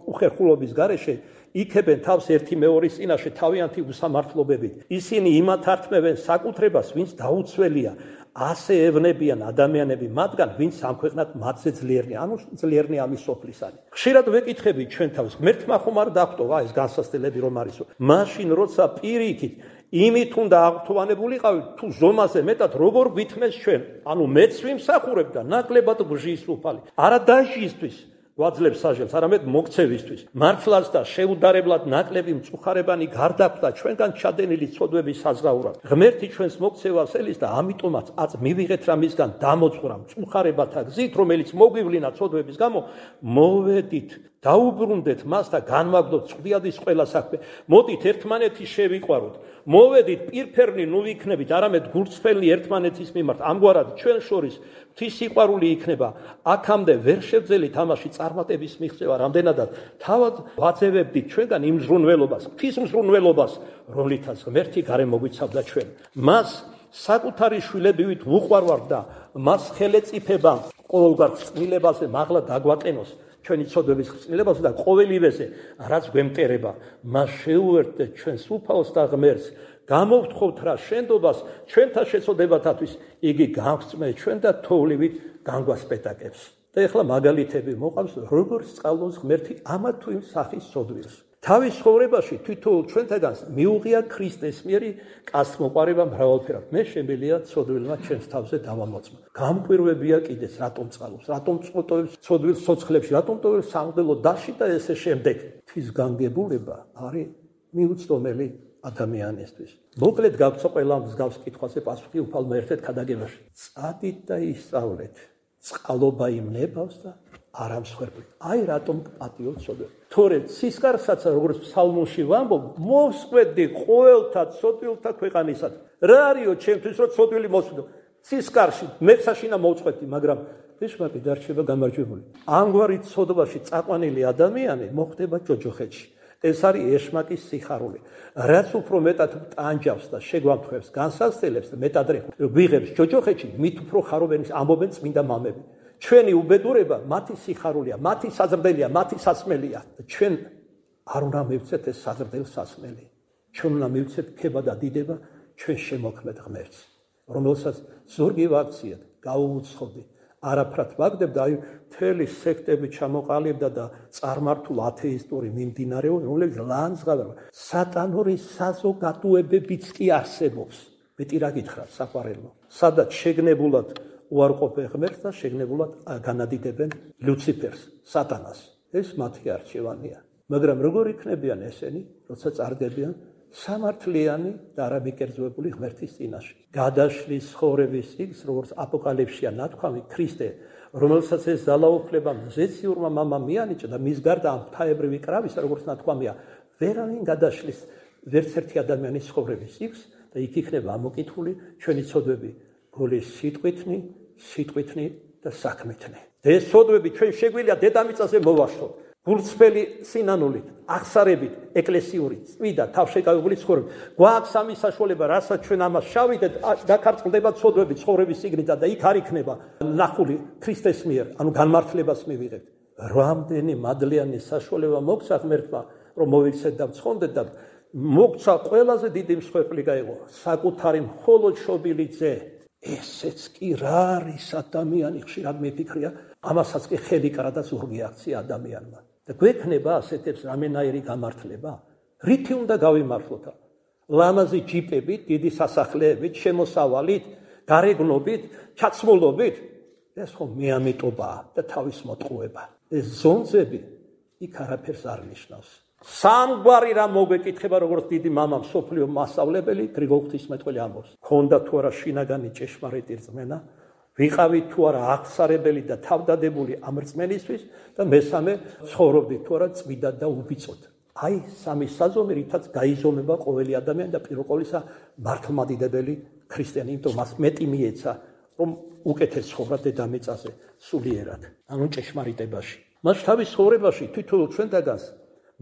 უხერხულობის გარეშე იქებენ თავს ერთი მეორის წინაშე თავიანთი უსამართლობებით. ისინი იმათ ართმევენ საკუთრებას, ვინც დაუცველია. ასე ევნებიან ადამიანები მათგან, ვინც სამქვეყნად მათზე ძლიერნი, ანუ ძლიერნი ამის სოფლისანი. ხშირად ვეკითხებით ჩვენ თავს, ღმერთმა ხომ არ დაგვტოვა ეს განსასწრებელი რომ არისო. მაშინ როცა პირიქით იმით უნდა აღთოვანებულიყავით, თუ ზომაზე მეტად როგორ გვითმეს ჩვენ, ანუ მეც ვიმსახურებ და ნაკლებად ბჟის უფალი. არა დაჟისთვის გვაძლევს საჟელს, არამედ მოქცევისთვის. მართლაც და შეუდარებლად ნაკლები მწუხარებანი გარდაქმნა ჩვენგან ჩადენილი ცოდვების საზღაურად. ღმერთი ჩვენს მოქცევას ელის და ამიტომაც აწ მივიღეთ რა მისგან დამოწურა მწუხარებათა გზით, რომელიც მოგვივლინა ცოდვების გამო, მოვედით, დაუბრუნდეთ მას და განვაგდოთ წვდიადის ყველა საქმე. მოდით ერთმანეთი შევიყვაროთ. მოვედით პირფერნი ნუ ვიქნებით, არამედ გულწრფელი ერთმანეთის მიმართ. ამგვარად ჩვენ შორის ღვთის სიყვარული იქნება. აქამდე ვერ შევძელით ამაში წარმატების მიღწევა, რამდენადაც თავად ვაძევებდით ჩვენგან იმ მზრუნველობას, ღვთის მზრუნველობას, რომლითაც ღმერთი გარემოგვიცავდა ჩვენ. მას საკუთარი შვილებივით ვუყვარვართ და მას ხელეწიფება ყოველგვარ წყვილებაზე მაღლა დაგვატენოს. ჩვენი ცოდვების ხრწნილებაზე და ყოველივეზე, რაც გვემტერება, მას შეუერთდეთ ჩვენს უფალს და ღმერთს. გამოვთხოვთ რა შენდობას ჩვენთა შეცოდებათათვის, იგი გავხსნეს ჩვენ და თოვლივით განგვასპეტაკებს. და ეხლა მაგალითები მოყავს, როგორ სწავლობს ღმერთი ამა თუ იმ სახის ცოდვილს. თავის ცხოვრებაში თვითონ ჩვენთაგან მიუღია ქრისტეს მიერი კაცმოყარება მრავალფერად. მე შემიძლია ცოდვილმა ჩვენს თავზე დავამოწმა. გამკვირვებია კიდეც, რატომ წყალობს, რატომ წოტოებს ცოდვილს ცოცხლებში, რატომ ტოვებს სამღვდელო დასში და ესე შემდეგ. თვის განგებულება არის მიუწვდომელი ადამიანისთვის. მოკლედ გავცო ყველა მსგავს კითხვაზე პასუხი უფალმა ერთ-ერთ ქადაგებაში. წადით და ისწავლეთ. წყალობა იმნებავს და არ ამსხვერპლით. აი რატომ პატიო ცოდვები. თორე სისკარსაც როგორც ფსალმუნში ვამბობ, მოსყვედი ყოველთა ცოდვილთა ქვეყანისად. რა არისო ჩემთვის რომ ცოდვილი მოსვიდო? სისკარში მეცაშინა მოვწყვეტი, მაგრამ ეშმაკი დარჩება გამარჯვებული. ამგვარი ცოდვაში წაყვანილი ადამიანი მოხდება ჯოჯოხეთში. ეს არის ეშმაკის სიხარული. რაც უფრო მეტად ტანჯავს და შეგვამთხვევს, განსაცდელებს და მეტად ვიღებს ჯოჯოხეთში, მით უფრო ხარობენ ამბობენ წმინდა მამები. ჩვენი უბედურება მათი სიხარულია, მათი საზრდელია, მათი სასმელია. ჩვენ არ უნდა მივცეთ ეს საზრდელ სასმელი. ჩვენ უნდა მივცეთ ქება და დიდება ჩვენ შემოქმედ ღმერთს, რომელსაც ზურგი ვაქციეთ, გავუუცხოდი, არაფრად ვაგდებდა, აი მთელი სექტები ჩამოყალიბდა და წარმართულ ათეისტური მიმდინარეობა, რომლებიც ლანძღავდა. სატანური საზოგადოებებიც კი არსებობს. მეტი რა გითხრათ, საყვარელო. სადაც შეგნებულად უარყოფენ ღმერთს და შეგნებულად განადიდებენ ლუციფერს, სატანას. ეს მათი არჩევანია. მაგრამ როგორ იქნებიან ესენი, როცა წარდგებიან სამართლიანი და არამიკერძოებული ღმერთის წინაშე. გადაშლის ცხოვრების იგს, როგორც აპოკალიფსია ნათქვამი, ქრისტე, რომელსაც ეს ძალაუფლება მზეციურმა მამამ მიანიჭა და მის გარდა ამ ღვთაებრივი კრავისა, როგორც ნათქვამია, ვერავინ გადაშლის ვერც ერთი ადამიანის ცხოვრების იგს და იქ იქნება ამოკითხული ჩვენი ცოდვები გოლის სიტყვითნი, სიტყვითნი და საქმითნი. და ეს ცოდვები ჩვენ შეგვიძლია დედამიწაზე მოვაშლოთ. გულწრფელი სინანულით, აღსარებით, ეკლესიური, წმიდა, თავშეკავებული ცხოვრება. გვაქვს ამის საშუალება, რასაც ჩვენ ამას შევიდეთ, დაქარწყლდება ცოდვები ცხოვრების სიგნიდან და იქ არ იქნება ნახული ქრისტეს მიერ, ანუ განმართლებას მივიღებთ. რამდენი მადლიანი საშუალება მოგცა ღმერთმა, რომ მოვიცეთ და ვცხონდეთ და მოგცა ყველაზე დიდი მსხვერპლი გაიღო, საკუთარი მხოლოდ შობილი ძე. ესეც კი რა არის ადამიანი, ხშირად მიფიქრია, ამასაც კი ხელი კრა და ზურგი აქცია ადამიანმა. და გვექნება ასეთებს რამენაირი გამართლება? რითი უნდა გავიმართლოთ? ლამაზი ჯიპებით, დიდი სასახლეებით, შემოსავალით, გარეგნობით, ჩაცმულობით? ეს ხო მეამიტობაა და თავის მოტყუება. ეს ზონზები იქ არაფერს არ ნიშნავს. სამგვარი რა მოგვეკითხება, როგორც დიდი მამა მსოფლიო მასწავლებელი გრიგოლ ღვთისმეტყველი ამბობს. ქონდა თუ არა შინაგანი ჭეშმარიტი რწმენა, ვიყავით თუ არა აღსარებელი და თავდადებული ამ რწმენისთვის და მესამე ცხოვრობდით თუ არა წმიდად და უბიწოდ. აი სამი საზომი, რითაც გაიზომება ყოველი ადამიანი და პირველ ყოვლისა მართლმადიდებელი ქრისტიანი, იმიტომ მას მეტი მიეცა, რომ უკეთეს ცხოვრა დედამიწაზე სულიერად, ანუ ჭეშმარიტებაში. მას თავის ცხოვრებაში თითოეულ ჩვენთაგანს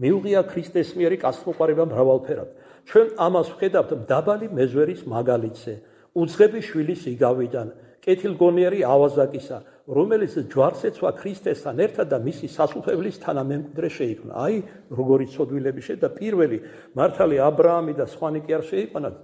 მიუღია ქრისტეს მიერი კაცმოყვარება მრავალფერად. ჩვენ ამას ვხედავთ მდაბალი მეზვერის მაგალითზე, უძღები შვილის იგავიდან, კეთილგონიერი ავაზაკისა, რომელიც ჯვარს ეცვა ქრისტესთან ერთად და მისი სასუფეველის თანამემკვიდრე შეიქმნა. აი, როგორი ცოდვილები შედა პირველი მართალი აბრაამი და სხვანი კი არ შეიყვანათ,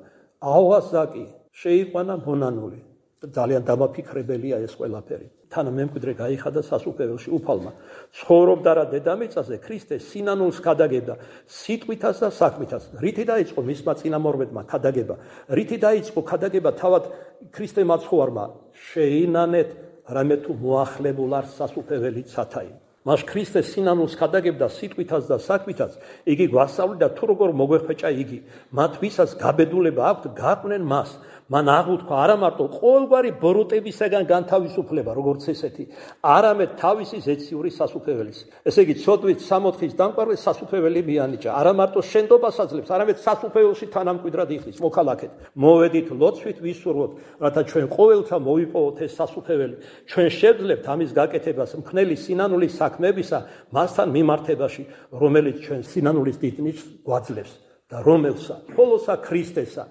ავაზაკი შეიყვანა მონანული. ძალიან დამაფიქრებელია ეს ყველაფერი. თანამემკვიდრე გაიხადა სასუფეველში უფალმა. ცხოვრობდა რა დედამიწაზე, ქრისტე სინანულს ქადაგებდა, სიტყვითაც და საქმითაც. რითი დაიწყო მისმა წინამორბედმა ქადაგება? რითი დაიწყო ქადაგება თავად ქრისტე მაცხოვარმა? შეინანეთ, რამე თუ მოახლებულ არ სასუფეველი ცათაი. მას ქრისტე სინანულს ქადაგებდა სიტყვითაც და საქმითაც. იგი გვასწავლიდა თუ როგორ მოგვეხვეჭა იგი. მათ ვისაც გაბედულება აქვთ, გაყვნენ მას. მან აღუთქვა არა მარტო ყოველგვარი ბოროტებისაგან განთავისუფლება, როგორც ესეთი, არამედ თავისი ზეციური სასუფეველის. ესე იგი, ცოდვით სამოთხის დამკვარვეს სასუფეველი მიანიჭა. არა მარტო შენდობას აძლევს, არამედ სასუფეველში თანამკვიდრად იხდის. მოქალაქეთ, მოვედით ლოცვით ვისურვოთ, რათა ჩვენ ყოველთა მოვიპოვოთ ეს სასუფეველი. ჩვენ შევძლებთ ამის გაკეთებას მხნელი სინანულის საქმეებისა მასთან მიმართებაში, რომელიც ჩვენ სინანულის დიდ ნიშნს გვაძლევს და რომელსა მხოლოსა ქრისტესა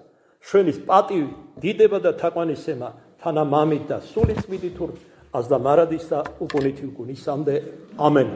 ჩვენის პატივი, დიდება და თაყვანისცემა თანა მამით და სული წმინდით აზდა მარადის და უკუნითი უკუნისამდე. ამენ.